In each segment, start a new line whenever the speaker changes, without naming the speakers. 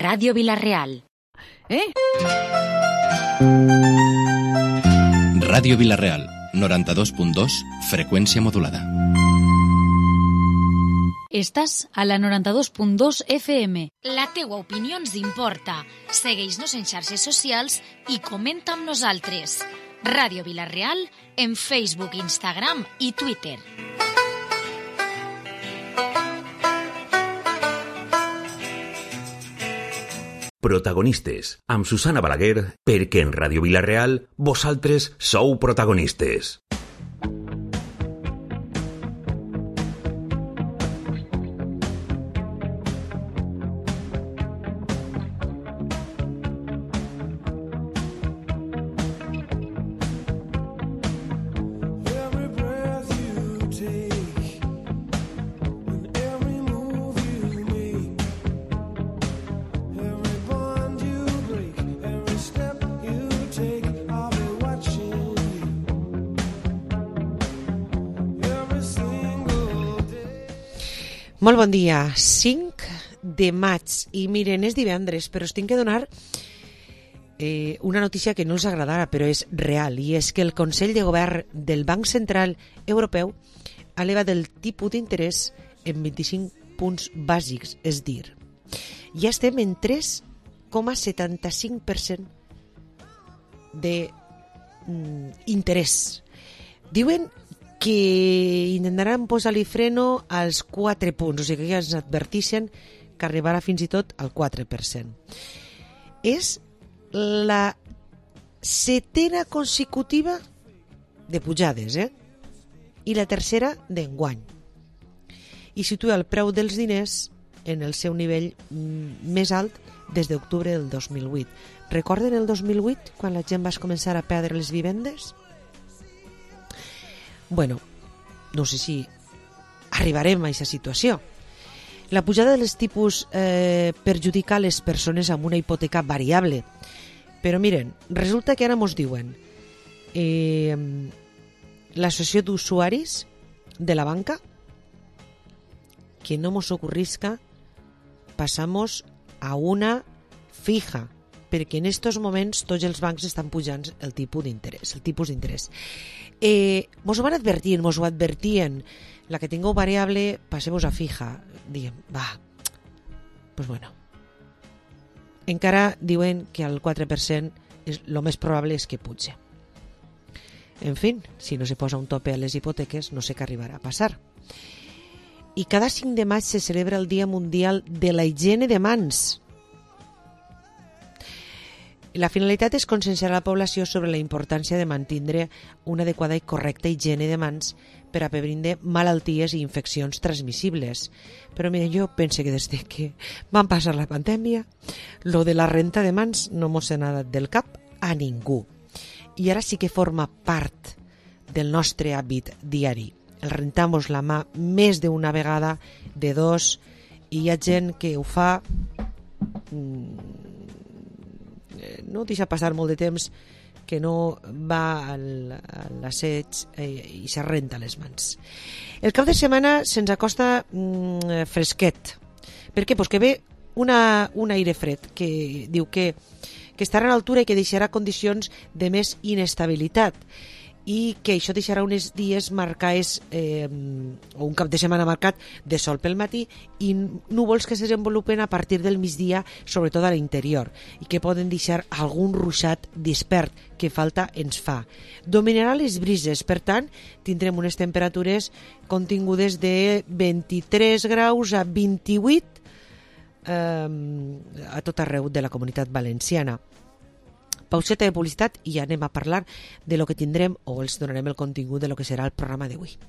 Ràdio Vila-real.
Ràdio Vila-real, 92.2, freqüència modulada.
Estàs a la 92.2 FM.
La teua opinió ens importa. Segueix-nos en xarxes socials i comenta amb nosaltres. Ràdio Vila-real en Facebook, Instagram i Twitter.
Protagonistes, amb Susana Balaguer, perquè en Ràdio Vila-real vosaltres sou protagonistes.
Molt bon dia, 5 de maig, i miren, és divendres, però us tinc que donar una notícia que no us agradarà, però és real, i és que el Consell de Govern del Banc Central Europeu ha elevat el tipus d'interès en 25 punts bàsics, és dir, ja estem en 3,75% d'interès. Diuen que intentaran posar-li freno als 4 punts, o sigui que ja ens adverteixen que arribarà fins i tot al 4%. És la 7ª consecutiva de pujades, i la 3ª d'enguany. I situa el preu dels diners en el seu nivell més alt des d'octubre del 2008. Recorden el 2008, quan la gent va començar a perdre les vivendes? Bueno, no sé si arribarem a aquesta situació. La pujada dels tipus perjudica les persones amb una hipoteca variable. Però miren, resulta que ara mos diuen l'associació d'usuaris de la banca que no mos ocurrisca passamos a una fija, perquè en estos moments tots els bancs estan pujant el tipus d'interès. Mos ho van advertir, mos ho advertien. La que tingueu variable, passeu-vos a fija. Diguem, pues bueno. Encara diuen que al 4% lo més probable és que puge. En fi, si no se posa un tope a les hipoteques, no sé què arribarà a passar. I cada 5 de maig se celebra el Dia Mundial de la Higiene de Mans. La finalitat és conscienciar la població sobre la importància de mantenir una adequada i correcta higiene de mans per a prevenir malalties i infeccions transmissibles. Però mira, jo penso que des que van passar la pandèmia, lo de la renta de mans no mos ha anat del cap a ningú. I ara sí que forma part del nostre hàbit diari. El rentamos la mà més d'una vegada, de dos, i hi ha gent que ho fa... no deixa passar molt de temps que no va a l'asseig i se renta les mans. El cap de setmana se'ns acosta fresquet. Per què? Pues que ve un aire fred que diu que estarà a l'altura i que deixarà condicions de més inestabilitat i que això deixarà uns dies marcats o un cap de setmana marcat de sol pel matí i núvols que se desenvolupen a partir del migdia, sobretot a l'interior, i que poden deixar algun ruixat dispert que falta ens fa. Dominarà les brises, per tant, tindrem unes temperatures contingudes de 23 graus a 28 a tot arreu de la Comunitat Valenciana. Pauseta de publicitat i anem a parlar de lo que tindrem o els donarem el contingut de lo que serà el programa d'avui.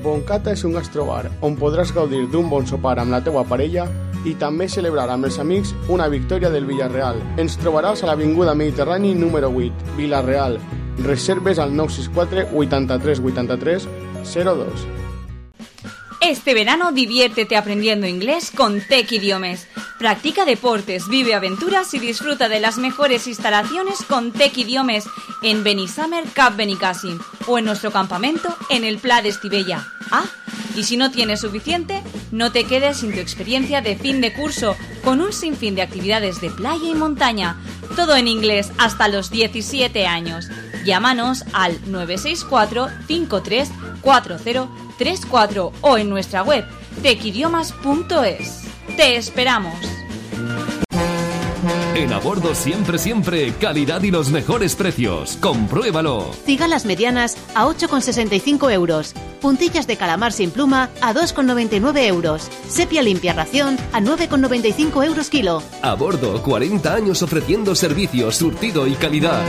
Boncata és un gastrobar on podràs gaudir d'un bon sopar amb la teua parella i també celebrar amb els amics una victòria del Villarreal. Ens trobaràs a l'Avinguda Mediterrani número 8, Vila-real. Reserves al 964 83 83 02.
Este verano diviértete aprendiendo inglés con Tech Idiomes. Practica deportes, vive aventuras y disfruta de las mejores instalaciones con Tec Idiomes en Benissamer Cap Benicàssim o en nuestro campamento en el Pla de Estivella. Y si no tienes suficiente, no te quedes sin tu experiencia de fin de curso con un sinfín de actividades de playa y montaña. Todo en inglés hasta los 17 años. Llámanos al 964 53 4034 o en nuestra web tecidiomas.es. ¡Te esperamos!
En A Bordo siempre, calidad y los mejores precios. ¡Compruébalo!
Cigalas medianas a 8,65 euros. Puntillas de calamar sin pluma a 2,99 euros. Sepia limpia ración a 9,95 euros kilo.
A Bordo, 40 años ofreciendo servicios, surtido y calidad.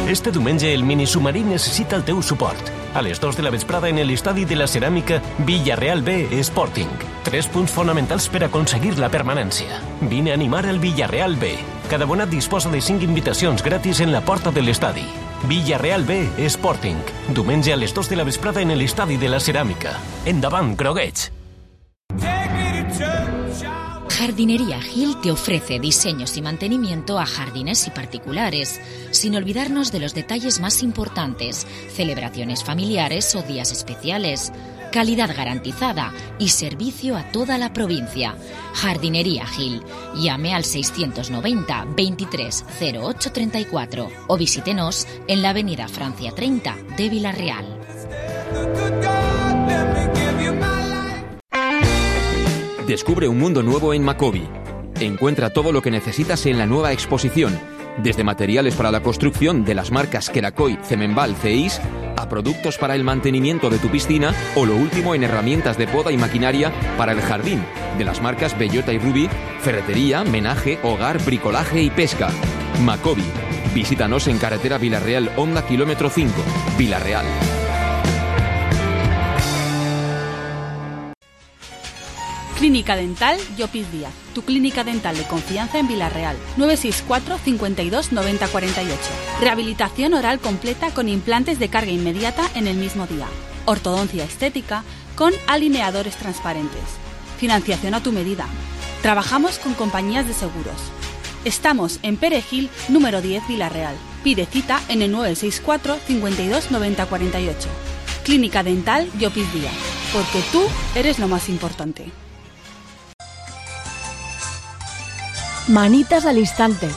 Este diumenge el minisubmarí necessita el teu suport. A les 2 de la vesprada en l'estadi de la ceràmica Villarreal B Sporting. 3 punts fonamentals per aconseguir la permanència. Vine a animar el Villarreal B. Cada abonat disposa de 5 invitacions gratis en la porta de l'estadi. Villarreal B Sporting. Diumenge a les 2 de la vesprada en l'estadi de la ceràmica. Endavant, grogueig!
Jardinería Gil te ofrece diseños y mantenimiento a jardines y particulares, sin olvidarnos de los detalles más importantes, celebraciones familiares o días especiales, calidad garantizada y servicio a toda la provincia. Jardinería Gil. Llame al 690 23 08 34 o visítenos en la avenida Francia 30 de Vila-real.
Descubre un mundo nuevo en Macobi. Encuentra todo lo que necesitas en la nueva exposición, desde materiales para la construcción de las marcas Kerakoy, Cemenbal, Ceis, a productos para el mantenimiento de tu piscina o lo último en herramientas de poda y maquinaria para el jardín, de las marcas Bellota y Ruby, ferretería, menaje, hogar, bricolaje y pesca. Macobi. Visítanos en carretera Vila-real, Honda kilómetro 5, Vila-real.
Clínica Dental Llopis Díaz, tu clínica dental de confianza en Vila-real. 964 52 90 48. Rehabilitación oral completa con implantes de carga inmediata en el mismo día. Ortodoncia estética con alineadores transparentes. Financiación a tu medida. Trabajamos con compañías de seguros. Estamos en Perejil, número 10, Vila-real. Pide cita en el 964 52 90 48. Clínica Dental Llopis Díaz, porque tú eres lo más importante.
Manitas al instante.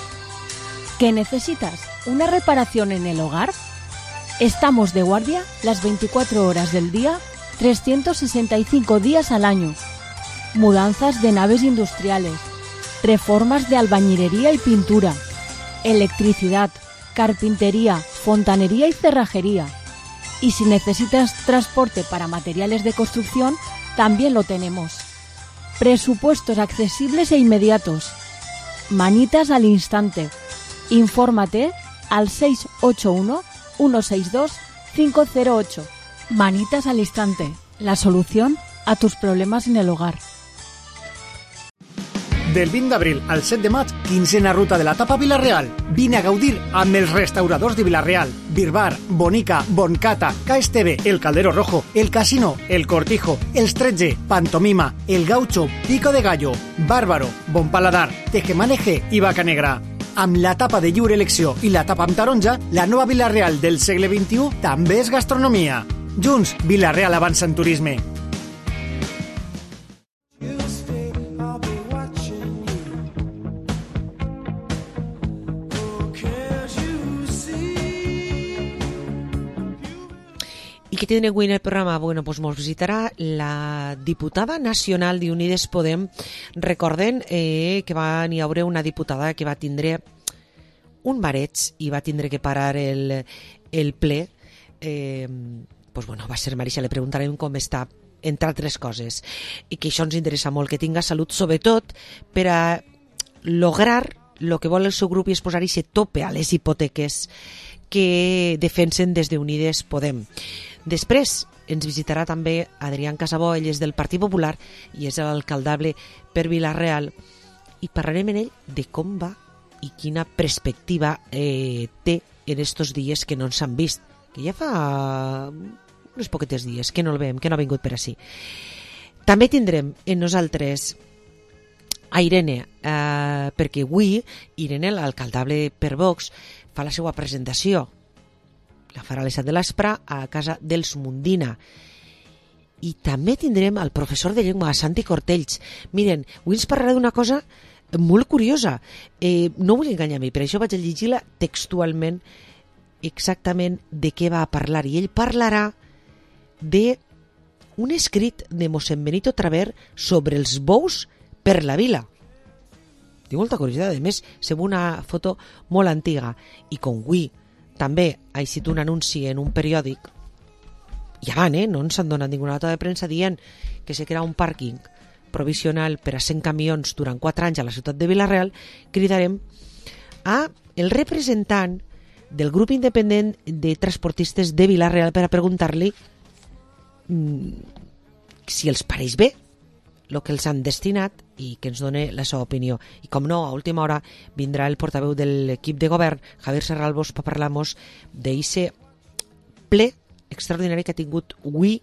¿Qué necesitas? ¿Una reparación en el hogar? Estamos de guardia las 24 horas del día, 365 días al año. Mudanzas de naves industriales, reformas de albañilería y pintura, electricidad, carpintería, fontanería y cerrajería. Y si necesitas transporte para materiales de construcción, también lo tenemos. Presupuestos accesibles e inmediatos. Manitas al instante. Infórmate al 681 162 508. Manitas al instante. La solución a tus problemas en el hogar.
Del 20 d'abril al 7 de maig, quinzena ruta de la Tapa Vila-real. Vine a gaudir amb els restauradors de Vila-real. Birbar, Bonica, Boncata, KSTV, El Caldero Rojo, El Casino, El Cortijo, Els 13, Pantomima, El Gaucho, Pico de Gallo, Bárbaro, Bon Paladar, Tejemaneje i Vaca Negra. Amb la tapa de lliure elecció i la tapa amb taronja, la nova Vila-real del segle XXI també és gastronomia. Junts, Vila-real avança en turisme.
¿Y qué tiene avui en el programa? Bueno, pues nos visitarà la diputada nacional d'Unides Podem. Recorden que hi haurà una diputada que va tindre un mareig i va tindre que parar el ple. Pues bueno, va ser Marisha, le preguntarem com està, entre altres coses. I que això ens interessa molt, que tinga salut, sobretot per a lograr el que vol el seu grup i és posar-hi tope a les hipoteques que defensen des d'Unides Podem. Després ens visitarà també Adrián Casabó, ell és del Partit Popular i és l'alcaldable per Vila-real, i parlarem amb ell de com va i quina perspectiva té en estos dies que no ens han vist, que ja fa uns poquetes dies que no el veiem, que no ha vingut per ací. També tindrem en nosaltres a Irene, perquè avui Irene, l'alcaldable per Vox, fa la seva presentació. La farà a les 7 de l'espre a casa dels Mundina. I també tindrem el professor de llengua, Santi Cortells. Miren, avui ens parlarà d'una cosa molt curiosa. No vull enganyar a mi, per això vaig a llegir-la textualment exactament de què va a parlar. I ell parlarà d'un escrit de mossèn Benito Traver sobre els bous per la vila. Tinc molta curiositat, a més, sembla una foto molt antiga. I com avui també ha eixit un anunci en un periòdic, ja van, no ens han donat ninguna nota de premsa dient que se crea un pàrquing provisional per a 100 camions durant 4 anys a la ciutat de Vila-real, cridarem a el representant del grup independent de transportistes de Vila-real per a preguntar-li si els pareix bé el que els han destinat i que ens doni la seva opinió. I com no, a última hora vindrà el portaveu de l'equip de govern, Javier Serralbos, per parlar-nos d'eixe ple extraordinari que ha tingut avui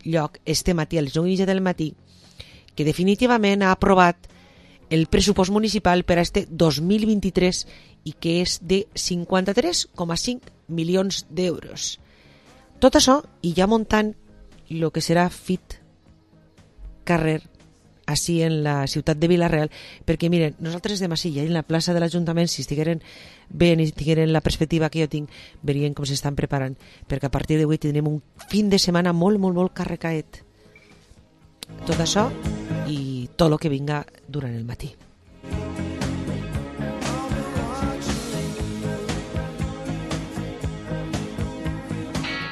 lloc este matí a les 9:30 del matí, que definitivament ha aprovat el pressupost municipal per a este 2023 i que és de 53,5 milions d'euros. Tot això i ja muntant el que serà FIT carrer així en la ciutat de Vila-real, perquè miren, nosaltres de Masilla en la plaça de l'Ajuntament, si estigueren bé i tingueren la perspectiva que jo tinc, verien com s'estan preparant, perquè a partir d'avui tindrem un fin de setmana molt, molt, molt carregaet. Tot això i tot el que vinga durant el matí.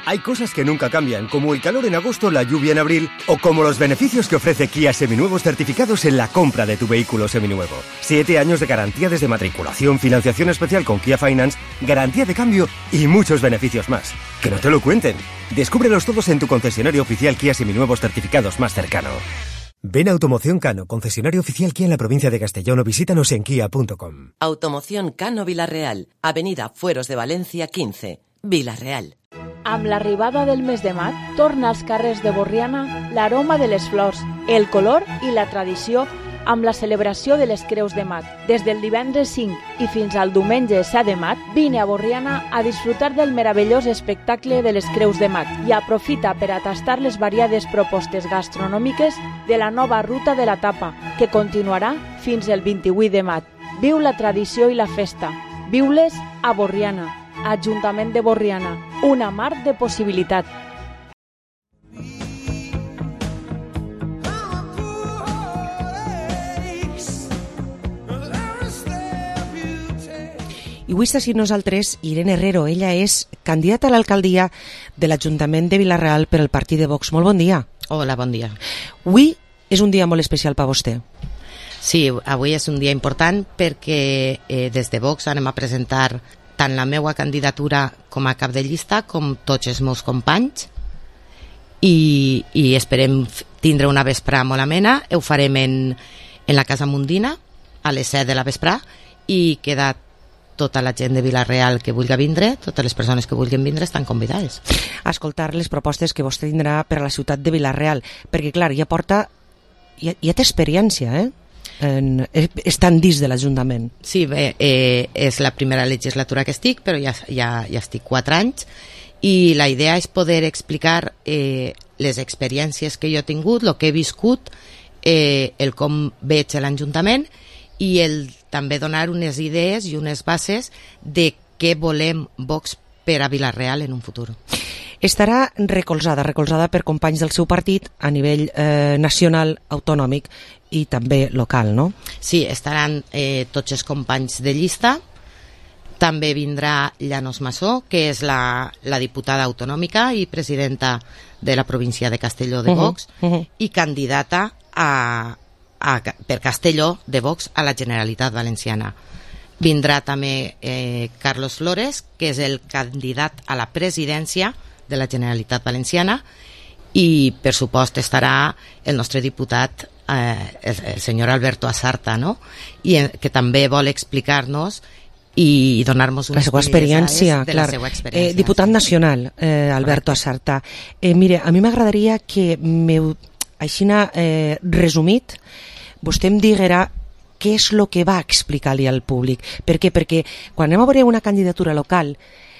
Hay cosas que nunca cambian, como el calor en agosto, la lluvia en abril, o como los beneficios que ofrece Kia Seminuevos certificados en la compra de tu vehículo seminuevo. 7 años de garantía desde matriculación, financiación especial con Kia Finance, garantía de cambio y muchos beneficios más. Que no te lo cuenten. Descúbrelos todos en tu concesionario oficial Kia Seminuevos certificados más cercano. Ven a Automoción Cano, concesionario oficial Kia en la provincia de Castellón, o visítanos en kia.com.
Automoción Cano Vila-real, Avenida Fueros de Valencia 15, Vila-real.
Amb l'arribada del mes de maig, torna als carrers de Borriana l'aroma de les flors, el color i la tradició amb la celebració de les Creus de Maig. Des del divendres 5 i fins al diumenge 7 de maig, vine a Borriana a disfrutar del meravellós espectacle de les Creus de Maig i aprofita per a tastar les variades propostes gastronòmiques de la nova ruta de la tapa, que continuarà fins el 28 de maig. Viu la tradició i la festa. Viu-les a Borriana. Ajuntament de Borriana, una mar de possibilitat.
I avui està així nosaltres Irene Herrero. Ella és candidata a l'alcaldia de l'Ajuntament de Vila-real per al partit de Vox. Molt bon dia.
Hola, bon dia.
Avui és un dia molt especial per a vostè.
Sí, avui és un dia important perquè des de Vox anem a presentar tant la meva candidatura com a cap de llista com tots els meus companys i esperem tindre una vesprà molt amena. Ho farem en la Casa Mundina a les 7 de la vesprà i queda tota la gent de Vila-real que vulgui vindre, totes les persones que vulguin vindre estan convidades.
A escoltar les propostes que vostè tindrà per a la ciutat de Vila-real, perquè clar, ja té experiència, estan dins de l'Ajuntament.
Sí, bé, és la primera legislatura que estic, però ja estic 4 anys i la idea és poder explicar les experiències que jo he tingut, el que he viscut, el com veig l'Ajuntament i també donar unes idees i unes bases de què volem Vox per a Vila-real en un futur.
Estarà recolzada per companys del seu partit a nivell nacional, autonòmic i també local, no?
Sí, estaran tots els companys de llista. També vindrà Llanos Massó, que és la diputada autonòmica i presidenta de la província de Castelló de Vox i candidata per Castelló de Vox a la Generalitat Valenciana. Vindrà també Carlos Flores, que és el candidat a la presidència de la Generalitat Valenciana, i per supost estarà el nostre diputat el senyor Alberto Asarta, no? Que també vol explicar-nos i donar-nos unes
experiència,
de la seva experiència.
Diputat nacional, Alberto Asarta. Mire, a mi m'agradaria que així resumit vostè em diguera què és el que va explicar-li al públic. Per què? Perquè quan anem a veure una candidatura local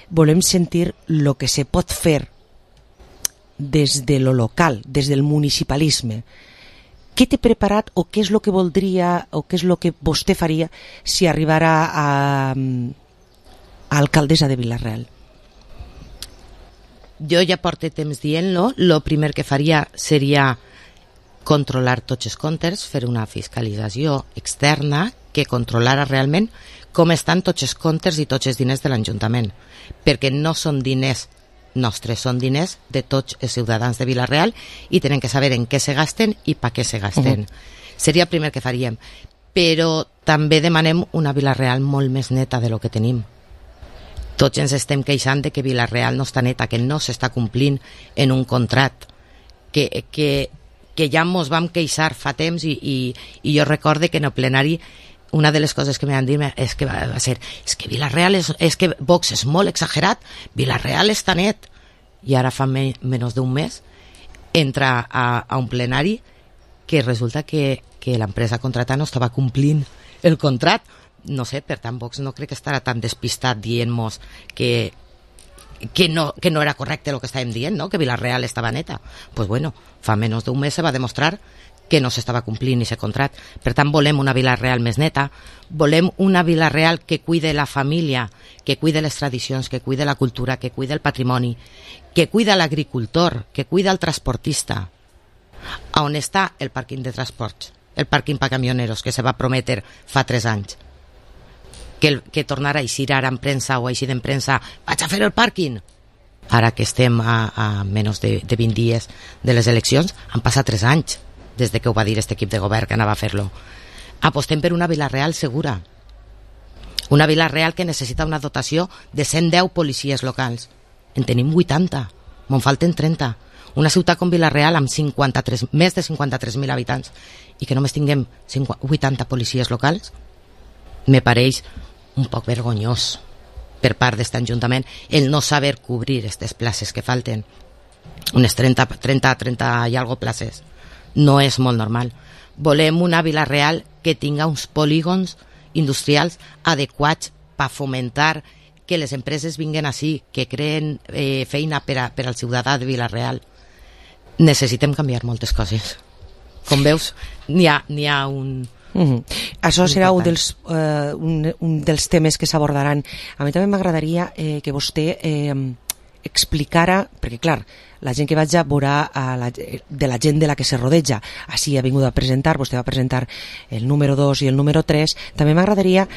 volem sentir el que se pot fer des de lo local, des del municipalisme. Què té preparat o què és el que voldria o què és el que vostè faria si arribara a alcaldessa de Vila-real?
Jo ja porto temps dient-lo. Lo primer que faria seria controlar tots els comptes, fer una fiscalització externa que controlara realment com estan tots els comptes i tots els diners de l'Ajuntament, perquè no són diners nostres, són diners de tots els ciutadans de Vila-real i tenen que saber en què se gasten i per què se gasten. Seria el primer que faríem. Però també demanem una Vila-real molt més neta de lo que tenim. Tots ens estem queixant de que Vila-real no està neta, que no s'està complint en un contracte, que ja mos vam queixar fa temps i jo recorde que en el plenari una de les coses que m'han dit és que va ser que Vila-real és que Vox és molt exagerat, Vila-real està net. I ara fa menys d'un mes entra a un plenari que resulta que l'empresa contratant no estava complint el contracte. No sé, per tant Vox no crec que estarà tan despistat dient-nos que no era correcte el que estàvem dient, no? Que Vila-real estava neta. Pues bueno, fa menys d'un mes se va demostrar que no s'estava complint aquest contracte. Per tant, volem una Vila-real més neta, volem una Vila-real que cuide la família, que cuide les tradicions, que cuide la cultura, que cuide el patrimoni, que cuida l'agricultor, que cuida el transportista. On està el pàrquing de transports, el pàrquing per camioneros, que se va prometre fa 3 anys? Que tornarà a eixir ara en premsa o a eixir en premsa, vaig a fer el pàrquing. Ara que estem a menys de 20 dies de les eleccions, han passat 3 anys des de que ho va dir aquest equip de govern que anava a fer-lo. Apostem per una Vila-real segura. Una Vila-real que necessita una dotació de 110 policies locals. En tenim 80, me'n falten 30. Una ciutat com Vila-real amb més de 53.000 habitants i que només tinguem 80 policies locals, me pareix un poc vergonyós per part d'aquest Ajuntament el no saber cobrir aquestes places que falten. Unes 30 i algo places. No és molt normal. Volem una Vila-real que tinga uns polígons industrials adequats per fomentar que les empreses vinguen així, que creen feina per al ciutadà de Vila-real. Necessitem canviar moltes coses. Com veus, n'hi ha un...
Això serà un dels temes que s'abordaran. A mi també m'agradaria que vostè explicara, perquè clar, la gent que vaig a veure de la gent de la que se rodeja, així ha vingut a presentar, vostè va presentar el número 2 i el número 3, també m'agradaria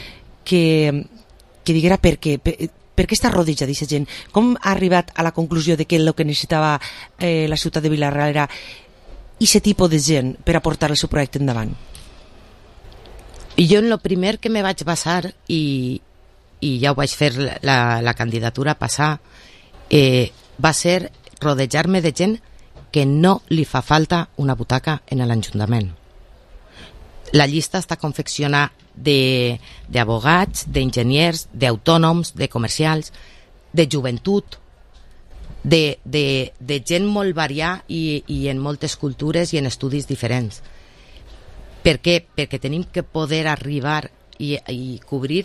que diguera per què està rodeja d'aquesta gent, com ha arribat a la conclusió de que el que necessitava la ciutat de Vila-real era aquest tipus de gent per a portar el seu projecte endavant.
Jo en el primer que me vaig basar i ja ho vaig fer la candidatura passar va ser rodejar-me de gent que no li fa falta una butaca en l'Ajuntament. La llista està confeccionada d'abogats, d'enginyers, d'autònoms, de comercials, de joventut, de gent molt variada i en moltes cultures i en estudis diferents. Per què? Perquè tenim que poder arribar i cobrir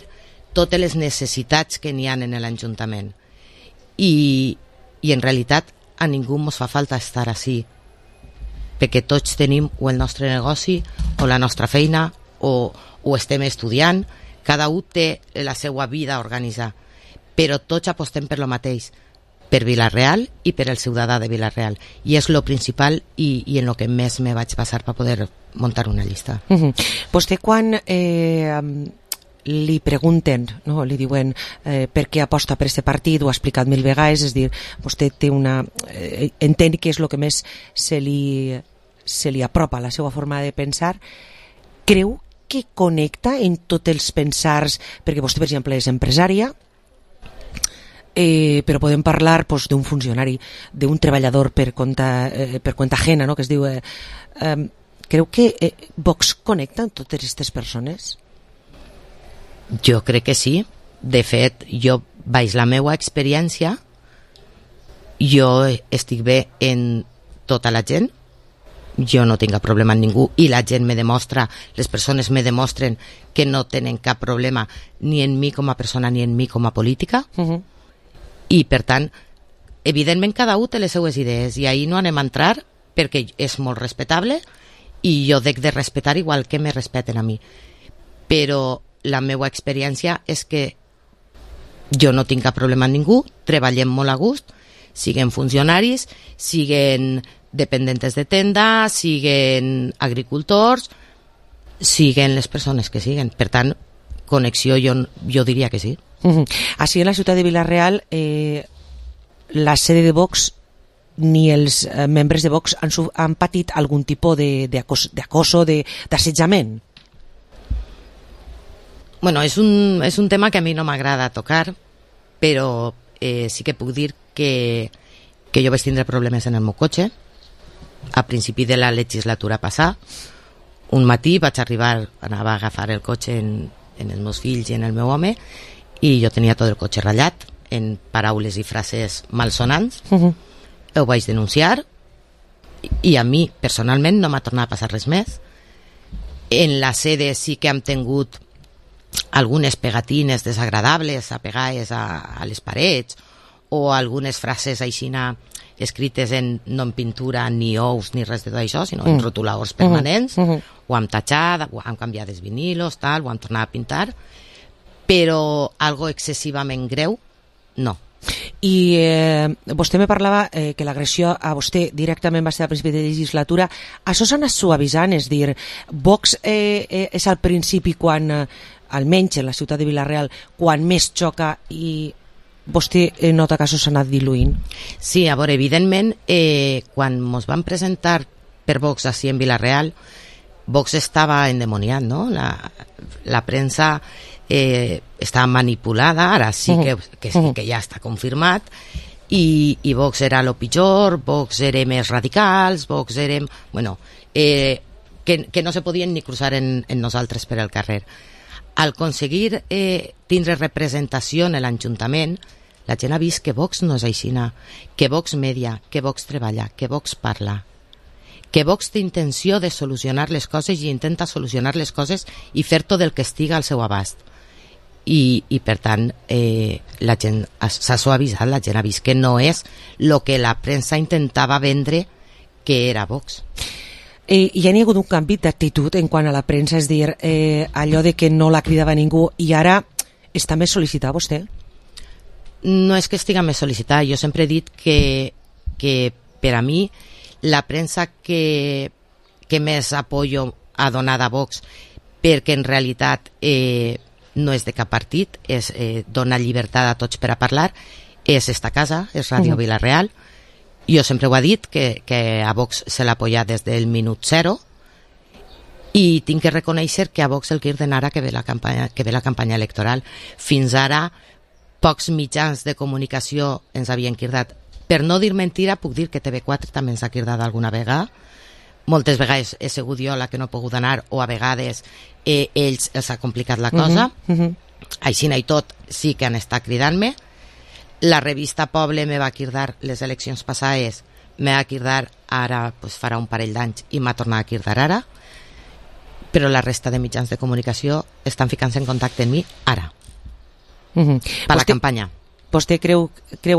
totes les necessitats que n'hi ha en l'Ajuntament. I en realitat a ningú ens fa falta estar així, perquè tots tenim o el nostre negoci o la nostra feina o estem estudiant, cada un té la seva vida a organitzar, però tots apostem per lo mateix, per Vila-real i per el ciutadà de Vila-real, i és lo principal i en lo que més me vaig passar per poder muntar una llista.
Vostè quan li pregunten, no? Li diuen per què aposta per aquest partit, ho ha explicat 1000 vegades, és dir, vostè té entén que és el que més se li apropa a la seva forma de pensar. Creu que connecta en tots els pensars, perquè vostè, per exemple, és empresària, però podem parlar d'un funcionari, d'un treballador per compte ajena, no? Que es diu... Creu que Vox connecta amb totes aquestes persones?
Jo crec que sí. De fet, jo, baix la meva experiència, jo estic bé en tota la gent, jo no tinc cap problema amb ningú i la gent me demostra, les persones me demostren que no tenen cap problema ni en mi com a persona ni en mi com a política. I per tant, evidentment cada un té les seues idees i ahir no anem a entrar perquè és molt respectable i jo dec de respetar igual que me respeten a mi, però la meva experiència és que jo no tinc cap problema amb ningú, treballem molt a gust, siguen funcionaris, siguen dependentes de tenda, siguen agricultors, siguen les persones que siguen. Per tant, connexió jo diria que sí.
Així en la ciutat de Vila-real, la sede de Vox ni els membres de Vox han patit algun tipus d'acoso, d'assetjament?
Bueno, és un tema que a mi no m'agrada tocar, però sí que puc dir que jo vaig tindre problemes en el meu cotxe a principi de la legislatura passada. Un matí vaig anava a agafar el cotxe en els meus fills i en el meu home i jo tenia tot el cotxe ratllat en paraules i frases malsonants. Ho vaig denunciar i a mi personalment no m'ha tornat a passar res més. En la sede sí que hem tingut algunes pegatines desagradables apegades a les parets o algunes frases aixina escrites no en pintura ni ous ni res de tot això, sinó en rotuladors permanents. Ho hem tatxat, ho hem canviat els vinilos, ho hem tornat a pintar, però algo excessivament greu, no.
I vostè me parlava que l'agressió a vostè directament va ser a principi de legislatura. Això s'ha anat suavitzant, és dir, Vox és al principi quan, almenys en la ciutat de Vila-real, quan més xoca i vostè nota que això s'ha anat diluint?
Sí, a veure, evidentment, quan ens van presentar per Vox així en Vila-real, Vox estava endemoniat, no? La premsa estava manipulada, ara sí que ja està confirmat, i Vox era lo pitjor, Vox era més radicals, Vox érem... Bueno, que no se podien ni cruzar en nosaltres per el carrer. Al aconseguir tindre representació en l'Ajuntament, la gent ha vist que Vox no és aixina, que Vox media, que Vox treballa, que Vox parla, que Vox té intenció de solucionar les coses i intenta solucionar les coses i fer tot el que estiga al seu abast. I per tant, la gent s'ha suavitzat, la gent ha vist que no és el que la premsa intentava vendre que era Vox.
Hi ha hagut un canvi d'actitud en quant a la premsa, és dir, allò de que no la cridava ningú i ara està més sol·licitada vostè?
No és que estiga més sol·licitada, jo sempre he dit que per a mi la premsa que més apoyo ha donat a Vox, perquè en realitat no és de cap partit, dona llibertat a tots per a parlar, és esta casa, és Ràdio Vila-real. Jo sempre ho he dit, que a Vox se l'ha apoyat des del minut zero i tinc que reconèixer que a Vox el criden ara que ve la campanya electoral. Fins ara, pocs mitjans de comunicació ens havien cridat. Per no dir mentira, puc dir que TV4 també ens ha cridat alguna vegada. Moltes vegades he sigut jo la que no he pogut anar o a vegades ells els ha complicat la cosa. Així i tot sí que han estat cridant-me. La revista Poble me va cridar les eleccions passades, me va cridar ara, pues, farà un parell d'anys i m'ha tornat a cridar ara, però la resta de mitjans de comunicació estan ficant-se en contacte amb mi ara, per la campanya.
Vostè creu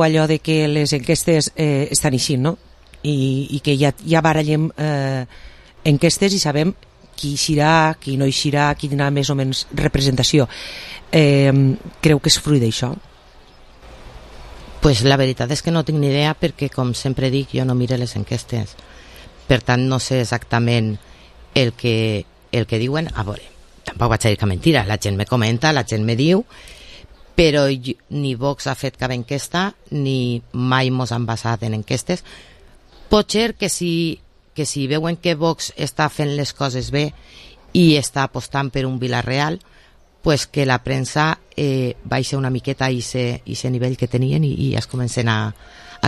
allò de que les enquestes estan així, no? I que ja barallem enquestes i sabem qui eixirà, qui no eixirà, qui tindrà més o menys representació. Creu que és fruit d'això?
Pues la veritat és que no tinc ni idea perquè, com sempre dic, jo no mire les enquestes. Per tant, no sé exactament el que diuen. A veure, tampoc vaig a dir que mentira. La gent me comenta, la gent me diu, però ni Vox ha fet cap enquesta, ni mai mos han basat en enquestes. Pot ser que si veuen que Vox està fent les coses bé i està apostant per un Vila-real, pues que la premsa baixa una miqueta a ese nivell que tenien i es comencen a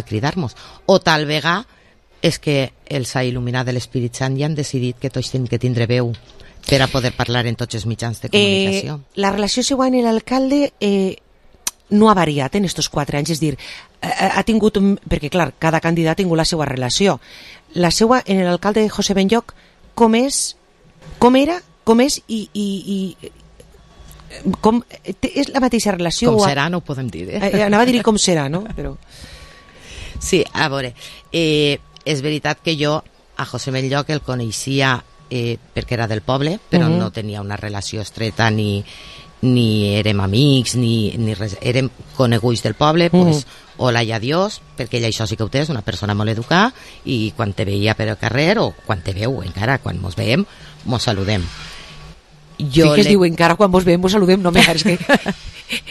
cridar-nos. O tal vegada és que els ha il·luminat de l'Espírit Sant i han decidit que tots tenen que tindre veu per a poder parlar en tots els mitjans de comunicació.
La relació següent amb l'alcalde no ha variat en estos 4 anys, és dir, ha tingut, perquè clar, cada candidat ha tingut la seva relació. La seva, en l'alcalde José Benlloch, com és i com, és la mateixa relació?
Com serà, no ho podem dir,
Anava a dir com serà, no? Però...
Sí, a veure, és veritat que jo a José Benlloch el coneixia perquè era del poble, però no tenia una relació estreta ni érem amics ni res, érem coneguts del poble, pues, hola i adiós, perquè ella això sí que ho té, és una persona molt educada, i quan te veia per el carrer, o quan te veu encara, quan mos veiem, mos saludem.
Sí que es diu encara quan vos veiem, vos saludem, no és que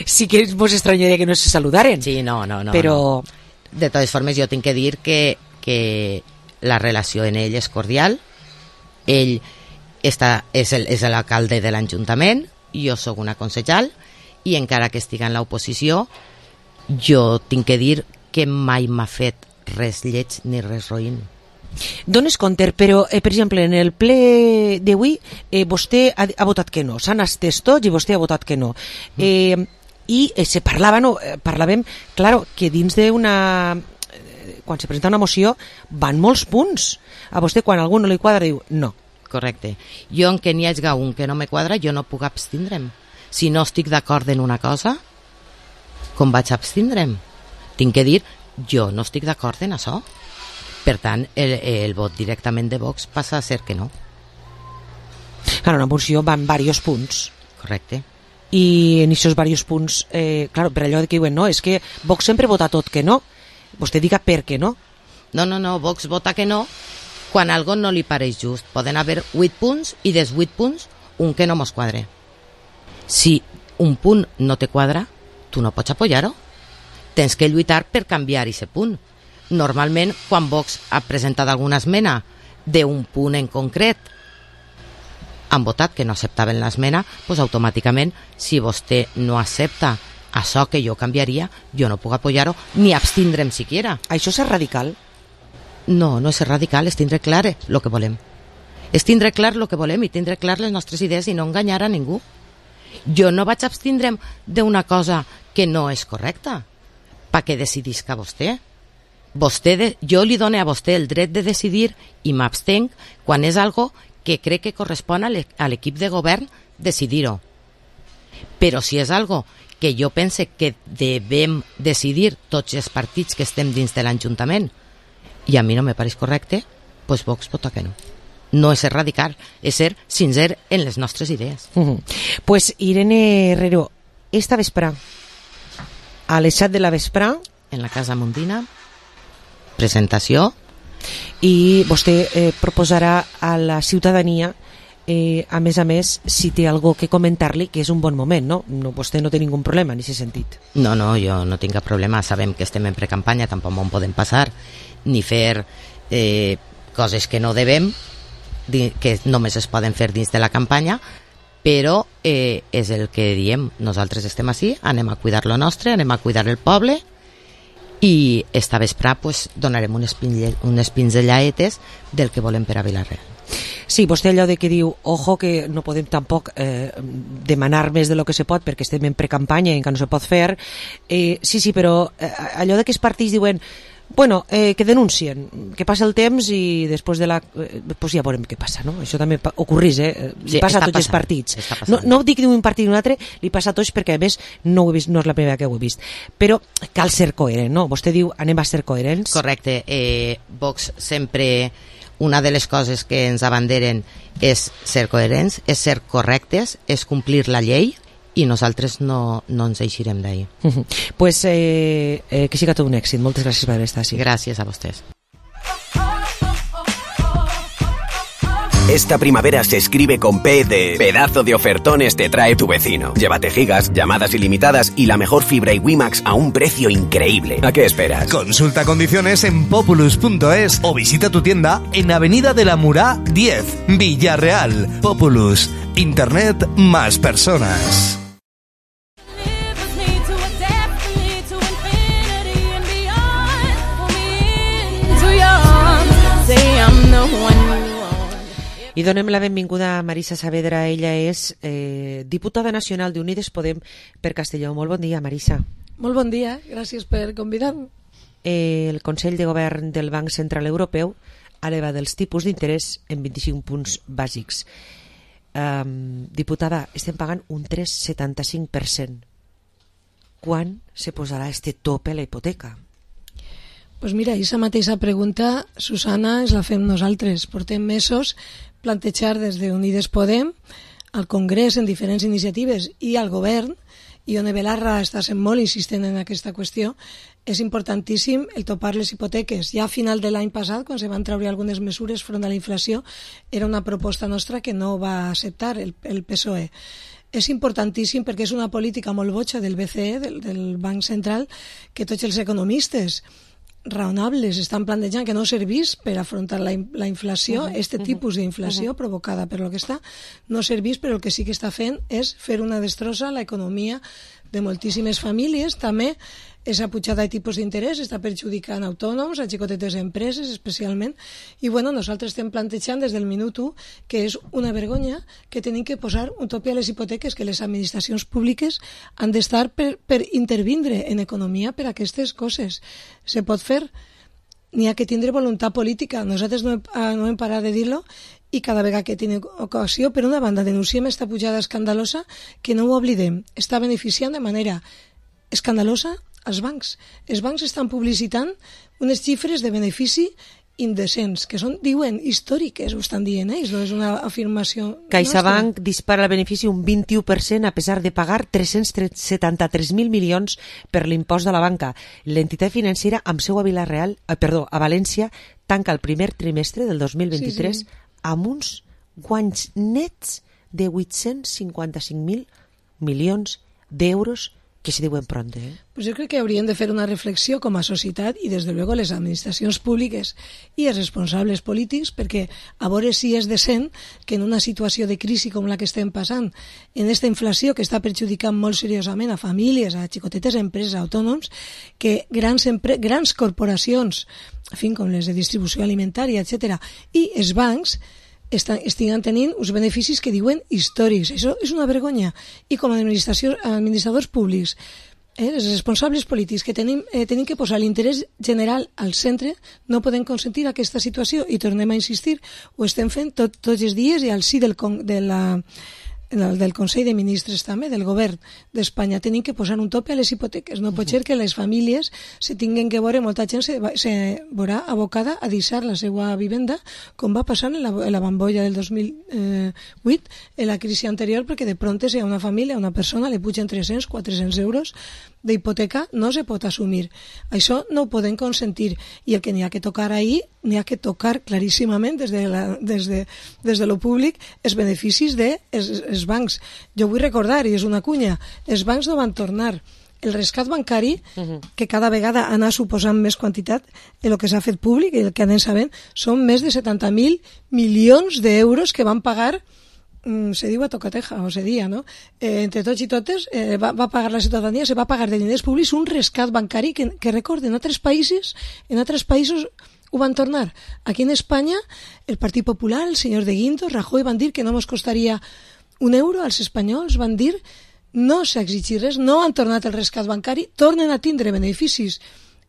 sí que vos estranyaria que no se saludaren.
Sí, no.
Però...
De totes formes, jo tinc que dir que la relació en ell és cordial. Ell és l'alcalde de l'Ajuntament, jo sóc una concejal, i encara que estigui en l'oposició, jo tinc que dir que mai m'ha fet res lleig ni res roïn.
Dones compte, però, per exemple, en el ple d'avui, vostè ha votat que no. S'han estès tots i vostè ha votat que no. I se parlàvem, claro, que dins d'una... Quan se presenta una moció, van molts punts. A vostè, quan algú no li quadra, diu no.
Correcte. Jo, en què n'hi hagi un que no me quadra, jo no puc abstindre'm. Si no estic d'acord en una cosa, com vaig abstindre'm? Tinc que dir, jo no estic d'acord en això. Per tant, el vot directament de Vox passa a ser que no.
Claro, una moció van diversos punts.
Correcte.
I en aquests diversos punts, claro, per allò que diuen, no, és que Vox sempre vota tot que no. Vostè diga per què no.
No, Vox vota que no quan algo no li pareix just. Poden haver 8 punts i dels 8 punts un que no mos quadre. Si un punt no te quadra, tu no pots apoyar-ho. Tens que lluitar per canviar aquest punt. Normalment, quan Vox ha presentat alguna esmena d'un punt en concret, han votat que no acceptaven l'esmena, doncs automàticament, si vostè no accepta això que jo canviaria, jo no puc apoyar-ho ni abstindre'm siquiera.
Això és radical?
No és radical, és tindre clar el que volem. És tindre clar el que volem i tindre clar les nostres idees i no enganyar a ningú. Jo no vaig abstindre'm d'una cosa que no és correcta, perquè decidisca vostè. Jo li dono a vostè el dret de decidir i m'abstenc quan és algo que crec que correspon a l'equip de govern decidir-ho. Però si és algo que jo pense que devem decidir tots els partits que estem dins de l'Ajuntament i a mi no me pareix correcte, doncs Vox vota que no. No és ser radical, és ser sincer en les nostres idees.
Pues Irene Herrero, esta vesprà, a les 7 de la vesprà,
en la Casa Mondina, presentació,
i vostè proposarà a la ciutadania, a més, si té algo que comentar-li, que és un bon moment, no? Vostè no té ningú problema en aquest sentit.
No, jo no tinc cap problema. Sabem que estem en precampanya, tampoc en podem passar, ni fer coses que no devem, que només es poden fer dins de la campanya, però és el que diem. Nosaltres estem així, anem a cuidar lo nostre, anem a cuidar el poble, i esta vesprà pues, donarem unes pinzelladetes del que volem per a Vila-real.
Sí, vostè allò de que diu, ojo, que no podem tampoc demanar més de lo que se pot perquè estem en precampanya i encara no se pot fer. Sí, però allò de que els partits diuen, bueno, que denuncien, que passa el temps i després pues ja veurem què passa, no? Això també ocorreix, li passa a tots els partits. No dic d'un partit ni un altre, li passa a tots perquè a més no ho he vist, no és la primera que ho he vist. Però cal ser coherent, no? Vostè diu, anem a ser coherents.
Correcte. Vox sempre... Una de les coses que ens abanderen és ser coherents, és ser correctes, és complir la llei i nosaltres no ens eixirem d'ahir.
Pues que siga tot un èxit. Moltes gràcies per estar així.
Gràcies a vostès.
Esta primavera se escribe con P de pedazo de ofertones te trae tu vecino. Llévate gigas, llamadas ilimitadas y la mejor fibra y WiMax a un precio increíble. ¿A qué esperas?
Consulta condiciones en populus.es o visita tu tienda en Avenida de la Murá 10, Villarreal. Populus. Internet más personas.
I donem la benvinguda a Marisa Saavedra. Ella és diputada nacional d'Unides Podem per Castelló. Molt bon dia, Marisa.
Molt bon dia, gràcies per convidar-me.
el Consell de Govern del Banc Central Europeu ha elevat els tipus d'interès en 25 punts bàsics. Diputada, estem pagant un 3,75%. Quan se posarà este tope a la hipoteca?
Pues mira, aquesta mateixa pregunta, Susana, ens la fem nosaltres. Portem mesos plantejar des d'Unides Podem al Congrés en diferents iniciatives i al govern, i Ione Belarra està sent molt insistent en aquesta qüestió. És importantíssim el topar les hipoteques. Ja a final de l'any passat, quan se van treure algunes mesures front a la inflació, era una proposta nostra que no va acceptar el PSOE. És importantíssim perquè és una política molt boja del BCE, del Banc Central, que tots els economistes raonables estan plantejant que no servís per afrontar la inflació, tipus d'inflació provocada per lo que està, no servís, però el que sí que està fent és fer una destrossa a l'economia de moltíssimes famílies. També aquesta pujada de tipus d'interès està perjudicant autònoms, a xicotetes empreses especialment, i nosaltres estem plantejant des del minut 1 que és una vergonya que tenim que posar un tope a les hipoteques, que les administracions públiques han d'estar per intervindre en economia per aquestes coses. Se pot fer, n'hi ha que tindre voluntat política. Nosaltres no hem parat de dir-lo, i cada vegada que tenim ocasió, per una banda, denunciem aquesta pujada escandalosa, que no ho oblidem, està beneficiant de manera escandalosa als bancs. Els bancs estan publicitant unes xifres de benefici indecents, que són, diuen, històriques, ho estan dient ells, no és una afirmació
CaixaBank dispara el benefici un 21% a pesar de pagar 373.000 milions per l'impost de la banca. L'entitat financera amb seu a a València tanca el primer trimestre del 2023 amb uns guanys nets de 855.000 milions d'euros, que se diuen pront,
Pues jo crec que hauríem de fer una reflexió com a societat i, des de luego, les administracions públiques i els responsables polítics, perquè a veure si és decent que en una situació de crisi com la que estem passant, en aquesta inflació que està perjudicant molt seriosament a famílies, a xicotetes empreses, a autònoms, que grans corporacions, en fi, com les de distribució alimentària, etc., i els bancs estiguen tenint uns beneficis que diuen històrics. Això és una vergonya. I com a administradors públics, els responsables polítics que tenim que posar l'interès general al centre, no podem consentir aquesta situació, i tornem a insistir, ho estem fent tots els dies, i al si del Consell de Ministres també, del govern d'Espanya. Tenim que posar un tope a les hipoteques. No pot ser que les famílies se tinguin que veure, molta gent se veurà abocada a deixar la seva vivenda, com va passar en la bombolla del 2008, en la crisi anterior, perquè de pronto si a una família, a una persona, li pugen 300, 400 euros d'hipoteca, no se pot assumir. Això no ho podem consentir, i el que n'hi ha que tocar ahir, n'hi ha que tocar claríssimament des de lo públic els beneficis dels bancs. Jo vull recordar, i és una cunya, els bancs no van tornar el rescat bancari, que cada vegada anar suposant més quantitat, el que s'ha fet públic i el que anem sabent, són més de 70.000 milions d'euros que van pagar, se diu a tocateja, o se dia, no? Entre tots i totes, va pagar la ciutadania, se va pagar de diners públics un rescat bancari que recorden, en altres països ho van tornar. Aquí en Espanya, el Partit Popular, el senyor de Guindos, Rajoy, van dir que no ens costaria €1 als espanyols, van dir no s'exigir res, no han tornat el rescat bancari, tornen a tindre beneficis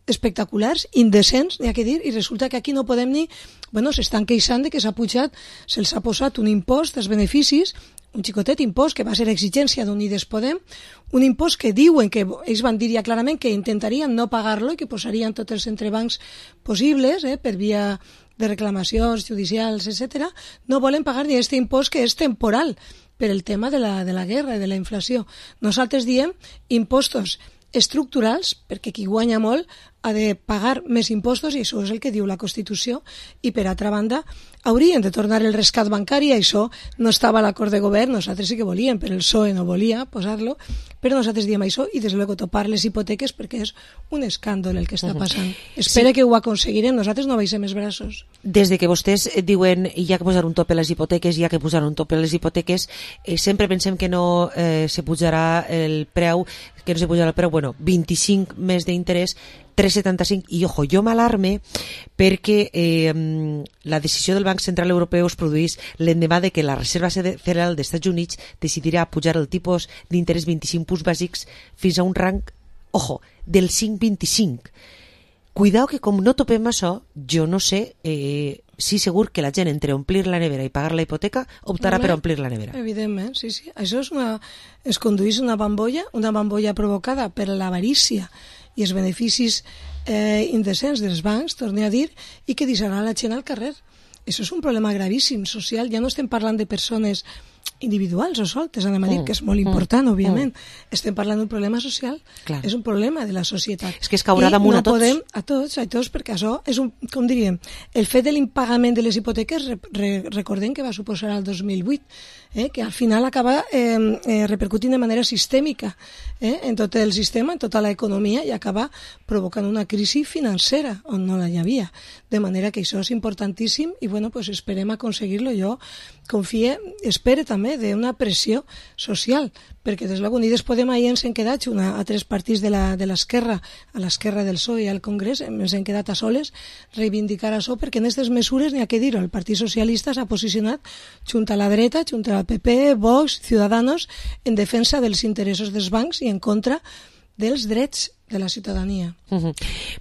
espectaculars, indecents, n'hi ha que dir, i resulta que aquí no podem ni... s'estan queixant de que se'ls ha posat un impost als beneficis, un xicotet impost que va ser exigència d'Unides Podem, un impost que diuen que ells van dir ja clarament que intentarien no pagar-lo i que posarien tots els entrebancs possibles, per via de reclamacions judicials, etc. No volen pagar ni aquest impost, que és temporal per el tema de la guerra i de la inflació. Nosaltres diem impostos estructurals, perquè qui guanya molt ha de pagar més impostos, i això és el que diu la Constitució, i per altra banda haurien de tornar el rescat bancari. Això no estava a l'acord de govern, nosaltres sí que volíem, però el PSOE no volia posar-lo, però nosaltres diem això, i des de luego topar les hipoteques, perquè és un escàndol el que està passant. Espera que ho aconseguirem, nosaltres no baixem els braços.
Des de que vostès diuen hi ha que posar un tope a les hipoteques, sempre pensem que no se pujarà el preu, 25 més d'interès, 3,75, i ojo, jo m'alarme perquè la decisió del Banc Central Europeu es produeix l'endemà de que la Reserva Federal dels Estats Units decidirà pujar el tipus d'interès 25 punts bàsics fins a un rang, ojo, del 5,25. Cuidao que com no topem això, jo no sé si segur que la gent entre omplir la nevera i pagar la hipoteca optarà per omplir la nevera.
Evidentment, sí. Això es condueix una bambolla provocada per l'avarícia i els beneficis indecents dels bancs, torno a dir, i que deixarà la gent al carrer. Això és un problema gravíssim social. Ja no estem parlant de persones individuals o soltes, anem a dir, que és molt important, òbviament. Estem parlant d'un problema social. Clar. És un problema de la societat.
És que es caurà damunt a tots.
I no podem, a tots, perquè això és com diríem, el fet de l'impagament de les hipoteques, recordem que va suposar el 2008, que al final acaba repercutint de manera sistèmica en tot el sistema, en tota l'economia, i acaba provocant una crisi financera on no la hi havia. De manera que això és importantíssim i bueno, pues esperem aconseguir-lo. Jo espero també d'una pressió social, perquè des de Unides Podem ahir ens hem quedat a tres partits de l'esquerra, a l'esquerra del PSOE i al Congrés, ens hem quedat a soles reivindicar això, perquè en aquestes mesures n'hi ha que dir-ho, el Partit Socialista s'ha posicionat junt a la dreta, junt al PP, Vox, Ciudadanos, en defensa dels interessos dels bancs i en contra dels drets de la ciutadania.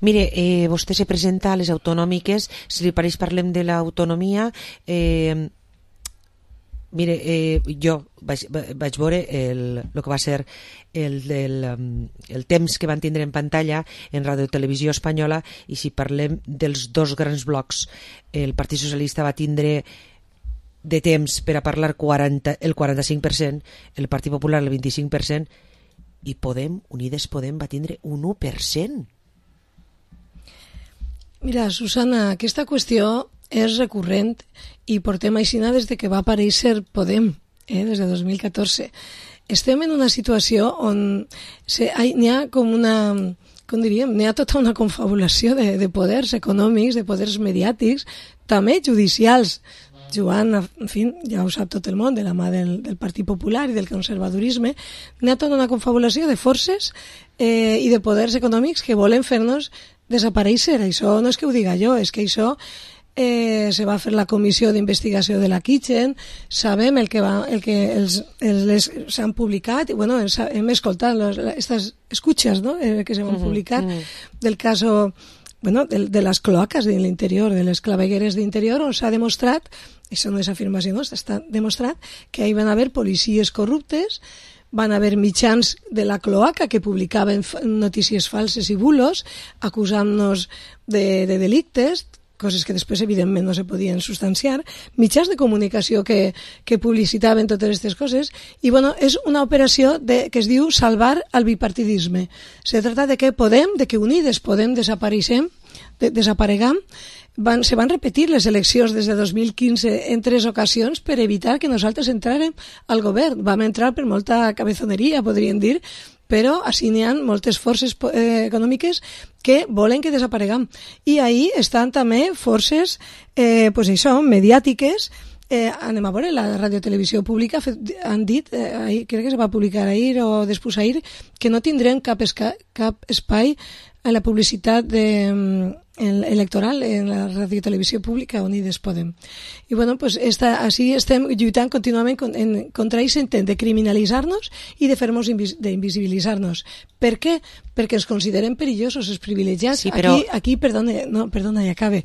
Mire, vostè se presenta a les autonòmiques, si li pareix parlem de l'autonomia. Mire, jo vaig veure el que va ser el temps que van tindre en pantalla en Radio Televisió Espanyola, i si parlem dels dos grans blocs, el Partit Socialista va tindre de temps per a parlar el 45%, el Partit Popular el 25%, i Unides Podem va tindre un 1%.
Mira, Susana, aquesta qüestió és recurrent i portem aixina des de que va aparèixer Podem, des de 2014. Estem en una situació on n'hi ha com una, com diríem, n'hi ha tota una confabulació de poders econòmics, de poders mediàtics, també judicials, jugant, en fi, ja ho sap tot el món, de la mà del Partit Popular i del conservadorisme. N'hi ha tota una confabulació de forces i de poders econòmics que volen fer-nos desaparèixer. Això no és que ho diga jo, és que això se va fer la comissió d'investigació de la Kitchen, sabem el que s'han publicat, i bueno, hem escoltat aquestes escuchas, ¿no?, que se van publicar del caso, bueno, de les cloaques de l'interior, de les clavegueres d'interior, on s'ha demostrat, això no és afirmació, no, està demostrat que hi van haver policies corruptes, van haver mitjans de la cloaca que publicaven notícies falses i bulos, acusant-nos de delictes, coses que després evidentment no se podien substanciar, mitjans de comunicació que publicitaven totes aquestes coses, i bueno, és una operació que es diu salvar el bipartidisme. Se trata de que Unides Podem desaparegam. Se van repetir les eleccions des de 2015 en 3 ocasions per evitar que nosaltres entrarem al govern. Vam entrar per molta cabezoneria, podríem dir, però així n'hi ha moltes forces econòmiques que volen que desaparegam. I ahí estan també forces mediàtiques. Anem a veure, la radiotelevisió pública han dit, crec que se va publicar ahir o després ahir, que no tindrem cap espai a la publicitat electoral en la radiotelevisió pública Unides Podem. I bueno, pues així estem lluitant contínuament contra aquest intent de criminalitzar-nos i de fer-nos d'invisibilitzar-nos. Per què? Perquè ens considerem perillosos, els privilegiats. Sí, però... Aquí, perdona, ja acabe.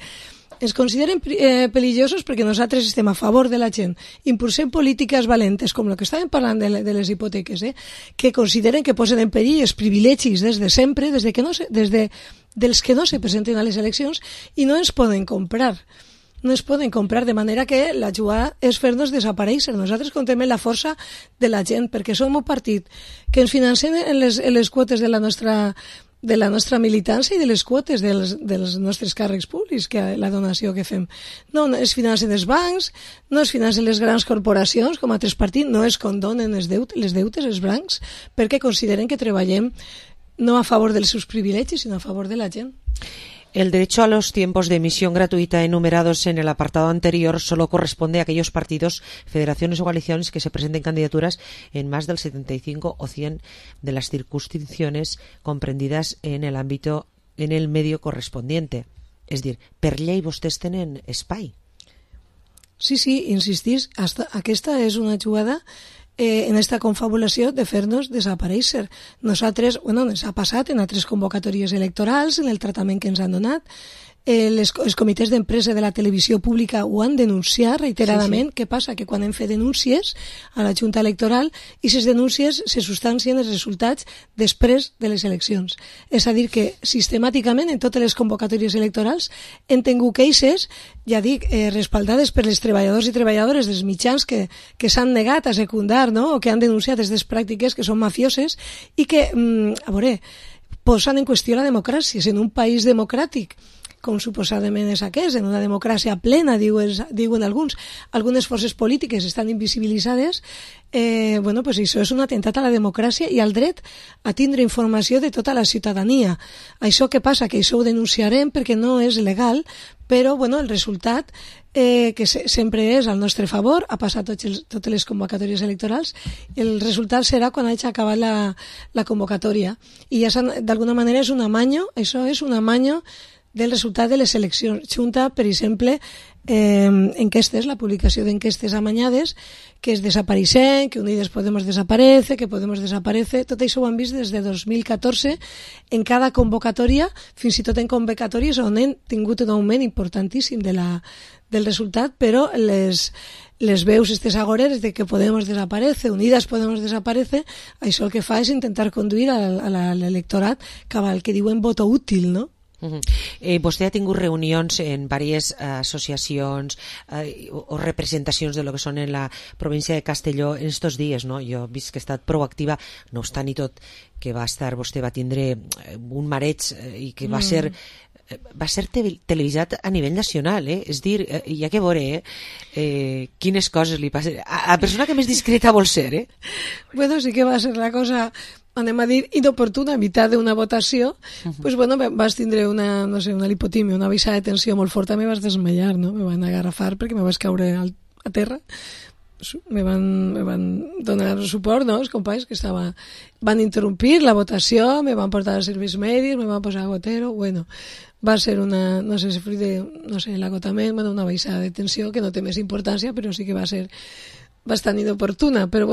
Ens consideren perillosos perquè nosaltres estem a favor de la gent, impulsem polítiques valentes, com el que estàvem parlant de les hipoteques, que consideren que posen en perill els privilegis des de sempre, dels que no se presenten a les eleccions, i no ens poden comprar. No es poden comprar, de manera que la jugada és fer-nos desaparèixer. Nosaltres contem la força de la gent, perquè som un partit que ens financem en les quotes de la nostra militància i de les quotes dels nostres càrrecs públics, que la donació que fem. No es financen els bancs, no es financen les grans corporacions, com altres partits, no es condonen les deutes, els bancs, perquè consideren que treballem no a favor dels seus privilegis, sinó a favor de la gent.
El derecho a los tiempos de emisión gratuita enumerados en el apartado anterior solo corresponde a aquellos partidos, federaciones o coaliciones que se presenten candidaturas en más del 75 o 100 de las circunscripciones comprendidas en el medio correspondiente. És dir, per llei vostès tenen espai.
Sí, insistís, aquesta és una jugada en esta confabulació de fer-nos desaparèixer. Nosaltres, ens ha passat en altres convocatòries electorals, en el tractament que ens han donat. Els comitès d'empresa de la televisió pública ho han denunciat reiteradament. Què passa? Que quan hem fet denúncies a la Junta Electoral, i aquestes denúncies se substancien els resultats després de les eleccions. És a dir, que sistemàticament en totes les convocatòries electorals hem tingut queixes, ja dic, respaldades per les treballadors i treballadores dels mitjans que s'han negat a secundar, no?, o que han denunciat aquestes pràctiques que són mafioses i que, posen en qüestió la democràcia. En un país democràtic, com suposadament és aquest, en una democràcia plena, diuen alguns, algunes forces polítiques estan invisibilitzades, pues això és un atemptat a la democràcia i al dret a tindre informació de tota la ciutadania. Això què passa? Que això ho denunciarem perquè no és legal, però el resultat, que sempre és al nostre favor, ha passat totes les convocatòries electorals, el resultat serà quan hagi acabat la convocatòria. I ja d'alguna manera és un amanyo, això és un amanyo del resultat de les eleccions. Junta, per exemple, enquestes, la publicació d'enquestes amanyades, que es desapareixen, que Unides Podemos desaparece, que Podemos desaparece, tot això ho han vist des de 2014 en cada convocatòria, fins i tot en convocatòries on hem tingut un augment importantíssim del resultat, però les veus aquestes agoreres de que Podemos desaparece, Unidas Podemos desaparece, això el que fa és intentar conduir a l'electorat cap al que diuen voto útil, no?
Vostè ha tingut reunions en diverses associacions o representacions de lo que són en la província de Castelló en estos dies, no? Jo he vist que ha estat proactiva, no obstant i tot, que vostè va tindre un mareig i que va ser televisat a nivell nacional, és dir, hi ha que veure quines coses li passen a la persona que més discreta vol ser.
Bueno, sí que va ser la cosa, anem a dir, inoportuna, a mitad d'una votació, pues vas tindre una lipotímia, una baixada de tensió molt forta, me vas desmaiar, no? Me van agarrafar perquè me vas caure a terra, me van donar suport, no?, els companys que van interrompir la votació, me van portar als serveis mèdics, me van posar gotero, va ser una, no sé si fruit de, l'agotament, una baixada de tensió que no té més importància, però sí que va ser bastant inoportuna, però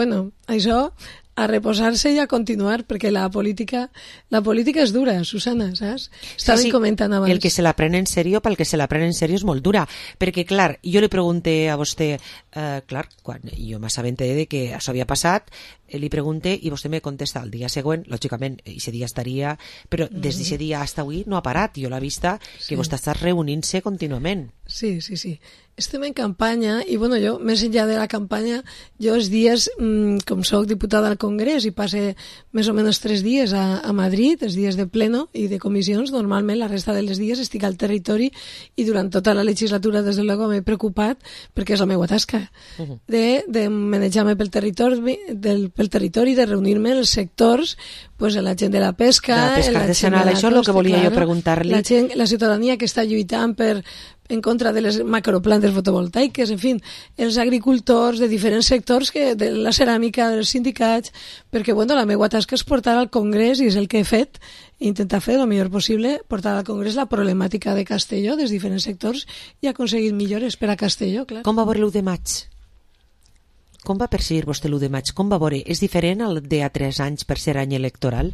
això a reposar-se i a continuar, perquè la política és dura, Susana, saps? Estaven comentant abans.
El que se la pren en sèrio, pel que se la pren en sèrio és molt dura, perquè, clar, jo li pregunté a vostè, quan jo m'assabenté de que això havia passat, li pregunté i vostè me contesta el dia següent, lògicament, aquest dia estaria, però des d'aquest dia fins avui no ha parat, jo l'he vista que vostè està reunint-se contínuament.
Sí. Estem en campanya i, jo, més enllà de la campanya, jo els dies, com soc diputada al Congrés i passe més o menys 3 dies a Madrid, els dies de pleno i de comissions, normalment la resta dels dies estic al territori i durant tota la legislatura, des de luego, m'he preocupat, perquè és la meva tasca, de manejar-me pel territori, de reunir-me en els sectors, pues, la gent de la pesca...
De la pesca artesanal, això és el que volia jo preguntar-li.
La ciutadania que està lluitant en contra de les macroplantes fotovoltaiques, en fi, els agricultors de diferents sectors, de la ceràmica, dels sindicats, perquè la meva tasca és portar al Congrés, i és el que he fet, intentar fer el millor possible, portar al Congrés la problemàtica de Castelló, dels diferents sectors, i aconseguir millores per a Castelló, clar.
Com va veure l'1 de maig? Com va percibir vostè l'1 de maig? Com va veure? És diferent al de a 3 anys per ser any electoral?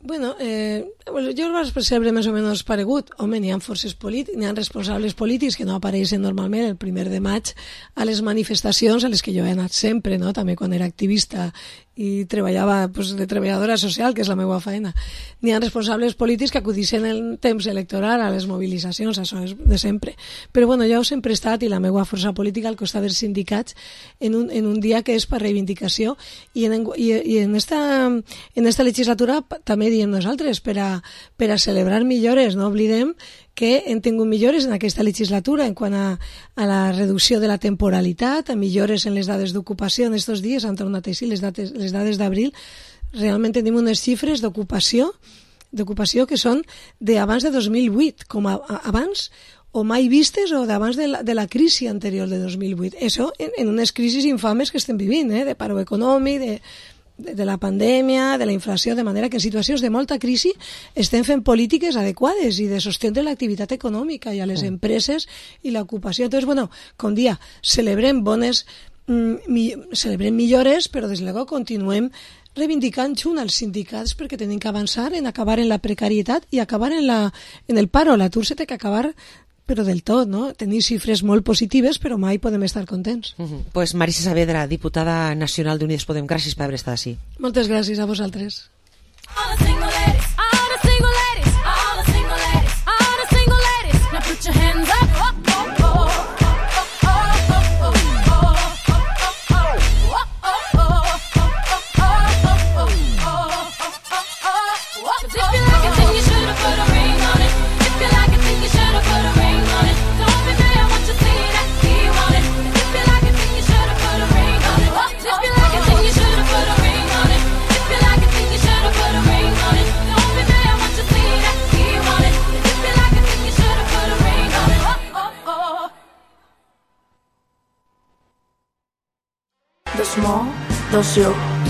Jo el vaig percebre més o menys paregut. Home, n'hi ha forces polítiques, n'hi ha responsables polítics que no apareixen normalment el 1 de maig a les manifestacions a les que jo he anat sempre, no? També quan era activista i treballava de treballadora social, que és la meva feina. N'hi ha responsables polítics que acudixen en temps electoral a les mobilitzacions, això és de sempre. Però jo sempre he estat, i la meva força política, al costat dels sindicats, en un dia que és per reivindicació, i en esta legislatura també diem nosaltres, per a celebrar millores. No oblidem que hem tingut millores en aquesta legislatura en quant a la reducció de la temporalitat, a millores en les dades d'ocupació. En aquests dies han tornat així les dades d'abril. Realment tenim unes xifres d'ocupació que són d'abans de 2008, com abans o mai vistes o d'abans de la crisi anterior de 2008. Això en unes crisis infames que estem vivint, de paro econòmic, de la pandèmia, de la inflació, de manera que en situacions de molta crisi estem fent polítiques adequades i de sostindre l'activitat econòmica i a les empreses i l'ocupació. Entonces, com dia, celebrem bones celebrem millores, però des de luego continuem reivindicant junt als sindicats perquè tenim que avançar en acabar en la precarietat i acabar en el paro. L'atur se té que acabar, però del tot, no? Tenim xifres molt positives, però mai podem estar contents.
Pues Marisa Saavedra, diputada nacional d'Unides Podem, gràcies per haver estat així.
Moltes gràcies a vosaltres.
Put your hands up.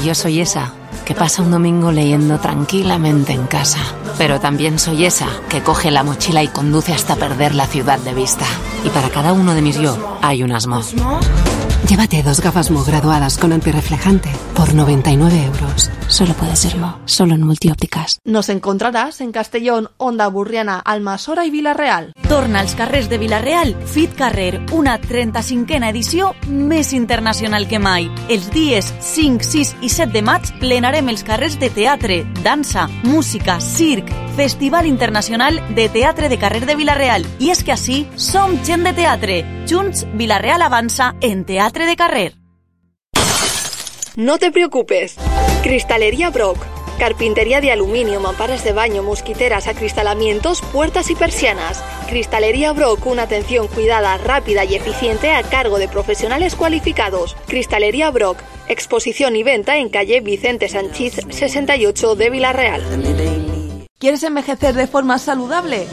Yo soy esa que pasa un domingo leyendo tranquilamente en casa, pero también soy esa que coge la mochila y conduce hasta perder la ciudad de vista. Y para cada uno de mis yo hay un Asmo. Llévate 2 gafas Mo graduadas con antirreflejante por 99 euros. Solo puede ser Mo, solo en Multiópticas.
Nos encontrarás en Castellón, Onda Burriana, Almassora i Vila-real.
Torna als carrers de Vila-real Fit Carrer, una 35a edició més internacional que mai. Els dies 5, 6 i 7 de maig plenarem els carrers de teatre, dansa, música, circ, Festival Internacional de Teatre de Carrer de Vila-real. I és que així som gent de teatre. Junts, Vila-real avança en teatre de carrer.
No te preocupes. Cristalería Brock. Carpintería de aluminio, mamparas de baño, mosquiteras, acristalamientos, puertas y persianas. Cristalería Brock, una atención cuidada, rápida y eficiente a cargo de profesionales cualificados. Cristalería Brock, exposición y venta en calle Vicente Sanchís 68 de Vila-real.
¿Quieres envejecer de forma saludable?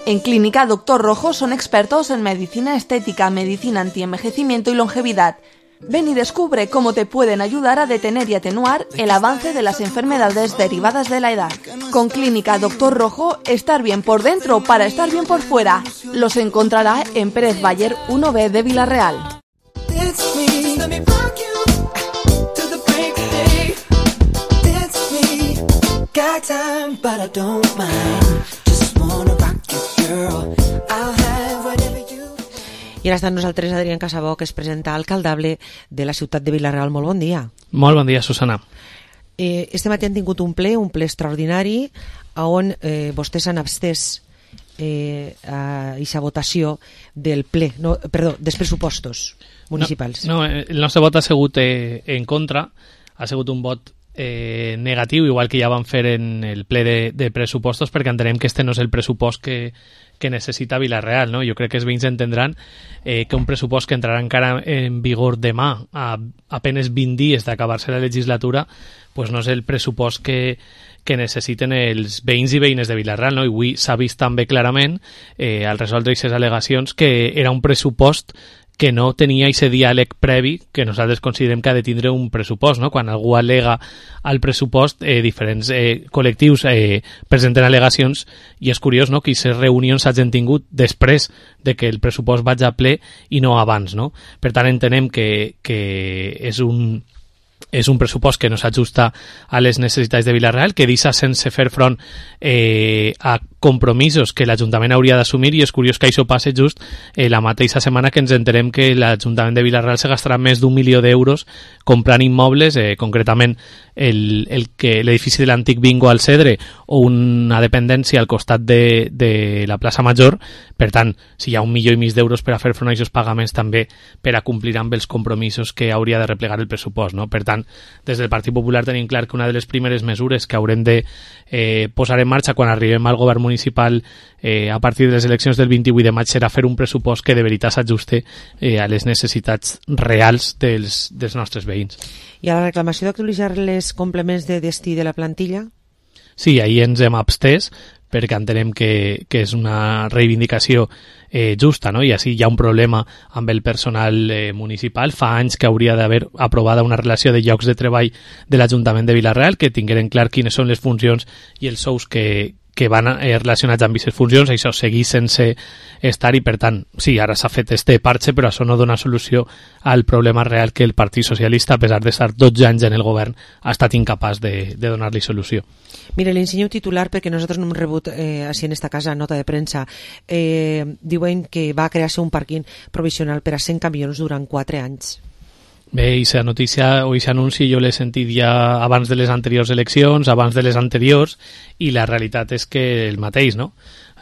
En Clínica Doctor Rojo son expertos en medicina estética, medicina antienvejecimiento y longevidad. Ven y descubre cómo te pueden ayudar a detener y atenuar el avance de las enfermedades derivadas de la edad. Con Clínica Doctor Rojo, estar bien por dentro para estar bien por fuera. Los encontrará en Pérez Bayer 1B de Vila-real.
I ara està amb nosaltres Adrián Casabó, que es presenta alcaldable de la ciutat de Vila-real. Molt bon dia.
Molt bon dia, Susana.
Este matí han tingut un ple extraordinari, on vostès han abstès a aquesta votació del ple, dels pressupostos municipals.
No, el nostre vot ha sigut en contra, ha sigut un vot negatiu, igual que ja van fer en el ple de pressupostos, perquè entenem que este no és el pressupost que necessita Vila-real, no? Jo crec que els veïns entendran que un pressupost que entrarà encara en vigor demà, a apenes 20 dies d'acabar-se la legislatura, pues no és el pressupost que necessiten els veïns i veïnes de Vila-real, no? I avui s'ha vist també clarament, al resoldre aquestes al·legacions, que era un pressupost que no tenia aquest diàleg previ que nosaltres considerem que ha de tindre un pressupost, no? Quan algú al·lega al pressupost, diferents col·lectius presenten al·legacions, i és curiós, no?, que aquestes reunions s'hagin tingut després de que el pressupost vagi a ple i no abans, no? Per tant, entenem que és un pressupost que no s'ajusta a les necessitats de Vila-real, que deixa sense fer front a compromisos que l'Ajuntament hauria d'assumir, i és curiós que això passe just la mateixa setmana que ens enterem que l'Ajuntament de Vila-real se gastarà més d'1 milió d'euros comprant immobles, concretament l'edifici de l'antic Bingo al Cedre o una dependència al costat de la plaça Major. Per tant, si hi ha 1,5 milió d'euros per a fer front a aquests pagaments, també per a complir amb els compromisos que hauria de replegar el pressupost, no? Per tant, des del Partit Popular tenim clar que una de les primeres mesures que haurem de posar en marxa quan arribem al govern municipal a partir de les eleccions del 28 de maig serà fer un pressupost que de veritat s'ajuste a les necessitats reals dels nostres veïns.
I a la reclamació d'actualitzar les complements de destí de la plantilla?
Sí, ahir ens hem abstès perquè entenem que és una reivindicació justa, no? I així hi ha un problema amb el personal municipal. Fa anys que hauria d'haver aprovada una relació de llocs de treball de l'Ajuntament de Vila-real, que tingueren clar quines són les funcions i els sous que que van relacionats amb aquestes funcions, això segueix sense estar i, per tant, sí, ara s'ha fet este parche, però això no dona solució al problema real que el Partit Socialista, a pesar d'estar 12 anys en el govern, ha estat incapaç de donar-li solució.
Mira, li ensenyo titular perquè nosaltres no hem rebut així en esta casa nota de premsa. Diuen que va crear-se un pàrquing provisional per a 100 camions durant 4 anys.
Bé, aquesta notícia o aquest anunci jo l'he sentit ja abans de les anteriors eleccions, abans de les anteriors, i la realitat és que el mateix, no?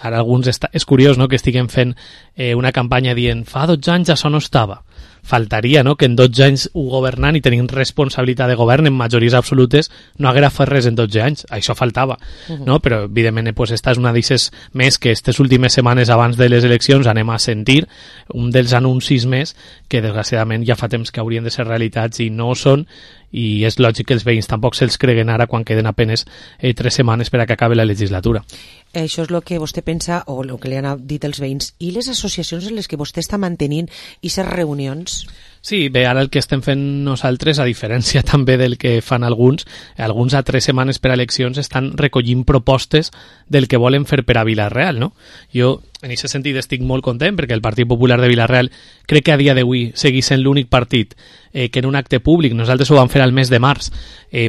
Ara alguns és curiós, no?, que estiguem fent una campanya dient fa 12 anys això no estava. Faltaria, no?, que en 12 anys governant i tenint responsabilitat de govern en majories absolutes no haguera fet res en 12 anys. Això faltava, no? Però evidentment pues, esta és una d'eixes més que aquestes últimes setmanes abans de les eleccions anem a sentir, un dels anuncis més que desgraciadament ja fa temps que haurien de ser realitats i no ho són, i és lògic que els veïns tampoc se'ls creguen ara quan queden apenes 3 setmanes per a que acabi la legislatura.
Això és el que vostè pensa o el que li han dit els veïns. I les associacions en les que vostè està mantenint aquestes reunions?
Sí, bé, ara el que estem fent nosaltres, a diferència també del que fan alguns a 3 setmanes per a eleccions estan recollint propostes del que volen fer per a Vila-real, no? Jo, en aquest sentit, estic molt content perquè el Partit Popular de Vila-real crec que a dia d'avui segueix sent l'únic partit que en un acte públic, nosaltres ho vam fer al mes de març,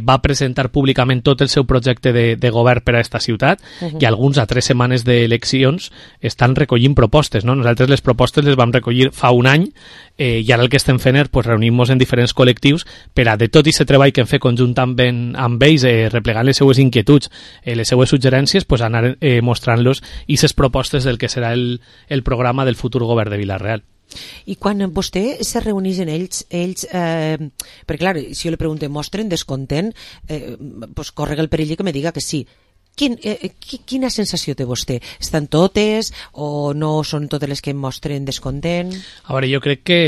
va presentar públicament tot el seu projecte de govern per a esta ciutat, i alguns a 3 setmanes d'eleccions estan recollint propostes, no? Nosaltres les propostes les vam recollir fa un any, i ara el que estem fent és pues, reunir-nos en diferents col·lectius per a de tot aquest treball que hem fet conjuntament amb ells, replegant les seues inquietuds, les seues suggerències, pues, anar mostrant-los aquestes propostes del que serà el programa del futur govern de Vila-real.
I quan vostè se reuneix en ells perquè clar, si jo li pregunto mostren descontent, pues corre el perill que me diga que sí. Quina sensació té vostè? Estan totes o no són totes les que mostren descontent?
A veure, jo crec que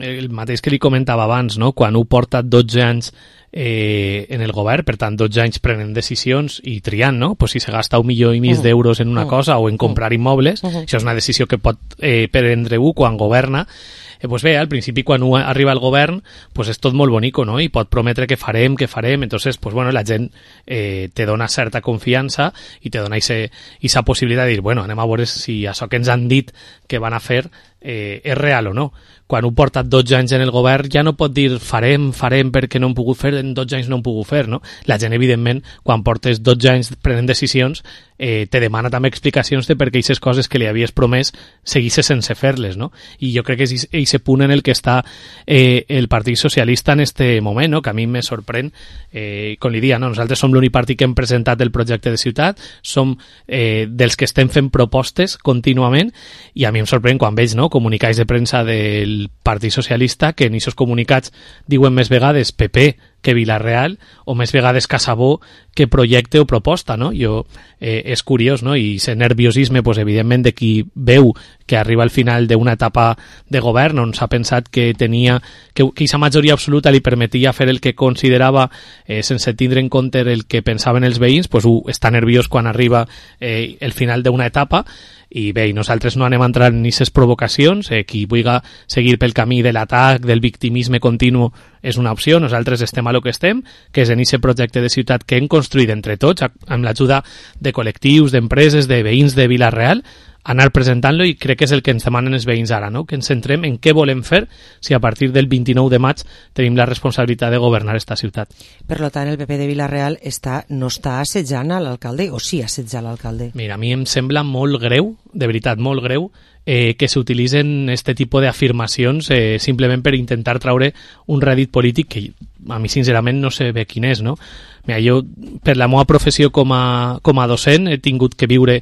el mateix que li comentava abans, no? Quan ho porta 12 anys en el govern, per tant 12 anys prenent decisions i triant, no? Pues si se gasta 1,5 milió d'euros en una cosa o en comprar immobles, això és una decisió que pot prendre quan governa. Pues bé, al principi quan arriba al govern pues és tot molt bonico, no? I pot prometre que farem, entonces pues bueno, la gent te dona certa confiança i te dona esa possibilitat de dir, bueno, anem a veure si això que ens han dit que van a fer és real o no. Quan ho porta 12 anys en el govern ja no pot dir farem perquè no hem pogut fer, en 12 anys no hem pogut fer, no? La gent, evidentment, quan portes 12 anys prenent decisions, te demana també explicacions de per què aquestes coses que li havies promès seguissis sense fer-les, no? I jo crec que és aquest punt en el que està el Partit Socialista en este moment, no? Que a mi me sorprèn, com li dia, no? Nosaltres som l'únic partit que hem presentat el projecte de ciutat, som dels que estem fent propostes contínuament, i a mi em sorprèn quan veig, no?, comunicats de premsa del Partit Socialista que en aquests comunicats diuen més vegades PP que Vila-real o més vegades Casabó que projecte o proposta, no? És curiós, no? I ese nerviosisme, pues, evidentment, de qui veu que arriba al final d'una etapa de govern on s'ha pensat que tenia que aquesta majoria absoluta li permetia fer el que considerava sense tindre en compte el que pensaven els veïns, pues, està nerviós quan arriba el final d'una etapa. I bé, nosaltres no anem a entrar en aquestes provocacions, qui vulgui seguir pel camí de l'atac, del victimisme continu, és una opció. Nosaltres estem a lo que estem, que és en aquest projecte de ciutat que hem construït entre tots, amb l'ajuda de col·lectius, d'empreses, de veïns de Vila-real, anar presentant-lo, i crec que és el que ens demanen els veïns ara, no? Que ens centrem en què volem fer si a partir del 29 de maig tenim la responsabilitat de governar esta ciutat.
Per tant, el PP de Vila-real no està assetjant a l'alcalde, o sí assetja l'alcalde?
Mira, a mi em sembla molt greu, de veritat, molt greu, que s'utilitzen este tipus d'afirmacions simplement per intentar traure un rèdit polític que a mi sincerament no sé bé quin és, no? Mira, jo per la meva professió com a docent he tingut que viure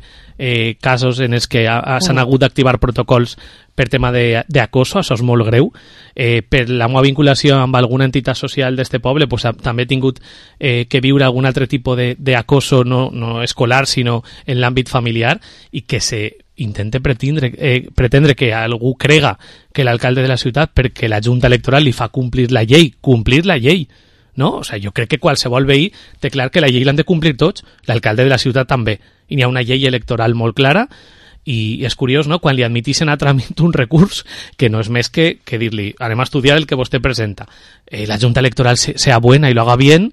casos en els que s'han hagut d'activar protocols per tema d'acoso, això és molt greu. Per la meva vinculació amb alguna entitat social d'este poble, pues, també he tingut que viure algun altre tipus d'acoso, no escolar, sinó en l'àmbit familiar, i que se intente pretendre que algú crega que l'alcalde de la ciutat, perquè la Junta Electoral li fa complir la llei, no? O sigui, jo crec que qualsevol veí té clar que la llei l'han de complir tots, l'alcalde de la ciutat també, i n'hi ha una llei electoral molt clara. I és curiós, no?, quan li admitixen a tràmit un recurs que no és més que dir-li anem a estudiar el que vostè presenta, la Junta Electoral sea buena y lo haga bien,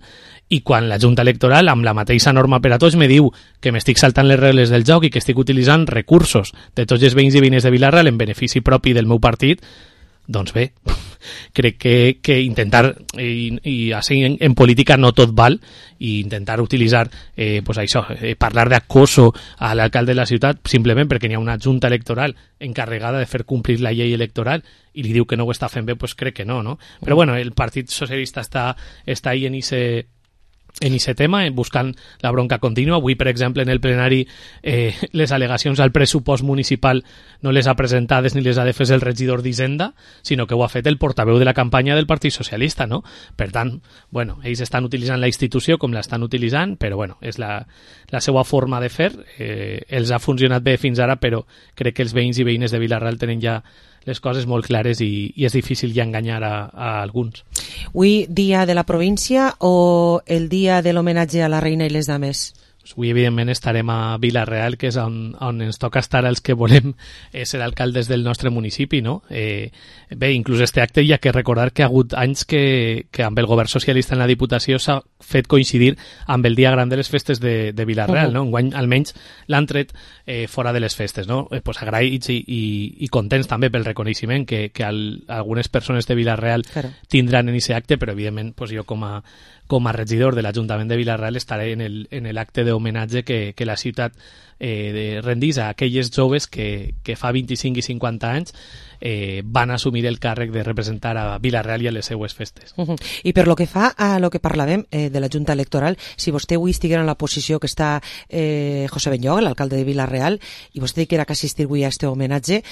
i quan la Junta Electoral, amb la mateixa norma per a tots, me diu que m'estic saltant les regles del joc i que estic utilitzant recursos de tots els veïns i veïnes de Vila-real en benefici propi del meu partit, doncs bé, crec que intentar, i així en política no tot val, i intentar utilitzar pues això, parlar d'acoso a l'alcalde de la ciutat simplement perquè n'hi ha una junta electoral encarregada de fer complir la llei electoral i li diu que no ho està fent bé, pues crec que no? Però bueno, el Partit Socialista està ahí en ese tema, buscant la bronca contínua. Avui, per exemple, en el plenari les al·legacions al pressupost municipal no les ha presentades ni les ha de fer el regidor d'Hisenda, sinó que ho ha fet el portaveu de la campanya del Partit Socialista, no? Per tant, bueno, ells estan utilitzant la institució com l'estan utilitzant, però bueno, és la seva forma de fer. Els ha funcionat bé fins ara, però crec que els veïns i veïnes de Vila-real tenen ja les coses molt clares i és difícil ja enganyar a alguns.
Avui, dia de la província o el dia de l'homenatge a la reina i les dames?
Avui, evidentment, estarem a Vila-real, que és on ens toca estar els que volem ser alcaldes del nostre municipi, no? Bé, inclús este acte hi ha que recordar que ha hagut anys que amb el govern socialista en la Diputació s'ha fet coincidir amb el dia gran de les festes de Vila-real, no? Enguany, almenys, l'han tret fora de les festes, no? Pues agraïts i contents també pel reconeixement que algunes persones de Vila-real tindran en aquest acte, però evidentment pues jo com a regidor de l'Ajuntament de Vila-real estaré en l'acte d'homenatge que la ciutat rendís a aquelles joves que fa 25 i 50 anys van assumir el càrrec de representar a Vila-real i a les seues festes.
I per lo que fa a lo que parlàvem de la Junta Electoral, si vostè avui estiguera en la posició que està José Benlloc, l'alcalde de Vila-real, i vostè dijera que assistir avui a este homenatge,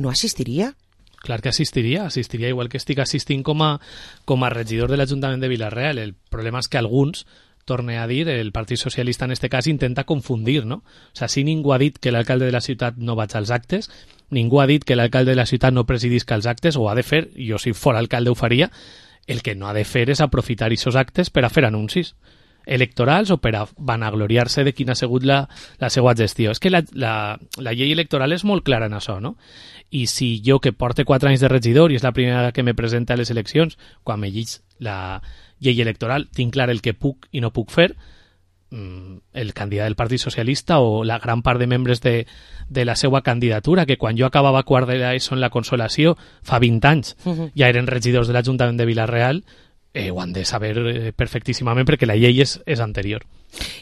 no assistiria?
Clar que assistiria igual que estic assistint com a regidor de l'Ajuntament de Vila-real. El problema és que alguns, torne a dir, el Partit Socialista en este cas intenta confundir, no? O sea, si ningú ha dit que l'alcalde de la ciutat no vaig als actes, ningú ha dit que l'alcalde de la ciutat no presidisca els actes, ho ha de fer, jo si fora alcalde ho faria, el que no ha de fer és aprofitar aquests actes per a fer anuncis electorals o per a vanagloriar-se de quina ha sigut la seva gestió. És que la llei electoral és molt clara en això, no? I si jo, que porte 4 anys de regidor i és la primera vegada que me presenta a les eleccions, quan me llig la llei electoral, tinc clar el que puc i no puc fer, el candidat del Partit Socialista o la gran part de membres de la seva candidatura, que quan jo acabava quart de l'ESO en la Consolació, fa 20 anys, ja eren regidors de l'Ajuntament de Vila-real, ho han de saber perfectíssimament perquè la llei és anterior.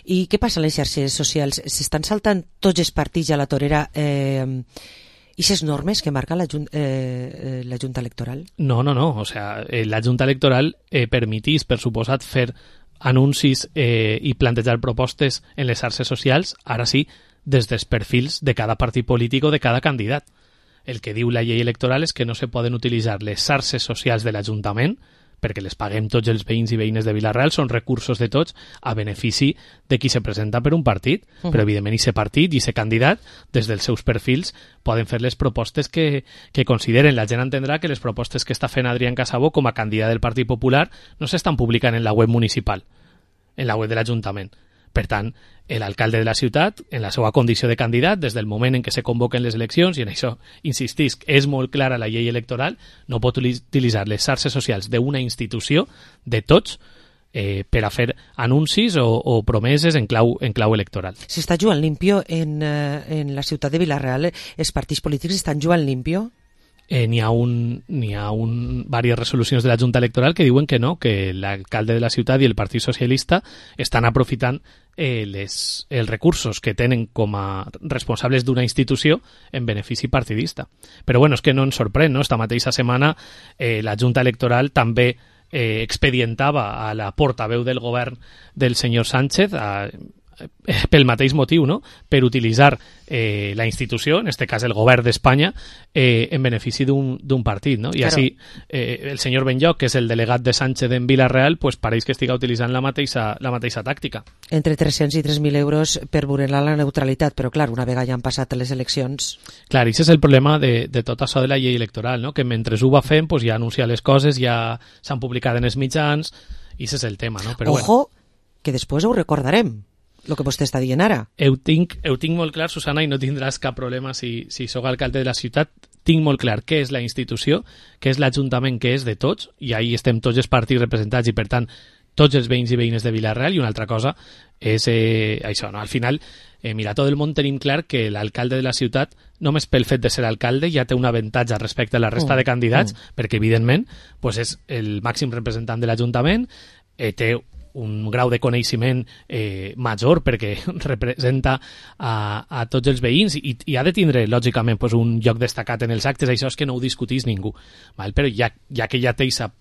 I què passa a les xarxes socials? S'estan saltant tots els partits a la torera i les normes que marca la Junta Electoral?
No. O sea, la Junta Electoral permetís, per suposat, fer anuncis i plantejar propostes en les xarxes socials, ara sí, des dels perfils de cada partit polític o de cada candidat. El que diu la llei electoral és que no se poden utilitzar les xarxes socials de l'Ajuntament perquè les paguem tots els veïns i veïnes de Vila-real, són recursos de tots a benefici de qui se presenta per un partit, però evidentment aquest partit i aquest candidat, des dels seus perfils, poden fer les propostes que consideren. La gent entendrà que les propostes que està fent Adrián Casabó com a candidat del Partit Popular no s'estan publicant en la web municipal, en la web de l'Ajuntament. Per tant, l'alcalde de la ciutat, en la seva condició de candidat, des del moment en què se convoquen les eleccions, i en això, insistisc, és molt clara la llei electoral, no pot utilitzar les xarxes socials d'una institució, de tots, per a fer anuncis o promeses en clau electoral.
S'està jugant limpio en la ciutat de Vila-real? Els partits polítics estan jugant limpio?
N'hi ha diverses resolucions de la Junta Electoral que diuen que no, que l'alcalde de la ciutat i el Partit Socialista estan aprofitant els recursos que tenen com a responsables d'una institució en benefici partidista. Però bueno, és que no ens sorprèn, no? Esta mateixa setmana la Junta Electoral també expedientava a la portaveu del govern del senyor Sánchez pel mateix motiu, no? Per utilitzar la institució, en este cas el govern d'Espanya, en benefici d'un partit, no? I així el senyor Benlloc, que és el delegat de Sánchez en Vila-real, pues pareix que estiga utilitzant la mateixa tàctica.
Entre 300 i 3.000 euros per vulnerar la neutralitat, però clar, una vegada ja han passat les eleccions...
Clar, i això és el problema de tot això de la llei electoral, no? Que mentre ho va fent, pues ja anuncia les coses, ja s'han publicat en els mitjans, i això és el tema, no? Però
ojo, que després ho recordarem. El que vostè està dient ara.
Ho tinc molt clar, Susana, i no tindràs cap problema si sóc alcalde de la ciutat. Tinc molt clar què és la institució, què és l'Ajuntament, que és de tots, i ahí estem tots els partits representats, i per tant tots els veïns i veïnes de Vila-real, i una altra cosa és això, no? Al final, mira, tot el món tenim clar que l'alcalde de la ciutat, només pel fet de ser alcalde, ja té un avantatge respecte a la resta de candidats, perquè evidentment pues és el màxim representant de l'Ajuntament, té un grau de coneixement major perquè representa a tots els veïns i ha de tindre, lògicament, pues, un lloc destacat en els actes. Això és que no ho discutís ningú, val? Però ja que ja té aquesta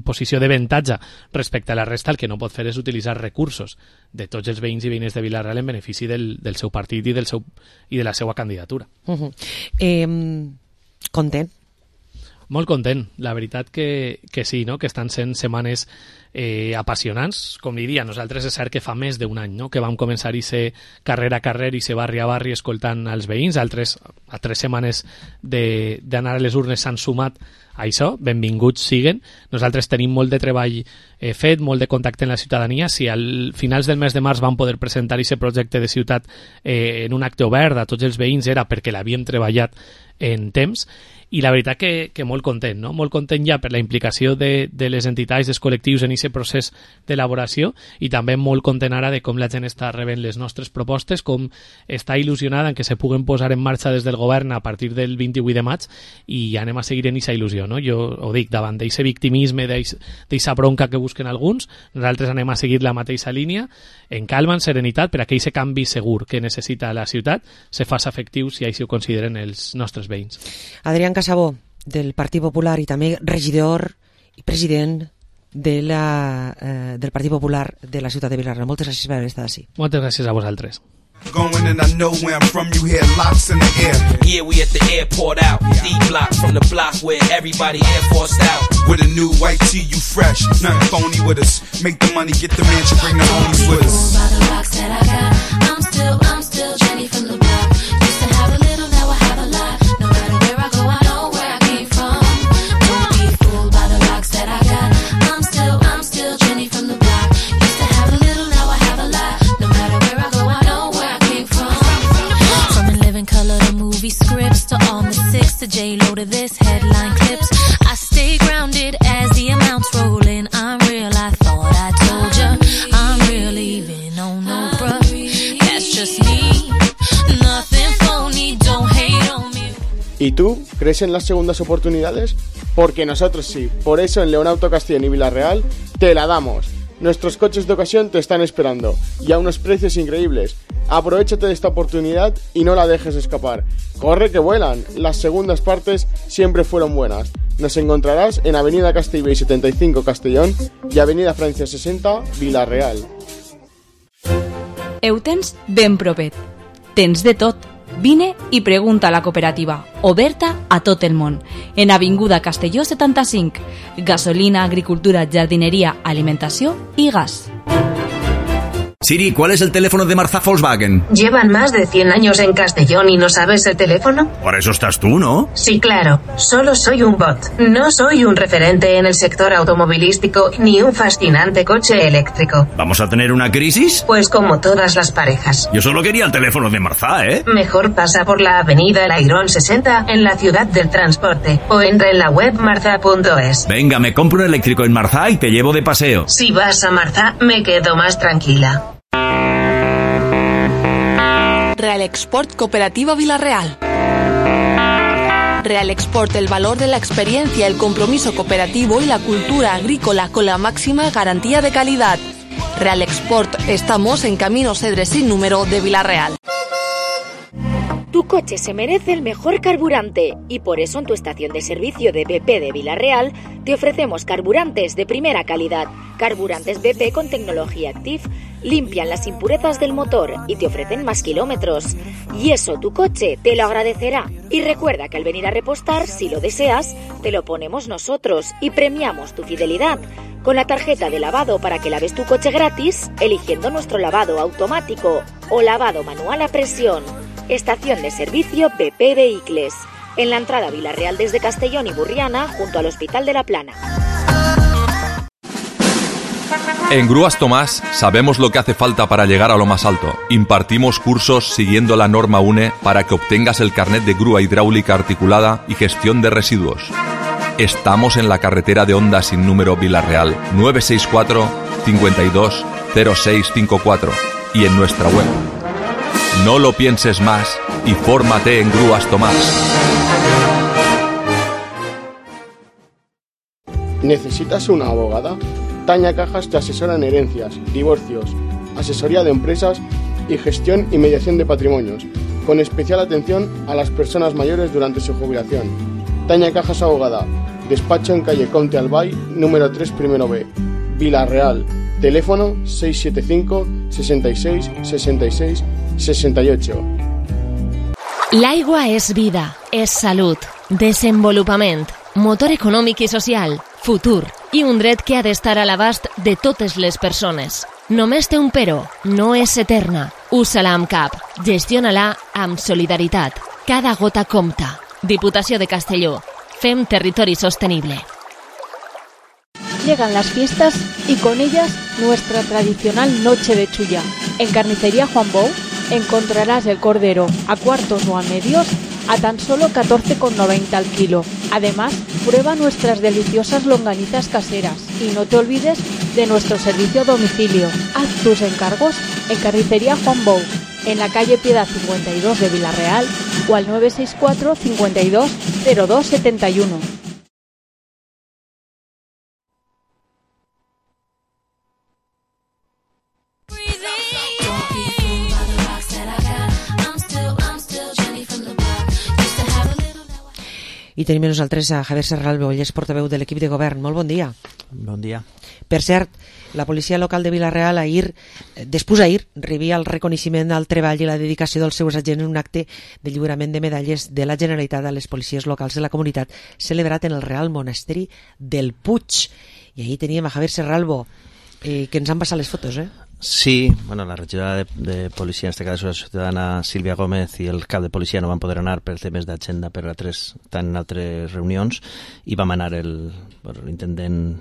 posició d'avantatge respecte a la resta, el que no pot fer és utilitzar recursos de tots els veïns i veïnes de Vila-real en benefici del seu partit i de la seva candidatura.
Content?
Molt content, la veritat que sí, no? Que estan sent setmanes apassionants. Com diria, nosaltres és cert que fa més d'un any, no? Que vam començar a ser carrer a carrer i ser barri a barri escoltant els veïns. A 3 setmanes d'anar a les urnes s'han sumat a això, benvinguts siguen. Nosaltres tenim molt de treball fet, molt de contacte en la ciutadania. Si al finals del mes de març vam poder presentar aquest projecte de ciutat en un acte obert a tots els veïns era perquè l'havíem treballat en temps, i la veritat que molt content, no? Molt content ja per la implicació de les entitats, dels col·lectius en aquest procés d'elaboració, i també molt content ara de com la gent està rebent les nostres propostes, com està il·lusionada en que se puguen posar en marxa des del govern a partir del 28 de maig, i ja anem a seguir en aquesta il·lusió, no? Jo ho dic, davant d'aquest victimisme, d'aquesta bronca que busquen alguns, nosaltres anem a seguir la mateixa línia, en calma, en serenitat, per a que aquest canvi segur que necessita la ciutat se faci efectiu si així ho consideren els nostres veïns.
Adrián Casabó, del Partit Popular i també regidor i president del Partit Popular de la ciutat de Vila-real. Moltes gràcies per haver estat així.
Moltes gràcies a vosaltres.
Going and I know where I'm from, you hear locks in the air.
Yeah, we at the airport out. D-block from the block where everybody Air Forced out.
With a new white tee, you fresh. Nothing phony with us. Make the money, get the mansion, bring the homies with us.
By the rocks that I got, I'm still Jenny from the block. Used to have a little, now I have a lot. No matter where I go, I know where I came from. Don't be fooled by the rocks that I got. I'm still Jenny from the block. Used to have a little, now I have a lot. No matter where I go, I know where I came from. From In Living Color to movie scripts to all the six to J-Lo to this headline clips. I stay grounded as the amounts roll in. I'm real, I thought I told ya. I'm real even, oh no bruh. That's just me, nothing phony, don't hate on me.
¿Y tú crees en las segundas oportunidades? Porque nosotros sí. Por eso en León Auto Castellón y Vila-real te la damos. Nuestros coches de ocasión te están esperando y a unos precios increíbles. Aprovechate de esta oportunidad y no la dejes escapar. Corre que vuelan. Las segundas partes siempre fueron buenas. Nos encontrarás en Avenida Castellbell 75 Castellón y Avenida Francia 60 Vila-real.
Eutens ben propet. Tens de tot. Vine i pregunta a la cooperativa, oberta a tot el món. En Avinguda Castelló 75. Gasolina, agricultura, jardineria, alimentació i gas.
Siri, ¿cuál es el teléfono de Marza Volkswagen?
¿Llevan más de 100 años en Castellón y no sabes el teléfono?
Para eso estás tú, ¿no?
Sí, claro. Solo soy un bot. No soy un referente en el sector automovilístico ni un fascinante coche eléctrico.
¿Vamos a tener una crisis?
Pues como todas las parejas.
Yo solo quería el teléfono de Marza, ¿eh?
Mejor pasa por la avenida Lairón 60 en la ciudad del transporte o entra en la web marza.es.
Venga, me compro un eléctrico en Marza y te llevo de paseo.
Si vas a Marza, me quedo más tranquila.
Real Export Cooperativa Vila-real. Real Export, el valor de la experiencia, el compromiso cooperativo y la cultura agrícola con la máxima garantía de calidad. Real Export, estamos en Camino Cedres sin número de Vila-real.
Tu coche se merece el mejor carburante y por eso en tu estación de servicio de BP de Vila-real te ofrecemos carburantes de primera calidad. Carburantes BP con tecnología Active limpian las impurezas del motor y te ofrecen más kilómetros. Y eso tu coche te lo agradecerá. Y recuerda que al venir a repostar, si lo deseas, te lo ponemos nosotros y premiamos tu fidelidad con la tarjeta de lavado para que laves tu coche gratis eligiendo nuestro lavado automático o lavado manual a presión. Estación de servicio BP Vehicles, en la entrada a Vila-real desde Castellón y Burriana, junto al Hospital de la Plana.
En Grúas Tomás sabemos lo que hace falta para llegar a lo más alto. Impartimos cursos siguiendo la norma UNE para que obtengas el carnet de grúa hidráulica articulada y gestión de residuos. Estamos en la carretera de Onda sin número Vila-real, 964 52 0654 y en nuestra web. No lo pienses más y fórmate en Grúas Tomás.
¿Necesitas una abogada? Tania Cajas te asesora en herencias, divorcios, asesoría de empresas y gestión y mediación de patrimonios, con especial atención a las personas mayores durante su jubilación. Tania Cajas Abogada, despacho en calle Comte Albay, número 3, primero B, Vila-real, teléfono 675 66 66 68.
L'aigua és vida, és salut, desenvolupament, motor econòmic i social, futur i un dret que ha d'estar a l'abast de totes les persones. Només té un però, no és eterna. Usa-la amb cap, gestiona-la amb solidaritat. Cada gota compta. Diputació de Castelló. Fem territori sostenible.
Llegan las fiestas y con ellas nuestra tradicional noche de chulla. En Carnicería Juan Bou encontrarás el cordero a cuartos o a medios a tan solo 14,90 al kilo. Además, prueba nuestras deliciosas longanizas caseras y no te olvides de nuestro servicio a domicilio. Haz tus encargos en Carnicería Juan Bou, en la calle Piedad 52 de Vila-real o al 964 52 02 71.
I tenim amb nosaltres a Javier Serralbo, ell és portaveu de l'equip de govern. Molt bon dia.
Bon dia.
Per cert, la policia local de Vila-real ahir rebia el reconeixement al treball i la dedicació dels seus agents en un acte de lliurament de medalles de la Generalitat a les policies locals de la comunitat celebrat en el Real Monasteri del Puig. I ahir teníem a Javier Serralbo, que ens han passat les fotos,
Sí, bueno, la regidora de policia, en este caso la ciutadana Sílvia Gómez, i el cap de policia no van poder anar per temes d'agenda, estan en altres reunions, i vam anar l'intendent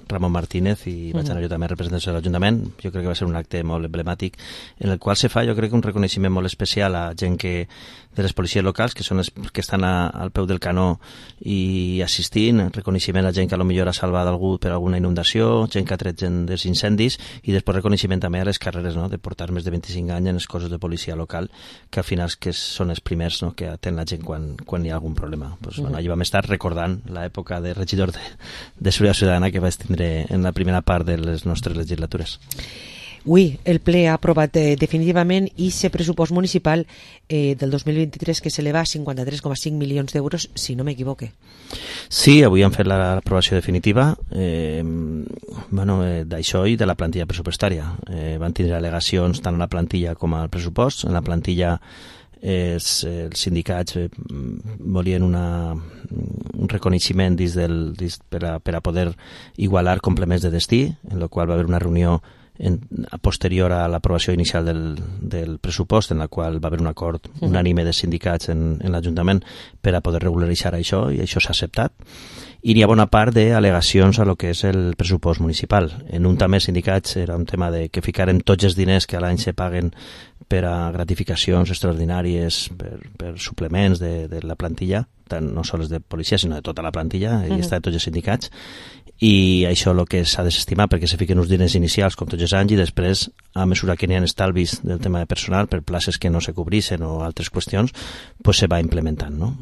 Ramon Martínez i vaig anar jo també en representació de l'Ajuntament. Jo crec que va ser un acte molt emblemàtic en el qual se fa, jo crec, un reconeixement molt especial a gent de les policies locals, que són les que estan al peu del canó i assistint, reconeixement a gent que potser ha salvat algú per alguna inundació, gent que ha tret gent dels incendis, i després reconeixement també a les carreres, no?, de portar més de 25 anys en els cossos de policia local, que al final que són els primers, no?, que atén la gent quan hi ha algun problema. Bueno, allí vam estar recordant l'època de regidor de Seguretat Ciutadana que vaig tindre en la primera part de les nostres legislatures.
Avui el ple ha aprovat definitivament aquest pressupost municipal del 2023 que s'eleva a 53,5 milions d'euros, si no m'equivoque.
Sí, avui han fet l'aprovació definitiva d'això i de la plantilla pressupostària. Van tindre al·legacions tant a la plantilla com al pressupost. En la plantilla els sindicats volien un reconeixement per a poder igualar complements de destí, en la qual va haver una reunió posterior a l'aprovació inicial del pressupost, en la qual va haver un acord unànime de sindicats en l'Ajuntament per a poder regularitzar això, i això s'ha acceptat. I hi ha bona part d'al·legacions a lo que és el pressupost municipal. En un també sindicats era un tema de que ficaren tots els diners que a l'any se paguen per a gratificacions extraordinàries, per suplements de la plantilla, tant no sols de policia, sinó de tota la plantilla, i està de tots els sindicats, i això el que s'ha desestimat perquè se fiquen uns diners inicials com tots els anys, i després, a mesura que n'hi ha estalvis del tema de personal per places que no se cobreixen o altres qüestions, pues se va implementant, no?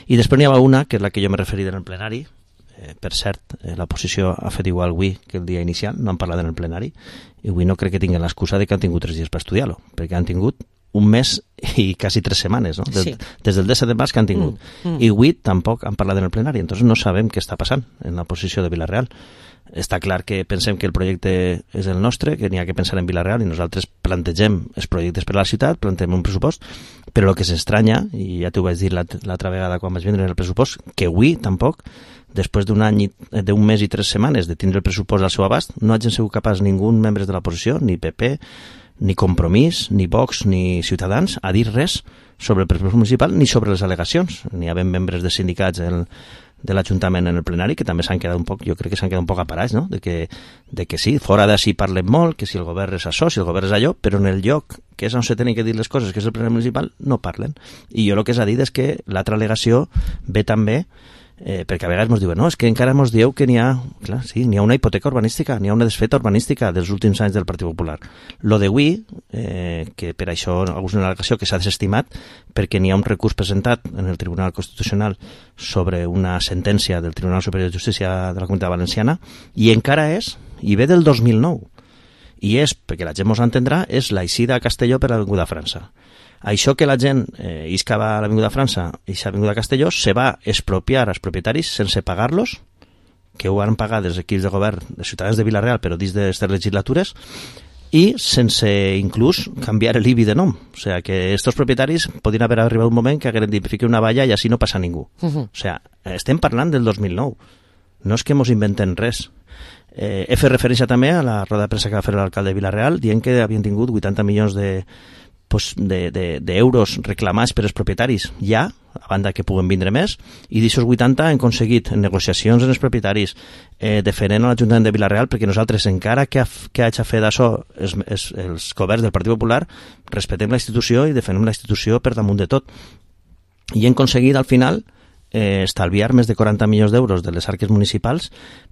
I després n'hi ha una, que és la que jo m'he referit en el plenari. Per cert, l'oposició ha fet igual avui que el dia inicial, no han parlat en el plenari, i avui no crec que tinguin l'excusa de que han tingut 3 dies per estudiar-lo, perquè han tingut un mes i quasi 3 setmanes, no? Des del 17 de març que han tingut. I avui tampoc han parlat en el plenari, entonces no sabem què està passant en l'oposició de Vila-real. Està clar que pensem que el projecte és el nostre, que n'hi ha que pensar en Vila-real, i nosaltres plantegem els projectes per a la ciutat, plantegem un pressupost, però el que s'estranya, i ja t'ho vaig dir l'altra vegada quan vaig vindre en el pressupost, que avui tampoc, després d'un mes i 3 setmanes de tindre el pressupost al seu abast, no hagin sigut capaç ningú membre de l'oposició, ni PP, ni Compromís, ni Vox, ni Ciutadans, a dir res sobre el pressupost municipal ni sobre les al·legacions. N'hi ha membres de sindicats de l'Ajuntament en el plenari que també s'han quedat un poc, jo crec que s'han quedat un poc aparats, no? De que sí, fora d'ací parlen molt, que si el govern és això, si el govern és allò, però en el lloc que és on se tenen que dir les coses, que és el plenari municipal, no parlen. I jo el que s'ha dit és que l'altra al·legació ve també perquè a vegades ens diuen, no, és que encara ens dieu que n'hi ha, clar, sí, n'hi ha una hipoteca urbanística, n'hi ha una desfeta urbanística dels últims anys del Partit Popular. Lo de avui, que per això és una al·legació que s'ha desestimat, perquè n'hi ha un recurs presentat en el Tribunal Constitucional sobre una sentència del Tribunal Superior de Justícia de la Comunitat Valenciana, i encara és, i ve del 2009, i és, perquè la gent mos entendrà, és l'eixida a Castelló per l'Avinguda França. Això que la gent isca va a l'Avinguda França i l'Avinguda Castelló se va expropiar als propietaris sense pagar-los, que ho han pagat els equips de govern de Ciutadans de Vila-real, però dins d'aquestes legislatures, i sense inclús canviar l'IBI de nom. O sigui, que aquests propietaris podien haver arribat un moment que hagueren dit fiqui una valla i així no passa ningú. O sigui, estem parlant del 2009. No és que mos inventen res. He fet referència també a la roda de premsa que va fer l'alcalde de Vila-real dient que havien tingut 80 milions d'euros reclamats per els propietaris ja, a banda que puguen vindre més, i d'aixòs 80 han aconseguit en negociacions amb els propietaris defendent a l'Ajuntament de Vila-real, perquè nosaltres, encara que hagi fet això els governs del Partit Popular, respectem la institució i defendem la institució per damunt de tot. I hem aconseguit al final estalviar més de 40 milions d'euros de les arques municipals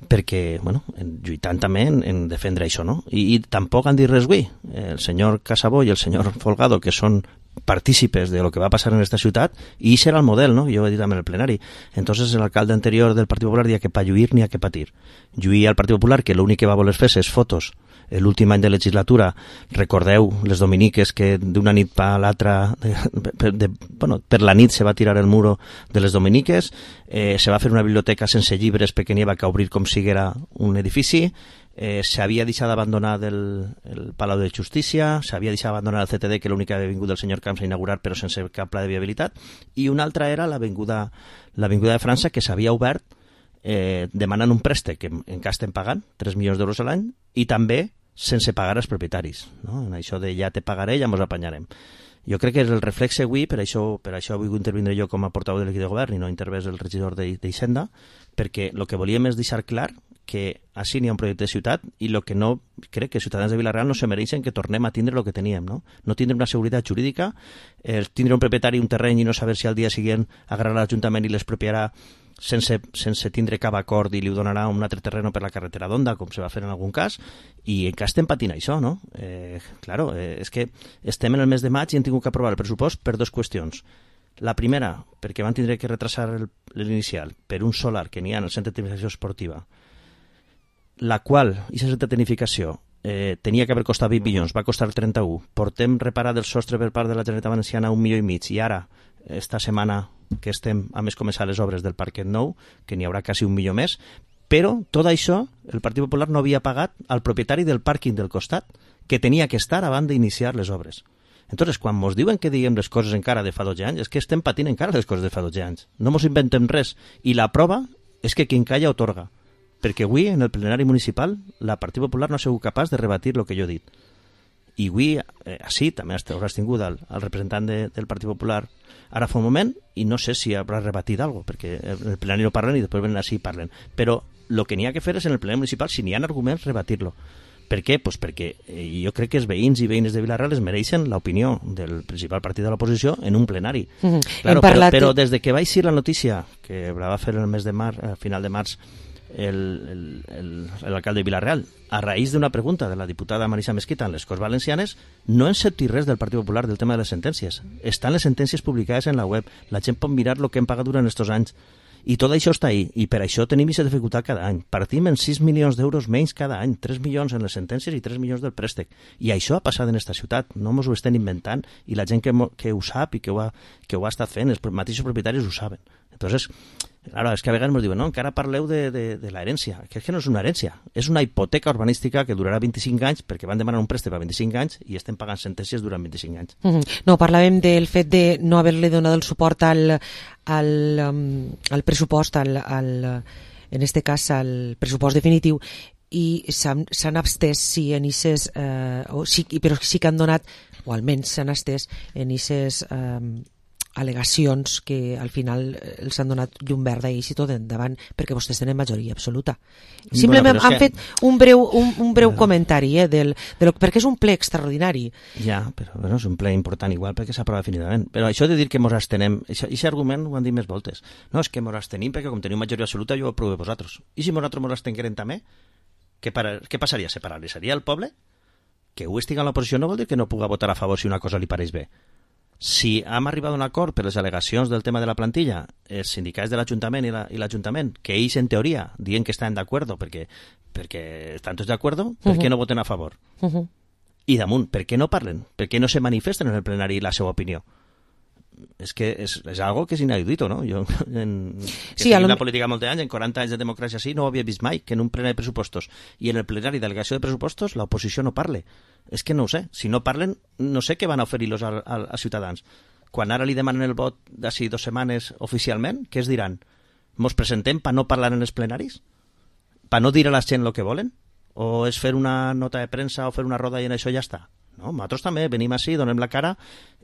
perquè, bueno, lluitant també en defendre això, no? I tampoc han dit res avui. El senyor Casabó i el senyor Folgado, que són partícipes de lo que va passar en aquesta ciutat, i serà el model, no? Jo ho he dit també en el plenari. Entonces l'alcalde anterior del Partit Popular deia que per lluir n'hi ha que patir. Lluir al Partit Popular, que l'únic que va voler fer és fotos l'últim any de legislatura. Recordeu les dominiques que d'una nit per l'altra, per la nit se va tirar el muro de les dominiques, se va fer una biblioteca sense llibres perquè n'hi va que obrir com si era un edifici, s'havia deixat d'abandonar el Palau de Justícia, s'havia deixat d'abandonar el CTD, que l'únic que havia vingut el senyor Camps a inaugurar però sense cap pla de viabilitat, i una altra era l'Avinguda de França, que s'havia obert demanant un préstec que encara estem pagant 3 milions d'euros a l'any, i també sense pagar als propietaris, no? En això de ja te pagaré, ja mos apanyarem. Jo crec que és el reflexe avui, per això vull intervindre jo com a portaveu de l'equip de govern i no intervés el regidor d'Hisenda, perquè el que volíem és deixar clar que així n'hi ha un projecte de ciutat, i el que no crec que els ciutadans de Vila-real no se mereixen que tornem a tindre el que teníem, no? No tindre una seguretat jurídica, tindre un propietari un terreny i no saber si al dia següent agarrarà l'Ajuntament i l'expropiarà sense tindre cap acord i li donarà un altre terreno per la carretera d'Onda, com se va fer en algun cas, i encara estem patint això, no? Claro, és que estem en el mes de maig i hem tingut que aprovar el pressupost per dues qüestions. La primera, perquè van tindre que retrasar l'inicial per un solar que n'hi ha en el centre de tecnificació esportiva, la qual, aquesta centre de tecnificació, tenia que haver costat 20 milions, va costar 31. Portem reparat el sostre per part de la Generalitat Valenciana 1,5 milions, i ara, esta setmana que estem a més començar les obres del parquet nou, que n'hi haurà quasi 1 milió més, però tot això el Partit Popular no havia pagat al propietari del pàrquing del costat, que tenia que estar abans d'iniciar les obres. Entonces, quan ens diuen que diguem les coses encara de fa 12 anys, és que estem patint encara les coses de fa 12 anys. No ens inventem res. I la prova és que qui calla otorga. Perquè avui, en el plenari municipal, la Partit Popular no ha sigut capaç de rebatir el que jo he dit. I avui, així, també hauràs tingut el representant del Partit Popular ara fa un moment, i no sé si haurà rebatit alguna cosa, perquè en el plenari no parlen i després venen així i parlen. Però el que n'hi ha que fer és en el plenari municipal, si n'hi ha arguments, rebatir-lo. Per què? Pues perquè jo crec que els veïns i veïnes de Vila-real es mereixen l'opinió del principal partit de l'oposició en un plenari. Claro, però des de que va eixir la notícia, que la va fer el mes de març, a final de març, l'alcalde de Vila-real, a raïs d'una pregunta de la diputada Marisa Mesquita en les Corts Valencianes, no hem sentit res del Partit Popular del tema de les sentències. Estan les sentències publicades en la web, la gent pot mirar el que hem pagat durant aquests anys, i tot això està ahí, i per això tenim aquesta dificultat cada any. Partim en 6 milions d'euros menys cada any, 3 milions en les sentències i 3 milions del préstec. I això ha passat en aquesta ciutat, no ens ho estem inventant, i la gent que ho sap i que ho ha estat fent, els mateixos propietaris ho saben. Entonces, claro, és que a vegades ens diuen, no, encara parleu de l'herència. Que és que no és una herència, és una hipoteca urbanística que durarà 25 anys, perquè van demanar un préstec per 25 anys i estem pagant sentències durant 25 anys.
No, parlàvem del fet de no haver-li donat el suport al pressupost, en este cas al pressupost definitiu, i s'han abstès però sí que han donat, o almenys s'han abstès en aquestes al·legacions que al final els han donat llum verda i tot endavant, perquè vostès tenen majoria absoluta. Simplement han fet un breu comentari perquè és un ple extraordinari.
Ja, però bueno, és un ple important igual perquè s'aprova definitivament. Però això de dir que mos abstenem, aquest argument ho han dit més voltes. No, és que mos abstenim perquè com teniu majoria absoluta jo ho aproveu vosaltres. I si nosaltres mos abstenguérem també, què passaria? Se paralitzaria el poble? Que ho estigui en l'oposició no vol dir que no puga votar a favor si una cosa li pareix bé. Si hem arribat a un acord per les al·legacions del tema de la plantilla, els sindicats de l'Ajuntament i l'Ajuntament, que ells en teoria diuen que estan d'acord perquè estan tots d'acord, per què no voten a favor? I damunt, per què no parlen? Per què no se manifesten en el plenari la seva opinió? És que és algo que és inaudito, no? Jo, en la política molts anys, en 40 anys de democràcia així, no ho havia vist mai, que en un plenari de pressupostos i en el plenari d'al·legació de pressupostos l'oposició no parle. És que no ho sé. Si no parlen, no sé què van a oferir-los als ciutadans. Quan ara li demanen el vot d'ací 2 setmanes oficialment, què es diran? Mos presentem per no parlar en els plenaris? Per no dir a la gent el que volen? O és fer una nota de premsa o fer una roda i en això ja està? No, nosaltres també venim així, donem la cara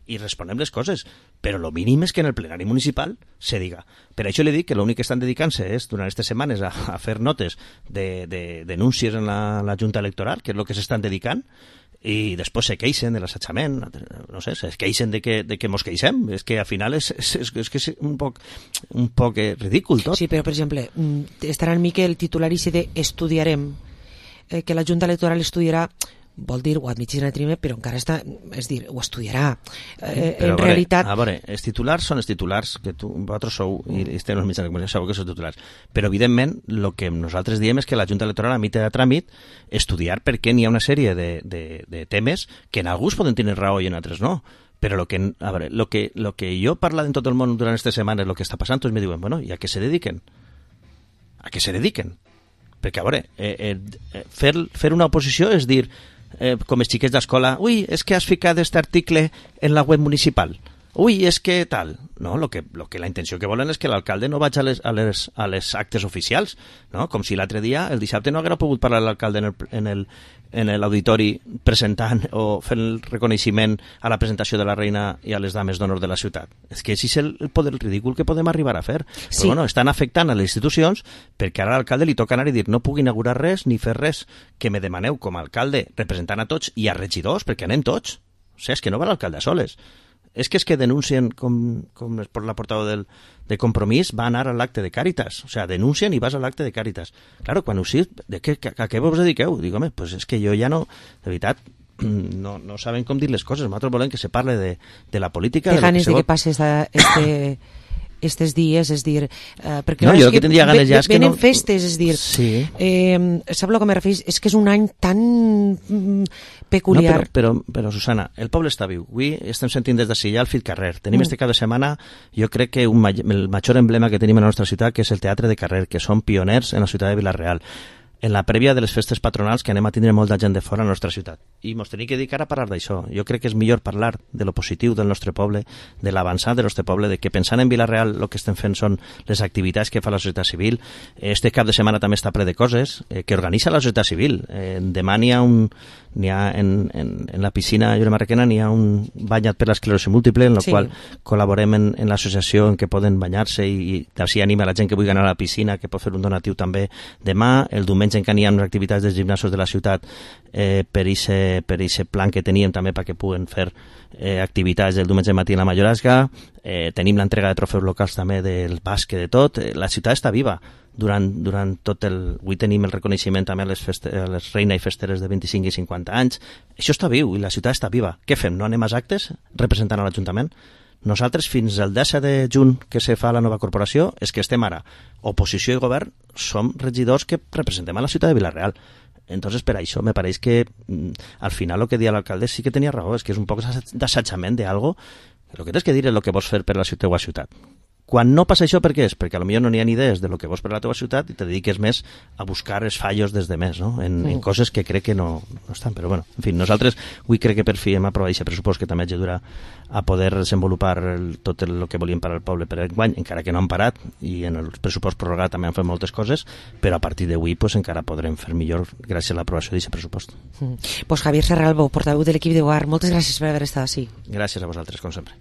i responem les coses, però el mínim és que en el plenari municipal se diga. Per això li dic que l'únic que estan dedicant-se és, durant aquestes setmanes, a fer notes de denúncies en la Junta Electoral, que és el que s'estan dedicant, i després se queixen de l'assetjament, no sé, se queixen de que mos queixem. És que al final és un poc ridícul tot.
Sí, però per exemple, estarà en mi que el titular ici de estudiarem, que la Junta Electoral estudiarà, vol dir, ho admitís en el primer, però encara està, és dir, ho estudiarà. En realitat...
A veure, els titulars són els titulars, que vosaltres sou, i estem els mitjans de comunicació, sabeu que són titulars. Però, evidentment, el que nosaltres diem és que la Junta Electoral emite de tràmit estudiar perquè n'hi ha una sèrie de temes que en alguns poden tenir raó i en altres no. Però lo que jo parlo en tot el món durant aquestes setmanes, el que està passant, tots me diuen, bueno, i a què se dediquen? A què se dediquen? Perquè, a veure, fer una oposició és dir, com els xiquets d'escola, ui, és que has ficat aquest article en la web municipal, ui, és que tal. No, lo que la intenció que volen és que l'alcalde no vagi a les actes oficials, no? Com si l'altre dia, el dissabte, no haguera pogut parlar l'alcalde en l'auditori presentant o fent el reconeixement a la presentació de la reina i a les dames d'honor de la ciutat. És que així és el poder ridícul que podem arribar a fer. Sí. Però bueno, estan afectant a les institucions perquè ara a l'alcalde li toca anar i dir no puc inaugurar res ni fer res que me demaneu com a alcalde representant a tots i a regidors, perquè anem tots. O sigui, és que no va l'alcalde a soles. És que denuncien, com la portaveu de Compromís, va anar a l'acte de Càritas. O sigui, denuncien i vas a l'acte de Càritas. Claro, quan ho sí, a què vos dediqueu? Dic, home, pues és que jo ja no... De veritat, no saben com dir les coses. Nosaltres volem que se parle de la política...
Té ganes de que passes estes dies, és dir... perquè
no, jo que tindria ganes ja és que no...
Venen festes, és dir...
Sí.
Sap el que me referís? És que és un any tan peculiar.
No, però Susana, el poble està viu. Avui estem sentint des d'ací ja el fil carrer. Tenim este cap de setmana, jo crec que el major emblema que tenim en la nostra ciutat, que és el Teatre de Carrer, que són pioners en la ciutat de Vila-real, en la prèvia de les festes patronals, que anem a tindre molta gent de fora a la nostra ciutat. I ens tenim que dedicar a parlar d'això. Jo crec que és millor parlar de lo positiu del nostre poble, de l'avançat del nostre poble, de que pensant en Vila-real el que estem fent són les activitats que fa la societat civil. Este cap de setmana també està ple de coses que organitza la societat civil. Demà n'hi ha en la piscina Lloret Marraquena n'hi ha un banyat per l'esclerosi múltiple, en el qual col·laborem en l'associació en què poden banyar-se i així anima la gent que vulgui anar a la piscina, que pot fer un donatiu també demà. El diumenge en què hi ha unes activitats dels gimnasos de la ciutat per aquest plan que teníem també perquè puguen fer activitats el diumenge matí a la Mallorasca. Tenim l'entrega de trofeus locals també del bàsquet, de tot. La ciutat està viva durant tot el... Avui tenim el reconeixement també a les reina i festeres de 25 i 50 anys. Això està viu i la ciutat està viva. Què fem? No anem als actes representant a l'Ajuntament? Nosaltres, fins al 10 de juny que se fa la nova corporació, és que estem ara, oposició i govern, som regidors que representem a la ciutat de Vila-real. Entonces, per això, me pareix que al final el que dia l'alcalde sí que tenia raó, és que és un poc d'assatjament d'algo. El que tens que dir és el que vols fer per la teva ciutat. Quan no passa això, per què és? Perquè potser no n'hi ha ni idees de lo que vols per la teva ciutat i te dediques més a buscar els fallos des de més, no? En coses que crec que no estan. Però, bueno, en fi, nosaltres avui crec que per fi hem aprovat aquest pressupost que també ajudarà a poder desenvolupar tot el que volíem per al poble per enguany, encara que no han parat, i en el pressupost prorrogat també han fet moltes coses, però a partir d'avui pues, encara podrem fer millor gràcies a l'aprovació d'aquest pressupost.
Pues Javier Serralbo, portaveu de l'equip de govern, moltes gràcies per haver estat així.
Gràcies a vosaltres, com sempre.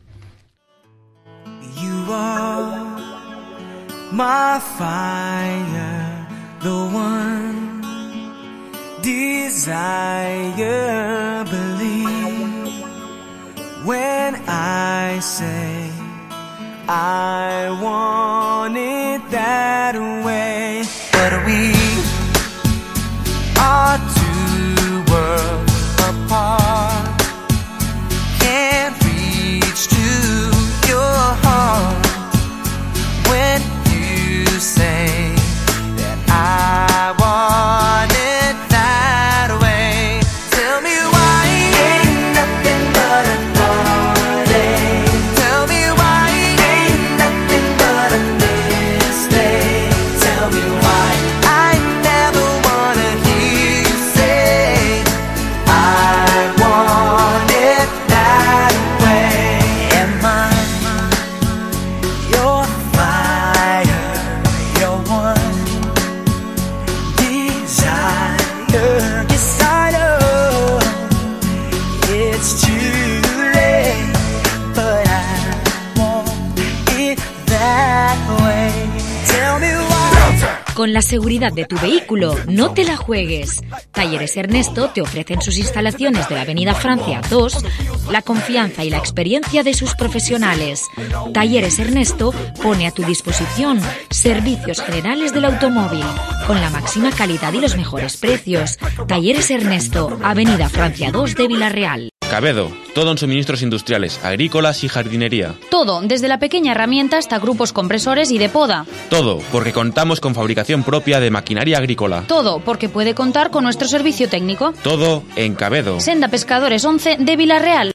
my fire, the one desire. Believe when I say I want it that way. But we are two worlds apart, can't reach to your heart when you say that I want it that way. Tell me why ain't nothing but a party. Tell me why ain't nothing but a mistake. Tell me why I never wanna hear you say I want it that way. Am I your fire, your one desire? Yes, I know it's too late, but I want it that way. Tell me why.
Con la seguridad de tu vehículo, no te la juegues. Talleres Ernesto te ofrecen sus instalaciones de la Avenida Francia 2, la confianza y la experiencia de sus profesionales. Talleres Ernesto pone a tu disposición servicios generales del automóvil, con la máxima calidad y los mejores precios. Talleres Ernesto, Avenida Francia 2 de Villarreal.
Cabedo, todo en suministros industriales, agrícolas y jardinería.
Todo, desde la pequeña herramienta hasta grupos compresores y de poda.
Todo, porque contamos con fabricación propia de maquinaria agrícola.
Todo, porque puede contar con nuestro servicio técnico.
Todo en Cabedo.
Senda Pescadores 11 de Villarreal.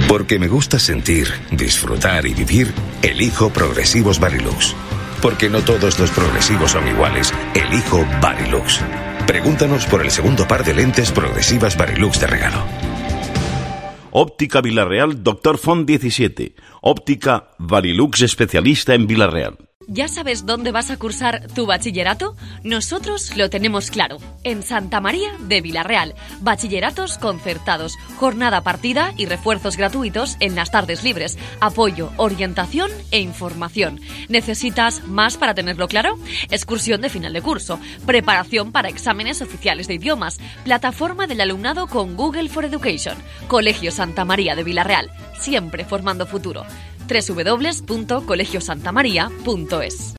Porque me gusta sentir, disfrutar y vivir, elijo Progresivos Varilux. Porque no todos los progresivos son iguales, elijo Varilux. Pregúntanos por el segundo par de lentes progresivas Varilux de regalo.
Óptica Villarreal, Dr. Font 17. Óptica Varilux, especialista en Villarreal.
¿Ya sabes dónde vas a cursar tu bachillerato? Nosotros lo tenemos claro. En Santa María de Villarreal. Bachilleratos concertados, jornada partida y refuerzos gratuitos en las tardes libres. Apoyo, orientación e información. ¿Necesitas más para tenerlo claro? Excursión de final de curso. Preparación para exámenes oficiales de idiomas. Plataforma del alumnado con Google for Education. Colegio Santa María de Villarreal. Siempre formando futuro. www.colegiosantamaria.es.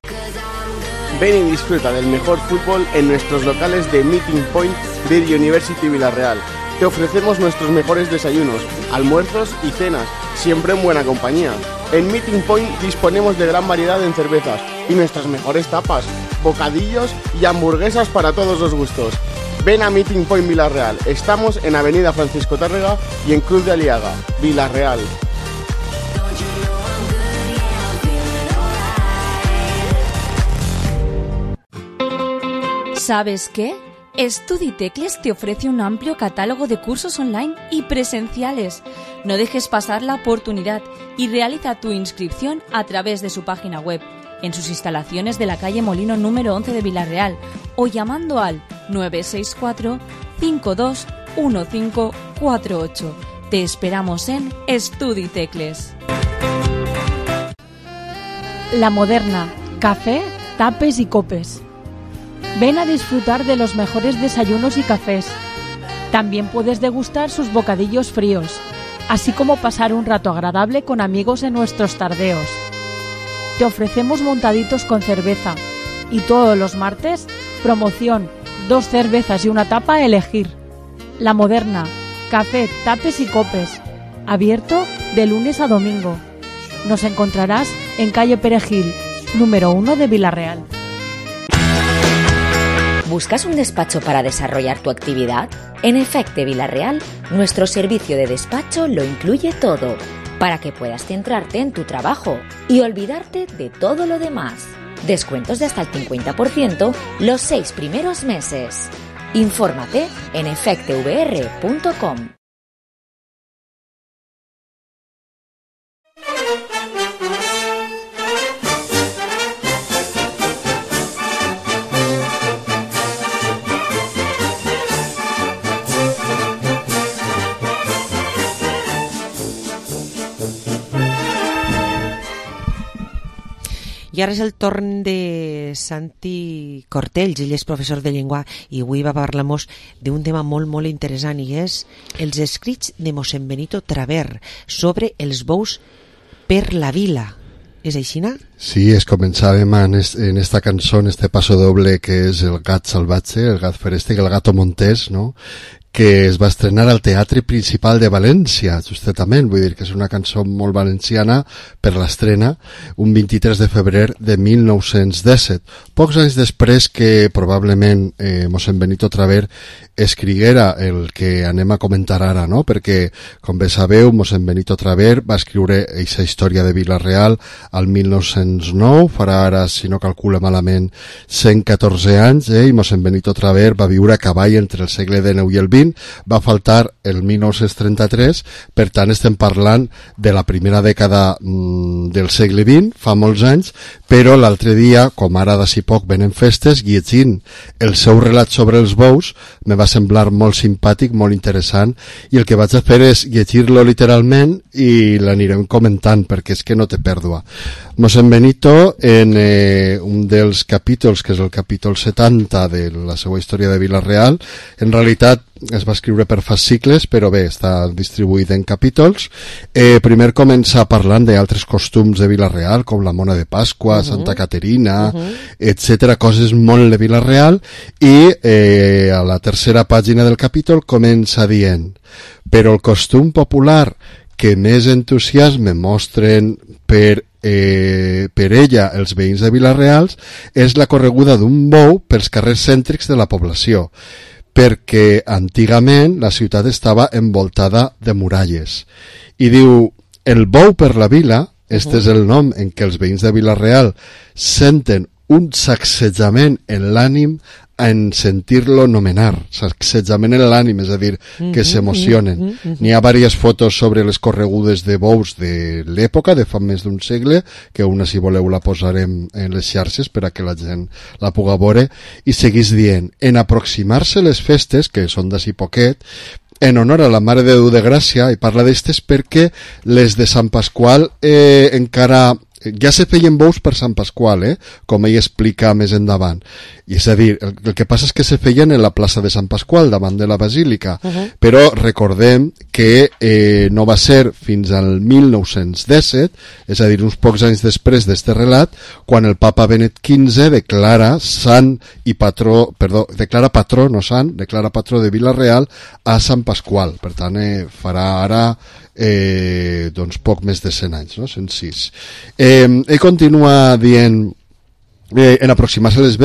Ven y disfruta del mejor fútbol en nuestros locales de Meeting Point de University Villarreal. Te ofrecemos nuestros mejores desayunos, almuerzos y cenas, siempre en buena compañía. En Meeting Point disponemos de gran variedad en cervezas y nuestras mejores tapas, bocadillos y hamburguesas para todos los gustos. Ven a Meeting Point Villarreal. Estamos en Avenida Francisco Tárrega y en Cruz de Aliaga, Villarreal.
¿Sabes qué? StudiTecles te ofrece un amplio catálogo de cursos online y presenciales. No dejes pasar la oportunidad y realiza tu inscripción a través de su página web, en sus instalaciones de la calle Molino número 11 de Villarreal o llamando al 964 521548. Te esperamos en StudiTecles.
La Moderna, café, tapes y copes. Ven a disfrutar de los mejores desayunos y cafés. También puedes degustar sus bocadillos fríos, así como pasar un rato agradable con amigos en nuestros tardeos. Te ofrecemos montaditos con cerveza y todos los martes, promoción, 2 cervezas y una tapa a elegir. La Moderna, café, tapes y copes. Abierto de lunes a domingo. Nos encontrarás en calle Perejil, número 1 de Villarreal.
¿Buscas un despacho para desarrollar tu actividad? En Efecte Villarreal, nuestro servicio de despacho lo incluye todo, para que puedas centrarte en tu trabajo y olvidarte de todo lo demás. Descuentos de hasta el 50% los 6 primeros meses. Infórmate en efectevr.com.
I ara és el torn de Santi Cortells, ell és professor de llengua i avui va parlar-nos d'un tema molt, molt interessant i és els escrits de mossèn Benito Traver sobre els bous per la vila. És així, no?
Sí, començàvem en esta cançó, en este paso doble que és el gat salvatge, el gat feréstec, el gato montés, no?, que es va estrenar al Teatre Principal de València, justament, vull dir que és una cançó molt valenciana per l'estrena, un 23 de febrer de 1917. Pocs anys després que probablement mossèn Benito Traver escriguera el que anem a comentar ara, no? Perquè, com bé sabeu, mossèn Benito Traver va escriure aquesta història de Vila-real al 1909, farà ara, si no calcula malament, 114 anys, i mossèn Benito Traver va viure a cavall entre el segle XIX i el XX, va faltar el 1933, per tant estem parlant de la primera dècada del segle XX, fa molts anys, però l'altre dia, com ara d'ací poc venen festes, llegint el seu relat sobre els bous, me va semblar molt simpàtic, molt interessant, i el que vaig a fer és llegir-lo literalment i l'anirem comentant, perquè és que no té pèrdua. Mossèn Benito, en un dels capítols, que és el capítol 70 de la seva història de Vila-real, en realitat es va escriure per fascicles, però bé, està distribuït en capítols. Primer comença parlant d'altres costums de Vila-real, com la mona de Pasqua, Santa Caterina, etc., coses molt de Vila-real, i a la tercera pàgina del capítol comença dient: però el costum popular que més entusiasme mostren per ella els veïns de Vila-real és la correguda d'un bou pels carrers cèntrics de la població, perquè antigament la ciutat estava envoltada de muralles. I diu, el bou per la vila, este és el nom en què els veïns de Vila-real senten un sacsejament en l'ànim en sentir-lo nomenar, sacsejament en l'ànim, és a dir, que s'emocionen. N'hi ha diverses fotos sobre les corregudes de bous de l'època, de fa més d'un segle, que una, si voleu, la posarem en les xarxes per a que la gent la pugui veure, i seguís dient, en aproximar-se les festes, que són d'ací poquet, en honor a la Mare de Déu de Gràcia, i parla d'estes perquè les de Sant Pasqual encara ja se feien bous per Sant Pasqual, com ell explica més endavant. I és a dir, el que passa és que se feien en la plaça de Sant Pasqual, davant de la basílica, però recordem que no va ser fins al 1917, és a dir, uns pocs anys després d'este relat, quan el papa Benet XV declara patró de Vila-real a Sant Pasqual. Per tant, farà ara doncs poc més de 100 anys, no? 106. Ell continua dient, en aproximar-se les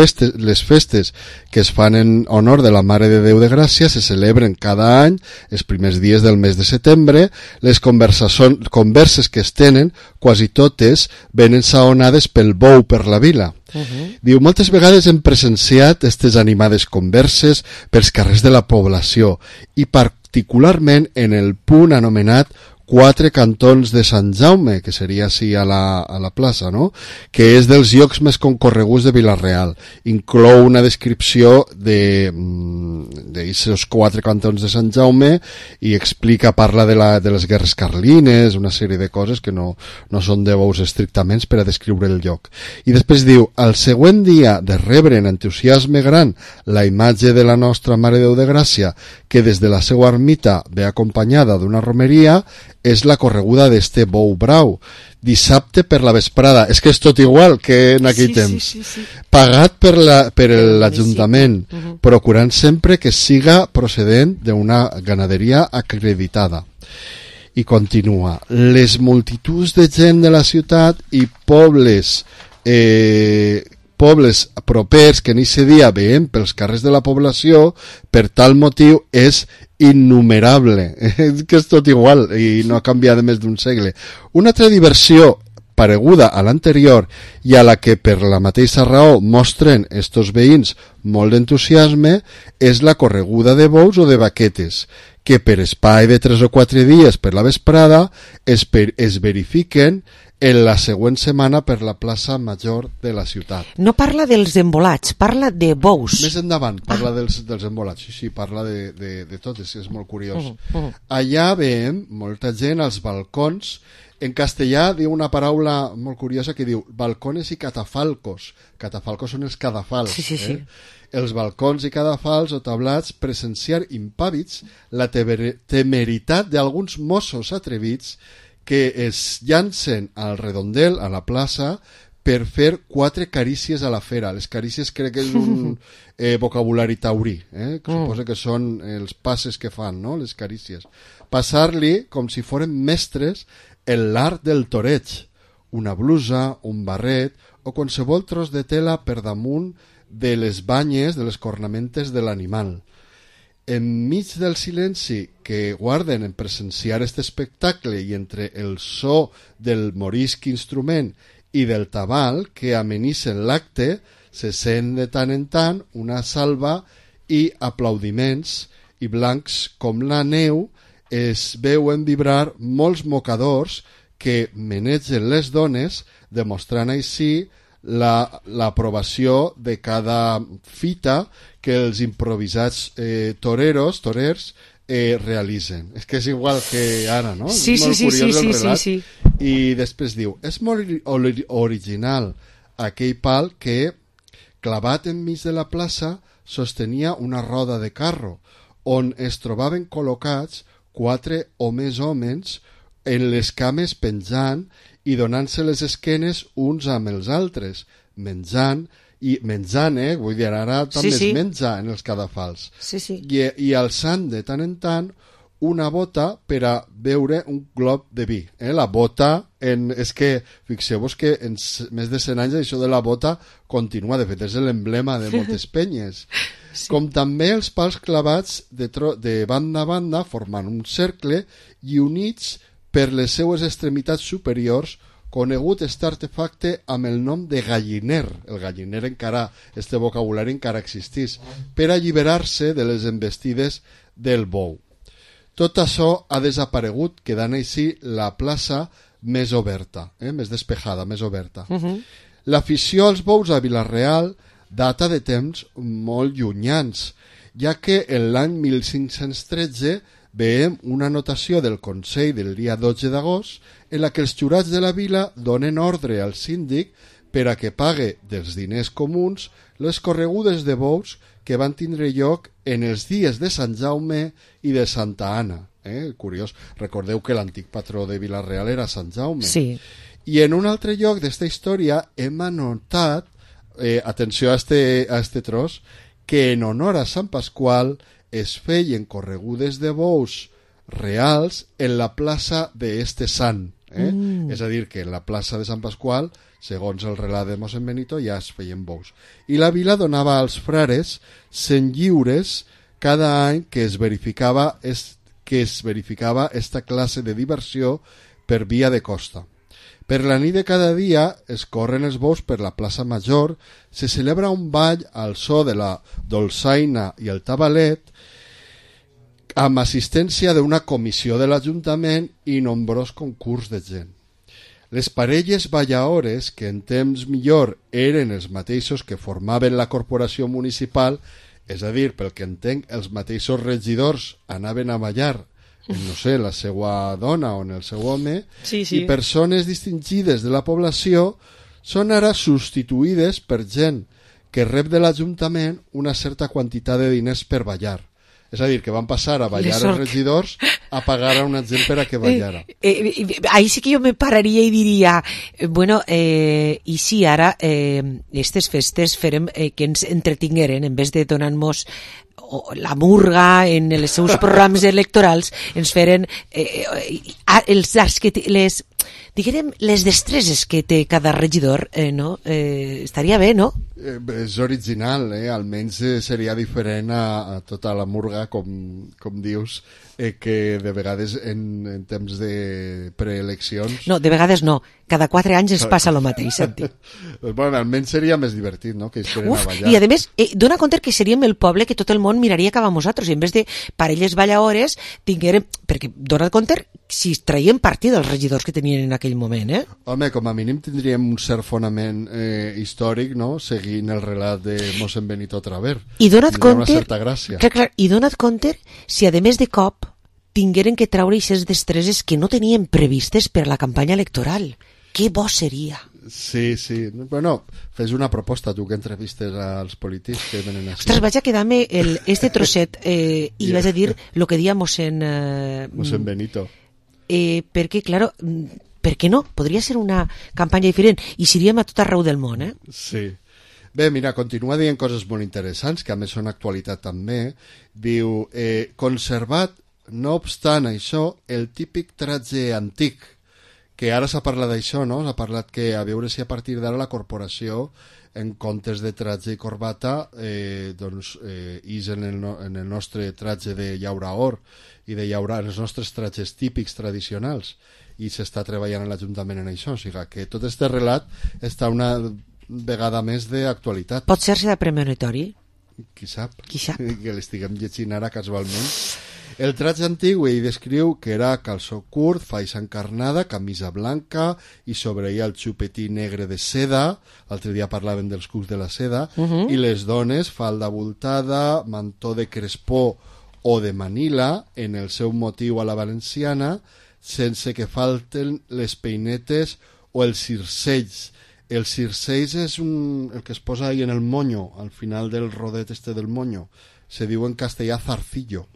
festes que es fan en honor de la Mare de Déu de Gràcia, se celebren cada any, els primers dies del mes de setembre. Les converses que es tenen, quasi totes, venen saonades pel bou per la vila. Diu, moltes vegades hem presenciat aquestes animades converses pels carrers de la població i particularment en el punt anomenat Quatre Cantons de Sant Jaume, que seria així a la plaça, no?, que és dels llocs més concorreguts de Vila-real. Inclou una descripció d'aquests quatre cantons de Sant Jaume i parla de les guerres carlines, una sèrie de coses que no són de bous estrictament per a descriure el lloc. I després diu, al següent dia de rebre en entusiasme gran la imatge de la nostra Mare de Déu de Gràcia, que des de la seva ermita ve acompanyada d'una romeria, és la correguda d'este bou brau. Dissabte per la vesprada, és que és tot igual que en aquell temps. Sí. Pagat per l'Ajuntament, procurant sempre que siga procedent d'una ganaderia acreditada. I continua, les multituds de gent de la ciutat i pobles propers que en aquest dia veiem pels carrers de la població, per tal motiu és innumerable, que és tot igual i no ha canviat de més d'un segle. Una altra diversió pareguda a l'anterior i a la que per la mateixa raó mostren estos veïns molt d'entusiasme és la correguda de bous o de vaquetes, que per espai de 3 o 4 dies per la vesprada es verifiquen en la següent setmana per la plaça major de la ciutat.
No parla dels embolats, parla de bous.
Més endavant, parla dels embolats. Sí, parla de tot, és molt curiós. Allà veiem molta gent als balcons En castellà diu una paraula molt curiosa que diu balcones i catafalcos. Catafalcos són els cadafals.
Sí.
Els balcons i cadafals o tablats presenciar impàvids la temeritat d'alguns mossos atrevits que es llancen al redondel, a la plaça, per fer 4 carícies a la fera. Les carícies crec que és un vocabulari taurí, que suposa que són els passes que fan, no? Les carícies. Passar-li com si foren mestres l'art del toreig, una blusa, un barret o qualsevol tros de tela per damunt de les banyes, de les cornamentes de l'animal. Enmig del silenci que guarden en presenciar aquest espectacle i entre el so del morisc instrument i del tabal que amenissen l'acte, se sent de tant en tant una salva i aplaudiments, i blancs com la neu es veuen vibrar molts mocadors que menegen les dones, demostrant així l'aprovació de cada fita que els improvisats torers realitzen. És que és igual que ara, no?
Sí,
és molt
sí,
curiós
sí,
el relat.
sí.
I després diu, és molt original aquell pal que, clavat enmig de la plaça, sostenia una roda de carro, on es trobaven col·locats 4 o més homes en les cames penjant i donant-se les esquenes uns amb els altres, menjant, vull dir, ara també es menja en els cadafals, i alçant de tant en tant una bota per a beure un glob de vi. La bota, és que fixeu-vos que en més de 100 anys això de la bota continua, de fet és l'emblema de moltes penyes. Com també els pals clavats de banda a banda formant un cercle i units per les seues extremitats superiors, conegut este artefacte amb el nom de galliner. El galliner encara, este vocabulari encara existís, per alliberar-se de les embestides del bou. Tot això ha desaparegut, quedant així la plaça més oberta, més despejada, més oberta. L'afició als bous a Vila-real data de temps molt llunyans, ja que en l'any 1513 veiem una anotació del Consell del dia 12 d'agost en la que els jurats de la vila donen ordre al síndic per a que pague dels diners comuns les corregudes de bous que van tindre lloc en els dies de Sant Jaume i de Santa Anna. Curiós, recordeu que l'antic patró de Vila-real era Sant Jaume.
Sí.
I en un altre lloc d'esta història hem anotat, atenció a este tros, que en honor a Sant Pasqual es feien corregudes de bous reals en la plaça d'este sant. És a dir, que en la plaça de Sant Pasqual, segons el relat de mossèn Benito, ja es feien bous. I la vila donava als frares 100 lliures cada any que es verificava esta classe de diversió per via de costa. Per la nit de cada dia es corren els bous per la plaça Major, se celebra un ball al so de la dolçaina i el tabalet, amb assistència d'una comissió de l'Ajuntament i nombrós concurs de gent. Les parelles ballaores, que en temps millor eren els mateixos que formaven la corporació municipal, és a dir, pel que entenc, els mateixos regidors anaven a ballar no sé, la seva dona o en el seu home, i persones distingides de la població són ara substituïdes per gent que rep de l'Ajuntament una certa quantitat de diners per ballar. És a dir, que van passar a ballar els regidors a pagar a una gent per a que ballara.
Ahí sí que jo me pararia i diria, bueno, i si ara aquestes festes farem que ens entretingueren, en vez de donar-nos la murga en els seus programes electorals, ens feren els arts que les, diguem, les destreses que té cada regidor, no? Estaria bé, no?
És original, almenys seria diferent a tota la murga, com dius, que de vegades en temps de preeleccions...
No, de vegades no. Cada 4 anys ens passa el mateix, Santi.
Bueno, almenys seria més divertit, no?, que ells feren a ballar.
I a més, dona compte que seríem el poble que tot el món miraria cap a nosaltres, i en vez de parelles ballaores tinguérem... Perquè dona compte si traiem partit dels regidors que tenien en aquell moment,
Home, com a mínim tindríem un cert fonament històric, no?, seguint el relat de mossèn Benito Traver.
I dona't compte...
Una certa gràcia.
Clar, i dona't compte si a més de cop tingueren que treure aquestes destreses que no tenien previstes per a la campanya electoral. Que bo seria.
Sí, sí. Bueno, fes una proposta, tu que entrevistes als polítics que venen així.
Ostres, vaig a quedar-me este trosset i vaig a dir lo que dia mossèn
Benito.
Perquè, claro, per què no? Podria ser una campanya diferent i seríem a tot arreu del món,
Sí. Bé, mira, continua dient coses molt interessants, que a més són actualitat també. Diu, conservat, no obstant això, el típic tratge antic, que ara s'ha parlat d'això, no? S'ha parlat que a veure si a partir d'ara la corporació, en comptes de tratge i corbata, és en el nostre tratge de llaura or i de llaurar els nostres tratges típics tradicionals, i s'està treballant a l'Ajuntament en això, o sigui que tot este relat està una vegada més d'actualitat.
Pot ser-se de premonitori?
Qui sap?
Qui sap?
Que l'estiguem llegint ara casualment. El tratge antic ell descriu que era calçó curt, faixa encarnada, camisa blanca i sobre ella el xupetí negre de seda, l'altre dia parlaven dels cucs de la seda, i les dones falda voltada, mantó de crespó o de Manila, en el seu motiu a la valenciana, sense que falten les peinetes o els circells. El circells és el que es posa ahí en el moño, al final del rodet este del moño. Se diu en castellà zarcillo.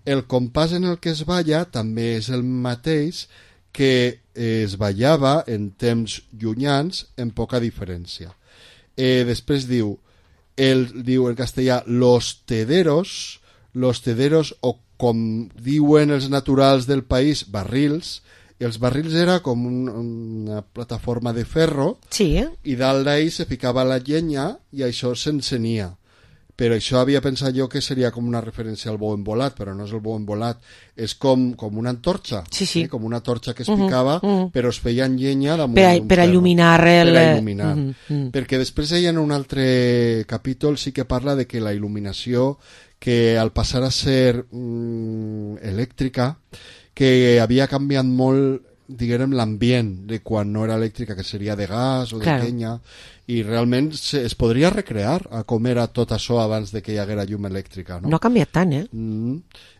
El compàs en el que es balla també és el mateix que es ballava en temps llunyans en poca diferència. Després diu en castellà los tederos o com diuen els naturals del país, barrils. Els barrils era com una plataforma de ferro, i dalt d'ahí se ficava la llenya i això s'encenia. Però això havia pensat jo que seria com una referència al bou embolat, però no és el bou embolat, és com una antorxa, com una torxa que es picava, però es feia en llenya damunt
per il·luminar
perquè després ella en un altre capítol sí que parla de que la il·luminació, que al passar a ser elèctrica, que havia canviat molt, diguem, l'ambient de quan no era elèctrica, que seria de gas o de llenya, i realment es podria recrear a com era tot això abans de que hi haguera llum elèctrica. No
ha canviat tant,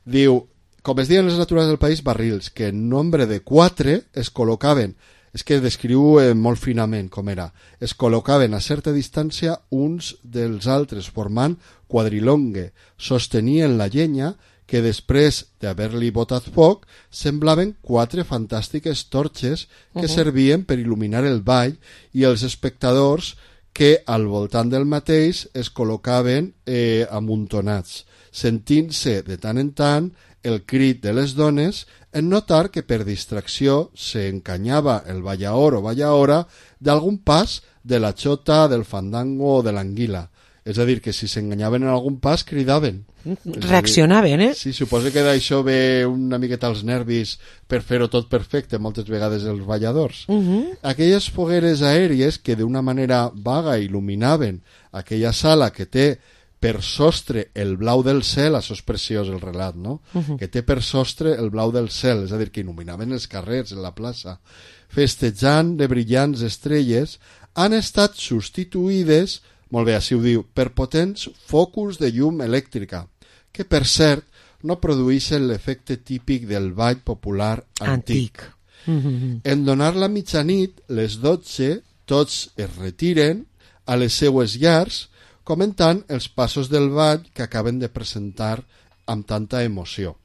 Diu, com es diuen les naturals del país, barrils, que en nombre de 4 es col·locaven, és que descriu molt finament com era, es col·locaven a certa distància uns dels altres, formant quadrilongue, sostenien la llenya, que després d'haver-li botat foc semblaven 4 fantàstiques torxes que servien per il·luminar el ball i els espectadors que al voltant del mateix es col·locaven amuntonats, sentint-se de tant en tant el crit de les dones en notar que per distracció s'encanyava el ballaor o ballaora d'algun pas de la xota, del fandango o de l'anguila. És a dir, que si s'enganyaven en algun pas, cridaven.
Reaccionaven,
Sí, suposo que d'això ve una miqueta als nervis per fer-ho tot perfecte, moltes vegades els balladors. Aquelles fogueres aèries que d'una manera vaga il·luminaven aquella sala que té per sostre el blau del cel, això és preciós el relat, no? Que té per sostre el blau del cel, és a dir, que il·luminaven els carrers, en la plaça, festejant de brillants estrelles, han estat substituïdes, molt bé, així ho diu, per potents focus de llum elèctrica, que per cert no produeixen l'efecte típic del ball popular antic. En donar la mitjanit, les 12, tots es retiren a les seues llars, comentant els passos del ball que acaben de presentar amb tanta emoció.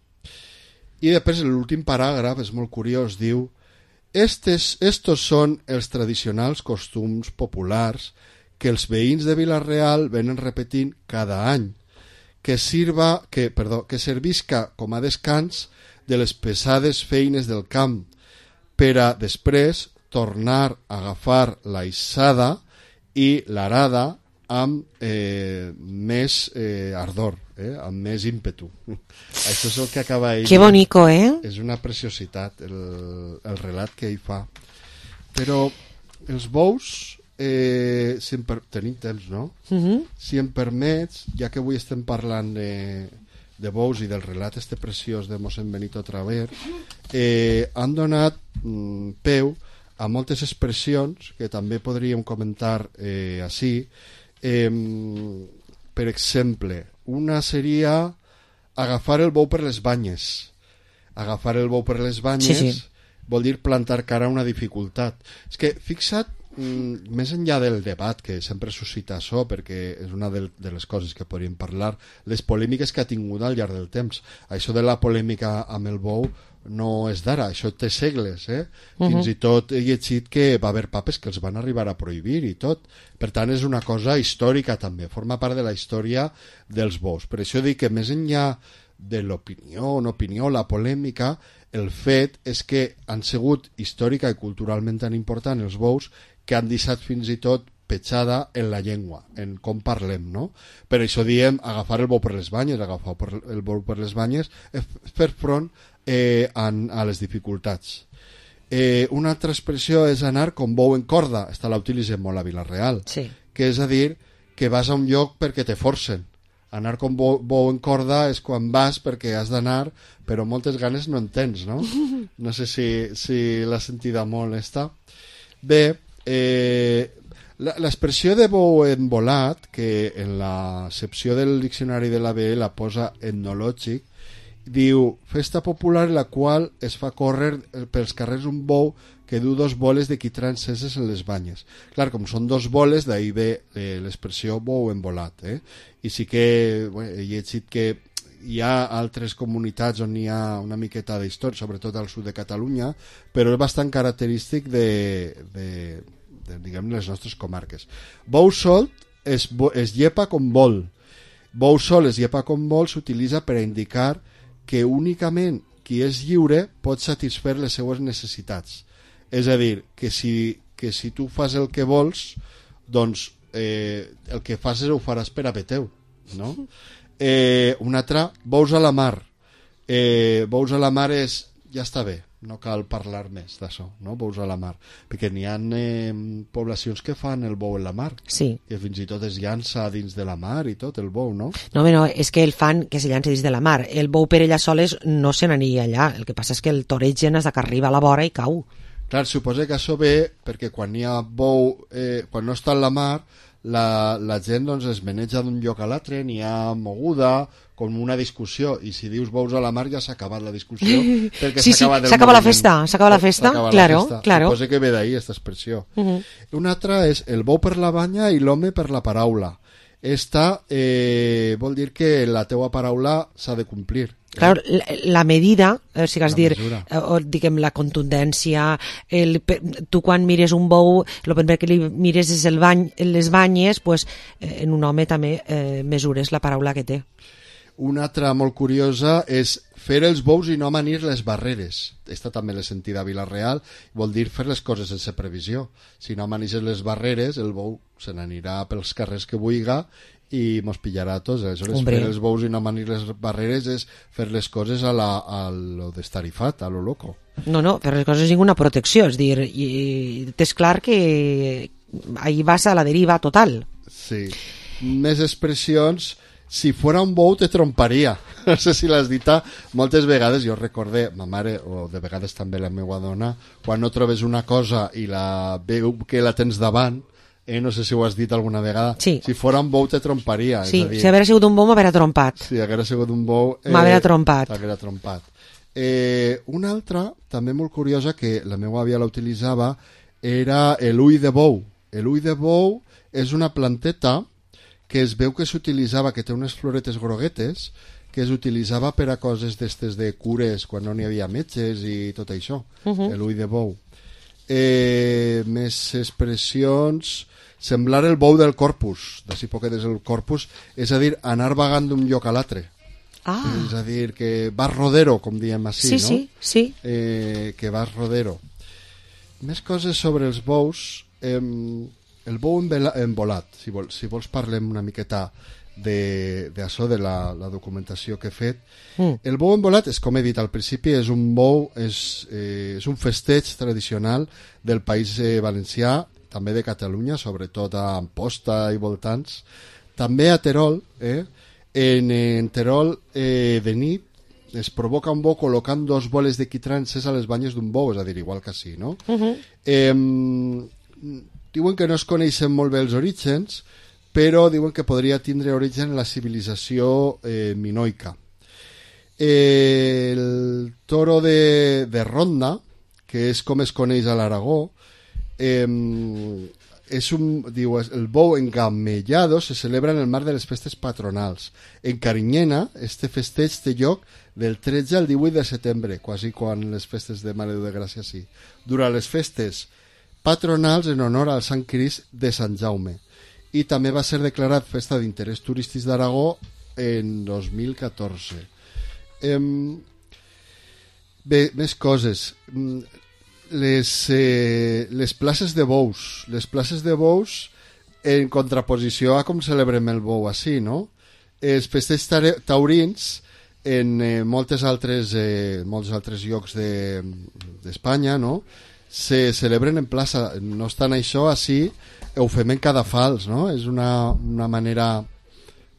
I després l'últim paràgraf és molt curiós, diu: estos són els tradicionals costums populars que els veïns de Vila-real venen repetint cada any, que servisca com a descans de les pesades feines del camp, per a després tornar a agafar la issada i l'arada amb més ardor, amb més ímpetu. Això és el que acaba ell.
Que bonico,
És una preciositat el relat que ell fa. Però els bous, tenim temps, no? Si em permets, ja que avui estem parlant de bous i del relat este preciós de mossèn Benito Traver, han donat peu a moltes expressions que també podríem comentar així. Per exemple, una seria agafar el bou per les banyes, agafar el bou per les banyes
Sí, sí.
vol dir plantar cara a una dificultat. És que, fixa't, més enllà del debat que sempre suscita això, perquè és una de les coses que podríem parlar, les polèmiques que ha tingut al llarg del temps. Això de la polèmica amb el bou no és d'ara, això té segles, Fins i tot he llegit que va haver papes que els van arribar a prohibir i tot. Per tant, és una cosa històrica també, forma part de la història dels bous. Per això dic que més enllà de l'opinió, la polèmica, el fet és que han sigut històrica i culturalment tan important els bous que han deixat fins i tot petjada en la llengua, en com parlem, no? Per això diem agafar el bou per les banyes, agafar el bou per les banyes, fer front a les dificultats. Una altra expressió és anar com bou en corda, esta la utilitzem molt a Vila-real,
sí.
Que és a dir que vas a un lloc perquè te forcen. Anar com bou en corda és quan vas perquè has d'anar, però moltes ganes no en tens, no? No sé si l'ha sentida molt esta. Bé, l'expressió de bou envolat, que en l'accepció del diccionari de l'ABE la posa etnològic, diu, festa popular en la qual es fa córrer pels carrers un bou que du 2 boles de quitrà enceses en les banyes. Clar, com són 2 boles, d'ahir ve l'expressió bou envolat. I sí que he llegit que hi ha altres comunitats on hi ha una miqueta d'història, sobretot al sud de Catalunya, però és bastant característic de diguem, les nostres comarques. Bou solt es llepa com vol. Bou sol es llepa com vol s'utilitza per a indicar que únicament qui és lliure pot satisfer les seues necessitats. És a dir, que si tu fas el que vols, doncs el que fas ho faràs per a bé teu, no? Un altre, bous a la mar. Bous a la mar és, ja està bé, no cal parlar més d'això, no? Bous a la mar, perquè n'hi ha poblacions que fan el bou en la mar,
sí.
Que fins i tot es llança dins de la mar i tot, el bou, no?
No, és que el fan que se llança dins de la mar. El bou per ella soles no se n'aniria allà, el que passa és que el toregen des que arriba a la vora i cau.
Clar, suposa que això ve perquè quan hi ha bou, quan no està en la mar, la gent doncs, es maneja d'un lloc a l'altre, n'hi ha moguda, com una discussió, i si dius bous a la mar ja s'ha acabat la discussió, perquè
sí, s'acaba la festa, claro.
Suposa que ve d'ahir aquesta expressió. Una altra és el bou per la banya i l'home per la paraula. Esta vol dir que la teua paraula s'ha de complir.
Claro, la medida, si cas dir, diguem, la contundència, tu quan mires un bou, el primer que li mires és les banyes, pues, en un home també mesures la paraula que té.
Una altra molt curiosa és fer els bous i no amanir les barreres. Esta també l'he sentida a Vila-real, vol dir fer les coses sense previsió. Si no amanixes les barreres, el bou se n'anirà pels carrers que vulga i mos pillarà a tots. Aleshores, fer els bous i no amanir les barreres és fer les coses a lo destarifat, a lo loco.
No, fer les coses sin una protecció, és dir, és clar que ahí vas a la deriva total.
Sí. Més expressions. Si fora un bou te tromparia. No sé si l'has dit moltes vegades. Jo recordé, ma mare, o de vegades també la meva dona, quan no trobes una cosa i la veu que la tens davant, no sé si ho has dit alguna vegada,
sí.
Si fora un bou te tromparia.
Sí,
és a dir,
si haguera sigut un bou m'haguera trompat.
Si haguera sigut un bou
m'haguera trompat.
Una altra, també molt curiosa, que la meva àvia la utilitzava, era l'ull de bou. L'ull de bou és una planteta que es veu que s'utilitzava, que té unes floretes groguetes, que es utilitzava per a coses d'estes de cures, quan no n'hi havia metges i tot això, l'ull de bou. Més expressions, semblar el bou del corpus, d'ací poquetes el corpus, és a dir, anar vagant d'un lloc a l'altre. És a dir, que vas rodero, com diem així, no?
Sí.
Que vas rodero. Més coses sobre els bous. El bou envolat, si vols parlem una miqueta d'això, de la documentació que he fet. El bou envolat, com he dit al principi, és un bou, és un festeig tradicional del País Valencià, també de Catalunya, sobretot a Amposta i voltants. També a Terol, en Terol de nit es provoca un bou col·locant 2 boles de quitrà encès a les banyes d'un bou, és a dir, igual que així, no? Diuen que no es coneixen molt bé els orígens, però diuen que podria tindre origen en la civilització minoica. El toro de ronda, que és com es coneix a l'Aragó, el bou engamellado se celebra en el marc de les festes patronals. En Carinyena, este festeig té lloc del 13 al 18 de setembre, quasi quan les festes de Mare de Gràcia sí. Durant les festes patronals en honor al Sant Crist de Sant Jaume. I també va ser declarat festa d'interès turístic d'Aragó en 2014. Bé, més coses. Les places de bous. Les places de bous en contraposició a com celebrem el bou així, no? Els festeig taurins en molts altres llocs d'Espanya, no? Se celebren en plaça. No obstant això, així ho fem en cadafals, no? És una manera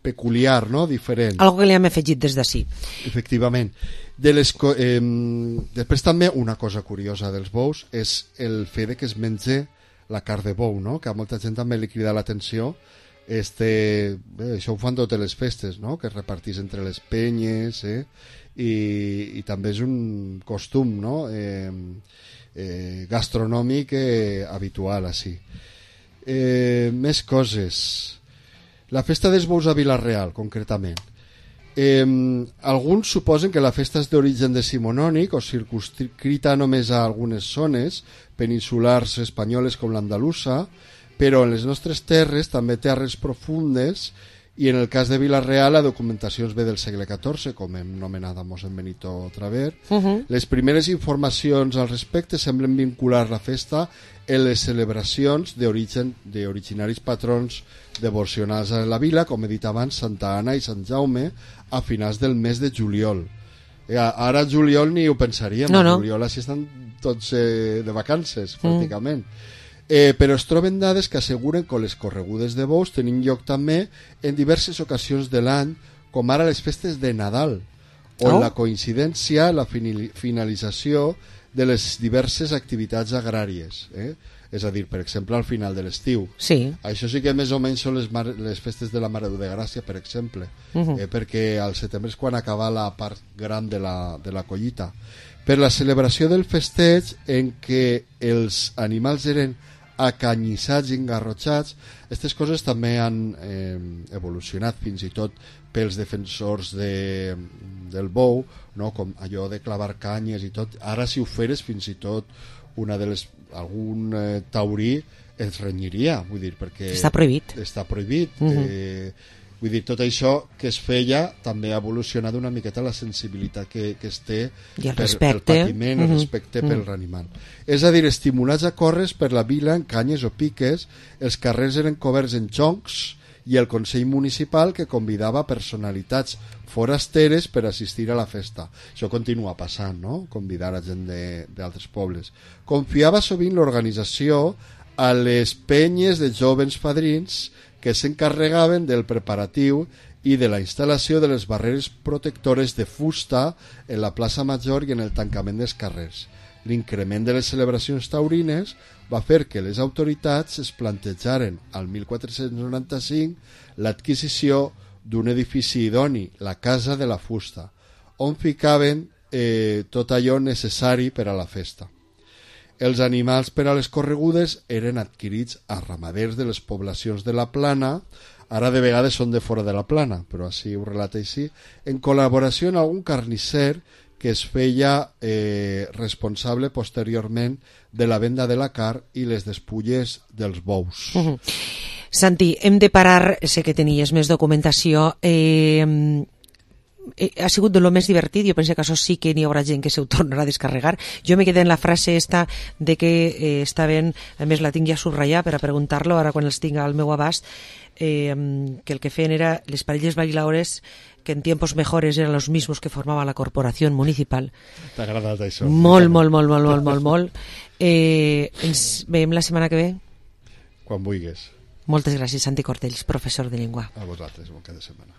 peculiar, no? Diferent.
Algo que li hem afegit des d'ací.
Efectivament. Després també una cosa curiosa dels bous és el fet de que es menja la carn de bou, no? Que a molta gent també li crida l'atenció. Això ho fan totes les festes, no? Que es repartís entre les penyes, i també és un costum, no? Gastronòmic habitual així. Més coses. La festa dels bous a Vila-real, concretament. Alguns suposen que la festa és d'origen decimonònic o circunscrita només a algunes zones peninsulars espanyoles com l'andalusa, però en les nostres terres també té arrels profundes, i en el cas de Vila-real la documentació ve del segle XIV, com hem nomenat a mossèn Benito Traver. Les primeres informacions al respecte semblen vincular la festa en les celebracions d'originaris patrons devocionals a la vila, com he dit abans, Santa Anna i Sant Jaume, a finals del mes de juliol. Ara juliol ni ho pensaríem, juliol així estan tots de vacances, pràcticament. Però es troben dades que asseguren que les corregudes de bous tenen lloc també en diverses ocasions de l'any, com ara les festes de Nadal, on la coincidència, la finalització de les diverses activitats agràries. És a dir, per exemple, al final de l'estiu.
Sí.
Això sí que més o menys són les festes de la Mare de Gràcia, per exemple, perquè al setembre és quan acaba la part gran de la collita. Per la celebració del festeig en què els animals eren acanyissats i engarrotxats, aquestes coses també han evolucionat fins i tot pels defensors del bou, no? Com allò de clavar canyes i tot. Ara si ho feres fins i tot algun taurí es renyiria, vull dir, perquè
està prohibit.
Vull dir, tot això que es feia també ha evolucionat una miqueta la sensibilitat que es té pel patiment, el respecte per l'animal. És a dir, estimulats a córrer per la vila en canyes o piques, els carrers eren coberts en joncs i el Consell Municipal que convidava personalitats forasteres per assistir a la festa. Això continua passant, no? Convidar a gent d'altres pobles. Confiava sovint l'organització a les penyes de jovens fadrins que s'encarregaven del preparatiu i de la instal·lació de les barreres protectores de fusta en la plaça Major i en el tancament dels carrers. L'increment de les celebracions taurines va fer que les autoritats es plantejaren al 1495 l'adquisició d'un edifici idoni, la Casa de la Fusta, on ficaven tot allò necessari per a la festa. Els animals per a les corregudes eren adquirits a ramaders de les poblacions de la Plana, ara de vegades són de fora de la Plana, però així ho relata així, en col·laboració amb algun carnisser que es feia responsable posteriorment de la venda de la carn i les despulles dels bous.
Santi, hem de parar, sé que tenies més documentació, ha sigut de lo més divertit. Jo penso que això sí que n'hi haurà gent que se ho tornarà a descarregar. Jo me quedé en la frase esta de que estaven, a més la tinc ja subratllar per a preguntar-lo ara quan els tinc al meu abast, que el que feien era les parelles bailaores que en tiempos mejores eran los mismos que formaba la corporación municipal.
T'ha agradat això?
Molt. Ens veiem la setmana que ve?
Quan vulguis.
Moltes gràcies, Santi Cortells, professor de llengua.
A vosaltres, bon cap de setmana.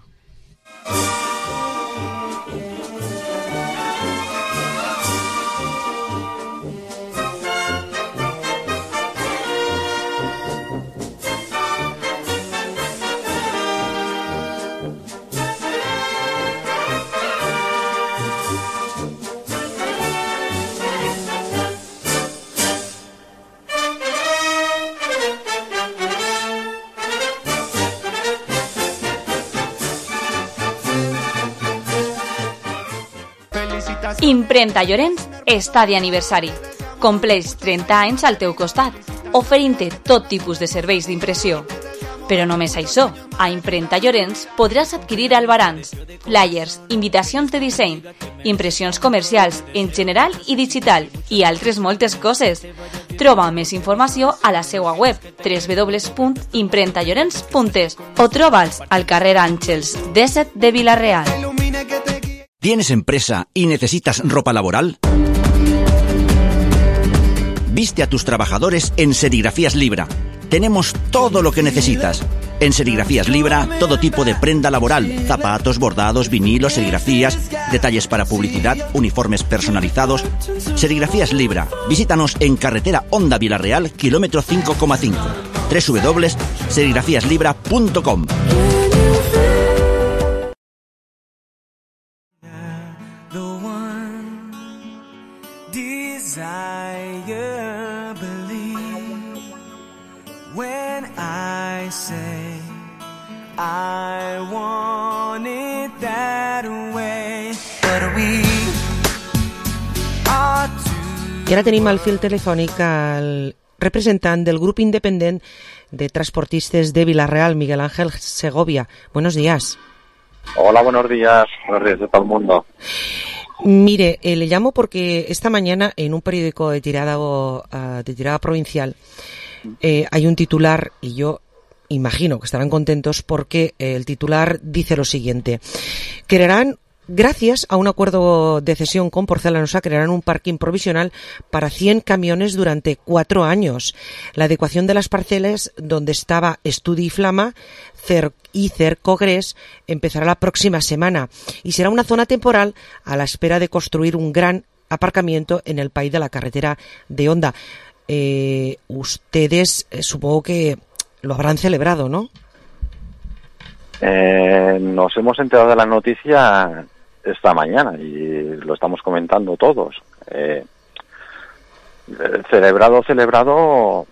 Impremta Llorenç està d'aniversari. Compleix 30 anys al teu costat, oferint-te tot tipus de serveis d'impressió. Però només això, a Impremta Llorenç podràs adquirir albarans, flyers, invitacions de disseny, impressions comercials en general i digital i altres moltes coses. Troba més informació a la seva web www.impremtallorens.es o troba'ls al carrer Àngels 17 de Vila-real.
¿Tienes empresa y necesitas ropa laboral? Viste a tus trabajadores en Serigrafías Libra. Tenemos todo lo que necesitas. En Serigrafías Libra, todo tipo de prenda laboral, zapatos, bordados, vinilos, serigrafías, detalles para publicidad, uniformes personalizados. Serigrafías Libra. Visítanos en carretera Honda Vila-real, kilómetro 5,5. www.serigrafíaslibra.com.
When I say I want it that way, but we are
I ara tenim al fil telefònic al representant del grup independent de transportistes de Vila-real, Miguel Ángel Segovia. Buenos días.
Hola, buenos días de todo el mundo.
Mire, le llamo porque esta mañana en un periódico de tirada provincial hay un titular y yo imagino que estarán contentos porque el titular dice lo siguiente: crearán, gracias a un acuerdo de cesión con Porcelanosa, crearán un parking provisional para 100 camiones durante 4 años. La adecuación de las parcelas donde estaba Estudi Flama y Cercogres empezará la próxima semana y será una zona temporal a la espera de construir un gran aparcamiento en el país de la carretera de Honda. Ustedes supongo que lo habrán celebrado, ¿no?
Nos hemos enterado de la noticia esta mañana y lo estamos comentando todos. Celebrado,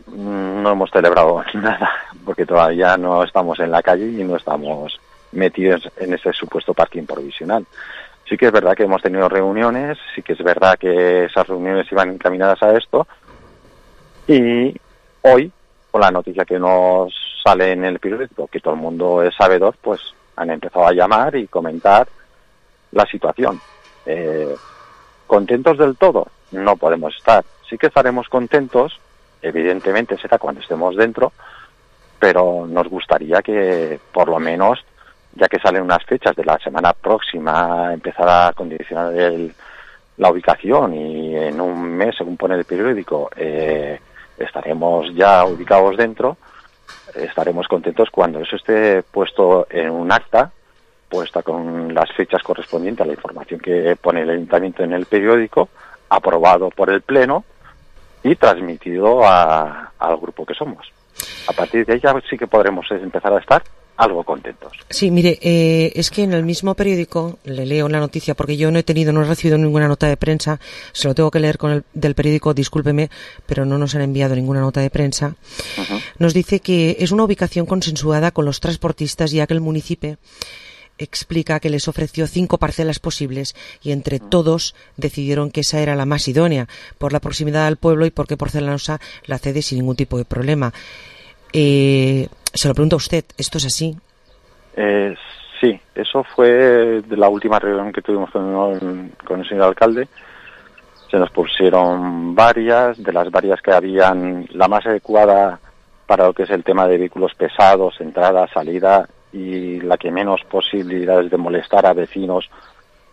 no hemos celebrado nada, porque todavía no estamos en la calle y no estamos metidos en ese supuesto parking provisional. Sí que es verdad que hemos tenido reuniones, sí que es verdad que esas reuniones iban encaminadas a esto, y hoy, con la noticia que nos sale en el periódico, que todo el mundo es sabedor, pues han empezado a llamar y comentar la situación. ¿Contentos del todo? No podemos estar. Sí que estaremos contentos, evidentemente será cuando estemos dentro, pero nos gustaría que por lo menos, ya que salen unas fechas de la semana próxima, empezar a condicionar la ubicación y en un mes, según pone el periódico, estaremos ya ubicados dentro. Estaremos contentos cuando eso esté puesto en un acta, puesta con las fechas correspondientes a la información que pone el ayuntamiento en el periódico, aprobado por el pleno y transmitido al grupo que somos. A partir de ahí ya sí que podremos empezar a estar algo contentos.
Sí, mire, es que en el mismo periódico, le leo la noticia, porque yo no he recibido ninguna nota de prensa, se lo tengo que leer del periódico, discúlpeme, pero no nos han enviado ninguna nota de prensa. Uh-huh. Nos dice que es una ubicación consensuada con los transportistas, ya que el municipio explica que les ofreció 5 parcelas posibles y entre todos decidieron que esa era la más idónea, por la proximidad al pueblo y porque Porcelanosa la cede sin ningún tipo de problema. Se lo pregunto a usted, ¿esto es así?
Sí, eso fue de la última reunión que tuvimos con el señor alcalde. Se nos pusieron varias, de las varias que habían, la más adecuada para lo que es el tema de vehículos pesados, entrada, salida, y la que menos posibilidades de molestar a vecinos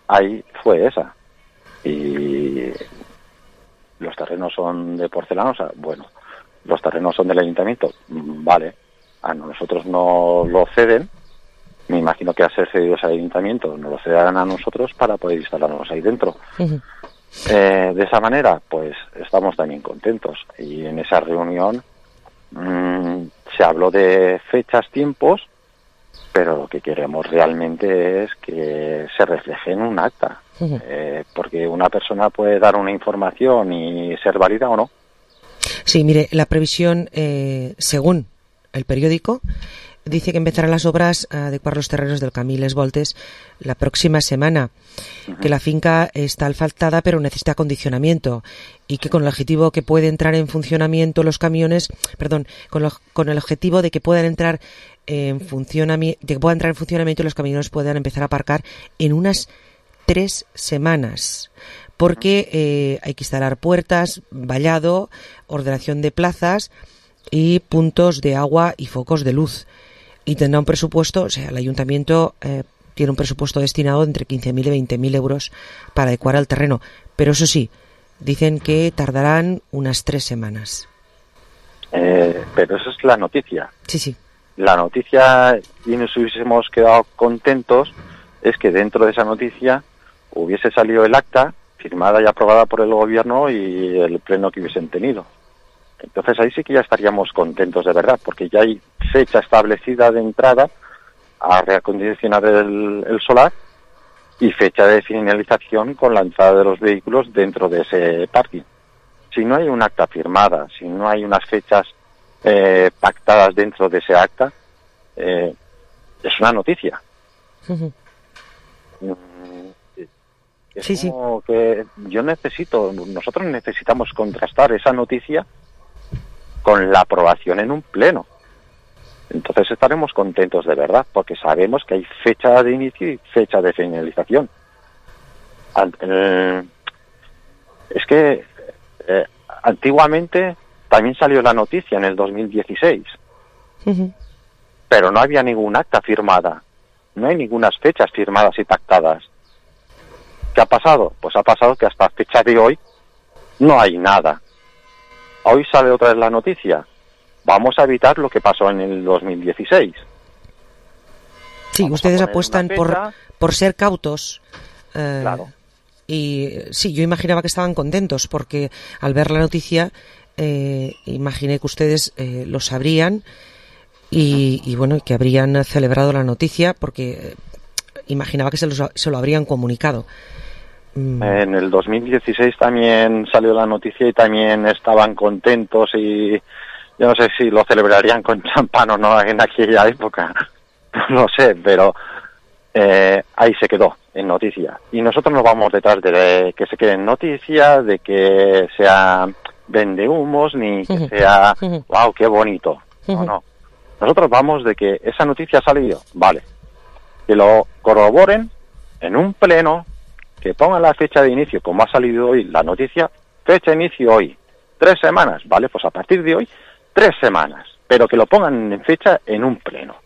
hay fue esa. Y los terrenos son de Porcelanosa, bueno, los terrenos son del ayuntamiento, vale, a nosotros no lo ceden, me imagino que a ser cedidos al ayuntamiento nos lo cedarán a nosotros para poder instalarnos ahí dentro. Uh-huh. De esa manera, pues estamos también contentos, y en esa reunión se habló de fechas, tiempos, pero lo que queremos realmente es que se refleje en un acta, uh-huh. Porque una persona puede dar una información y ser válida o no. Sí, mire, la previsión, según el periódico,
dice que empezarán las obras a adecuar los terrenos del Camí Les Voltes la próxima semana, que la finca está asfaltada pero necesita acondicionamiento y que con el objetivo que puede entrar en funcionamiento los camiones, con el objetivo de que puedan entrar en funcionamiento y los camiones puedan empezar a aparcar en unas 3 semanas. Porque hay que instalar puertas, vallado, ordenación de plazas y puntos de agua y focos de luz. Y tendrá un presupuesto, o sea, el ayuntamiento tiene un presupuesto destinado entre 15.000 y 20.000 euros para adecuar el terreno. Pero eso sí, dicen que tardarán unas 3 semanas.
Pero eso es la noticia.
Sí.
La noticia, y nos hubiésemos quedado contentos, es que dentro de esa noticia hubiese salido el acta firmada y aprobada por el gobierno y el pleno que hubiesen tenido. Entonces ahí sí que ya estaríamos contentos de verdad, porque ya hay fecha establecida de entrada a reacondicionar el solar y fecha de finalización con la entrada de los vehículos dentro de ese parking. Si no hay un acta firmada, si no hay unas fechas pactadas dentro de ese acta, es una noticia. Es como que nosotros necesitamos contrastar esa noticia con la aprobación en un pleno. Entonces estaremos contentos de verdad, porque sabemos que hay fecha de inicio y fecha de finalización. Es que antiguamente también salió la noticia en el 2016, pero no había ningún acta firmada, no hay ninguna fechas firmadas y pactadas. ¿Qué ha pasado? Pues ha pasado que hasta fecha de hoy no hay nada. Hoy sale otra vez la noticia. Vamos a evitar lo que pasó en el 2016.
Sí, ustedes apuestan por ser cautos.
Claro.
Y sí, yo imaginaba que estaban contentos porque al ver la noticia imaginé que ustedes lo sabrían y bueno, que habrían celebrado la noticia porque imaginaba que se lo habrían comunicado.
En el 2016 también salió la noticia y también estaban contentos y yo no sé si lo celebrarían con champán o no en aquella época, no sé, pero ahí se quedó en noticia. Y nosotros nos vamos detrás de que se quede en noticia, de que sea vendehumos, ni que sea, wow, qué bonito. No. Nosotros vamos de que esa noticia ha salido, vale, que lo corroboren en un pleno, que pongan la fecha de inicio, como ha salido hoy la noticia, fecha de inicio hoy, 3 semanas, vale, pues a partir de hoy, 3 semanas, pero que lo pongan en fecha en un pleno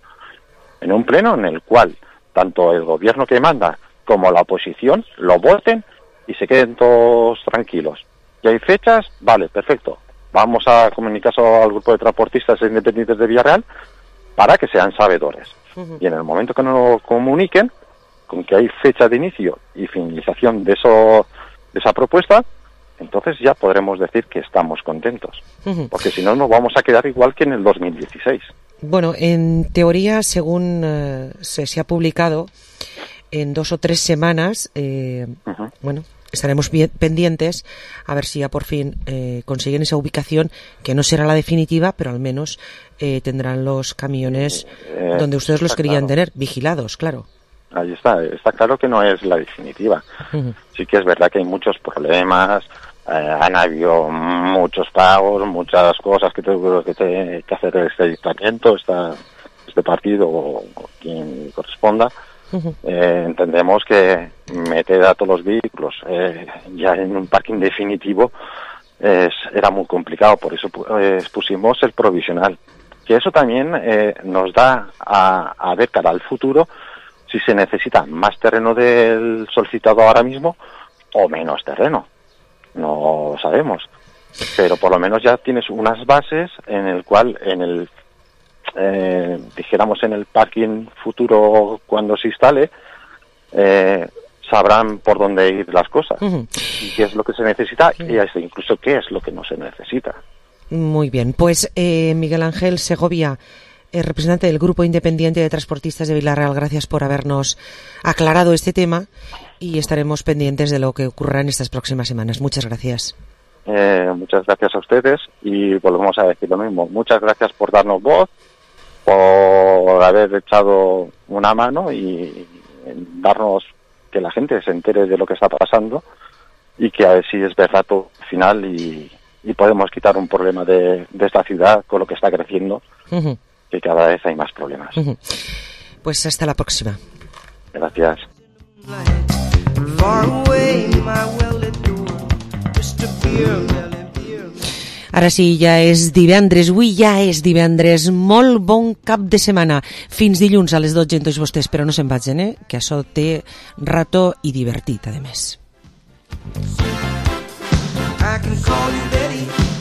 en el cual tanto el gobierno que manda como la oposición lo voten y se queden todos tranquilos. ¿Y hay fechas? Vale, perfecto. Vamos a comunicar al grupo de transportistas independientes de Villarreal para que sean sabedores. Y en el momento que nos lo comuniquen, con que hay fecha de inicio y finalización de esa propuesta, entonces ya podremos decir que estamos contentos. Porque si no, nos vamos a quedar igual que en el 2016.
Bueno, en teoría, según se ha publicado, en 2 o 3 semanas, bueno, estaremos pendientes a ver si ya por fin consiguen esa ubicación, que no será la definitiva, pero al menos tendrán los camiones donde ustedes los querían tener, vigilados, claro.
Ahí está claro que no es la definitiva. Sí que es verdad que hay muchos problemas, han habido muchos pagos, muchas cosas que tengo que hacer este ayuntamiento, este partido o quien corresponda. Entendemos que meter a todos los vehículos ya en un parking definitivo era muy complicado, por eso pusimos el provisional, que eso también nos da a ver cara al futuro si se necesita más terreno del solicitado ahora mismo o menos terreno. No sabemos, pero por lo menos ya tienes unas bases en el cual dijéramos en el parking futuro cuando se instale sabrán por dónde ir las cosas y qué es lo que se necesita y incluso qué es lo que no se necesita.
Muy bien, pues Miguel Ángel Segovia, representante del Grupo Independiente de Transportistas de Villarreal, gracias por habernos aclarado este tema y estaremos pendientes de lo que ocurra en estas próximas semanas. Muchas gracias.
Muchas gracias a ustedes y volvemos a decir lo mismo. Muchas gracias por darnos voz por haber echado una mano y darnos que la gente se entere de lo que está pasando y que a ver si es verdad todo al final y podemos quitar un problema de esta ciudad con lo que está creciendo, que cada vez hay más problemas.
Pues hasta la próxima.
Gracias.
Ara sí, ja és divendres, avui ja és divendres, molt bon cap de setmana, fins dilluns a les 12 en tots vostès, però no se'n vagin, que això té rato i divertit, a més.
I can call you Betty.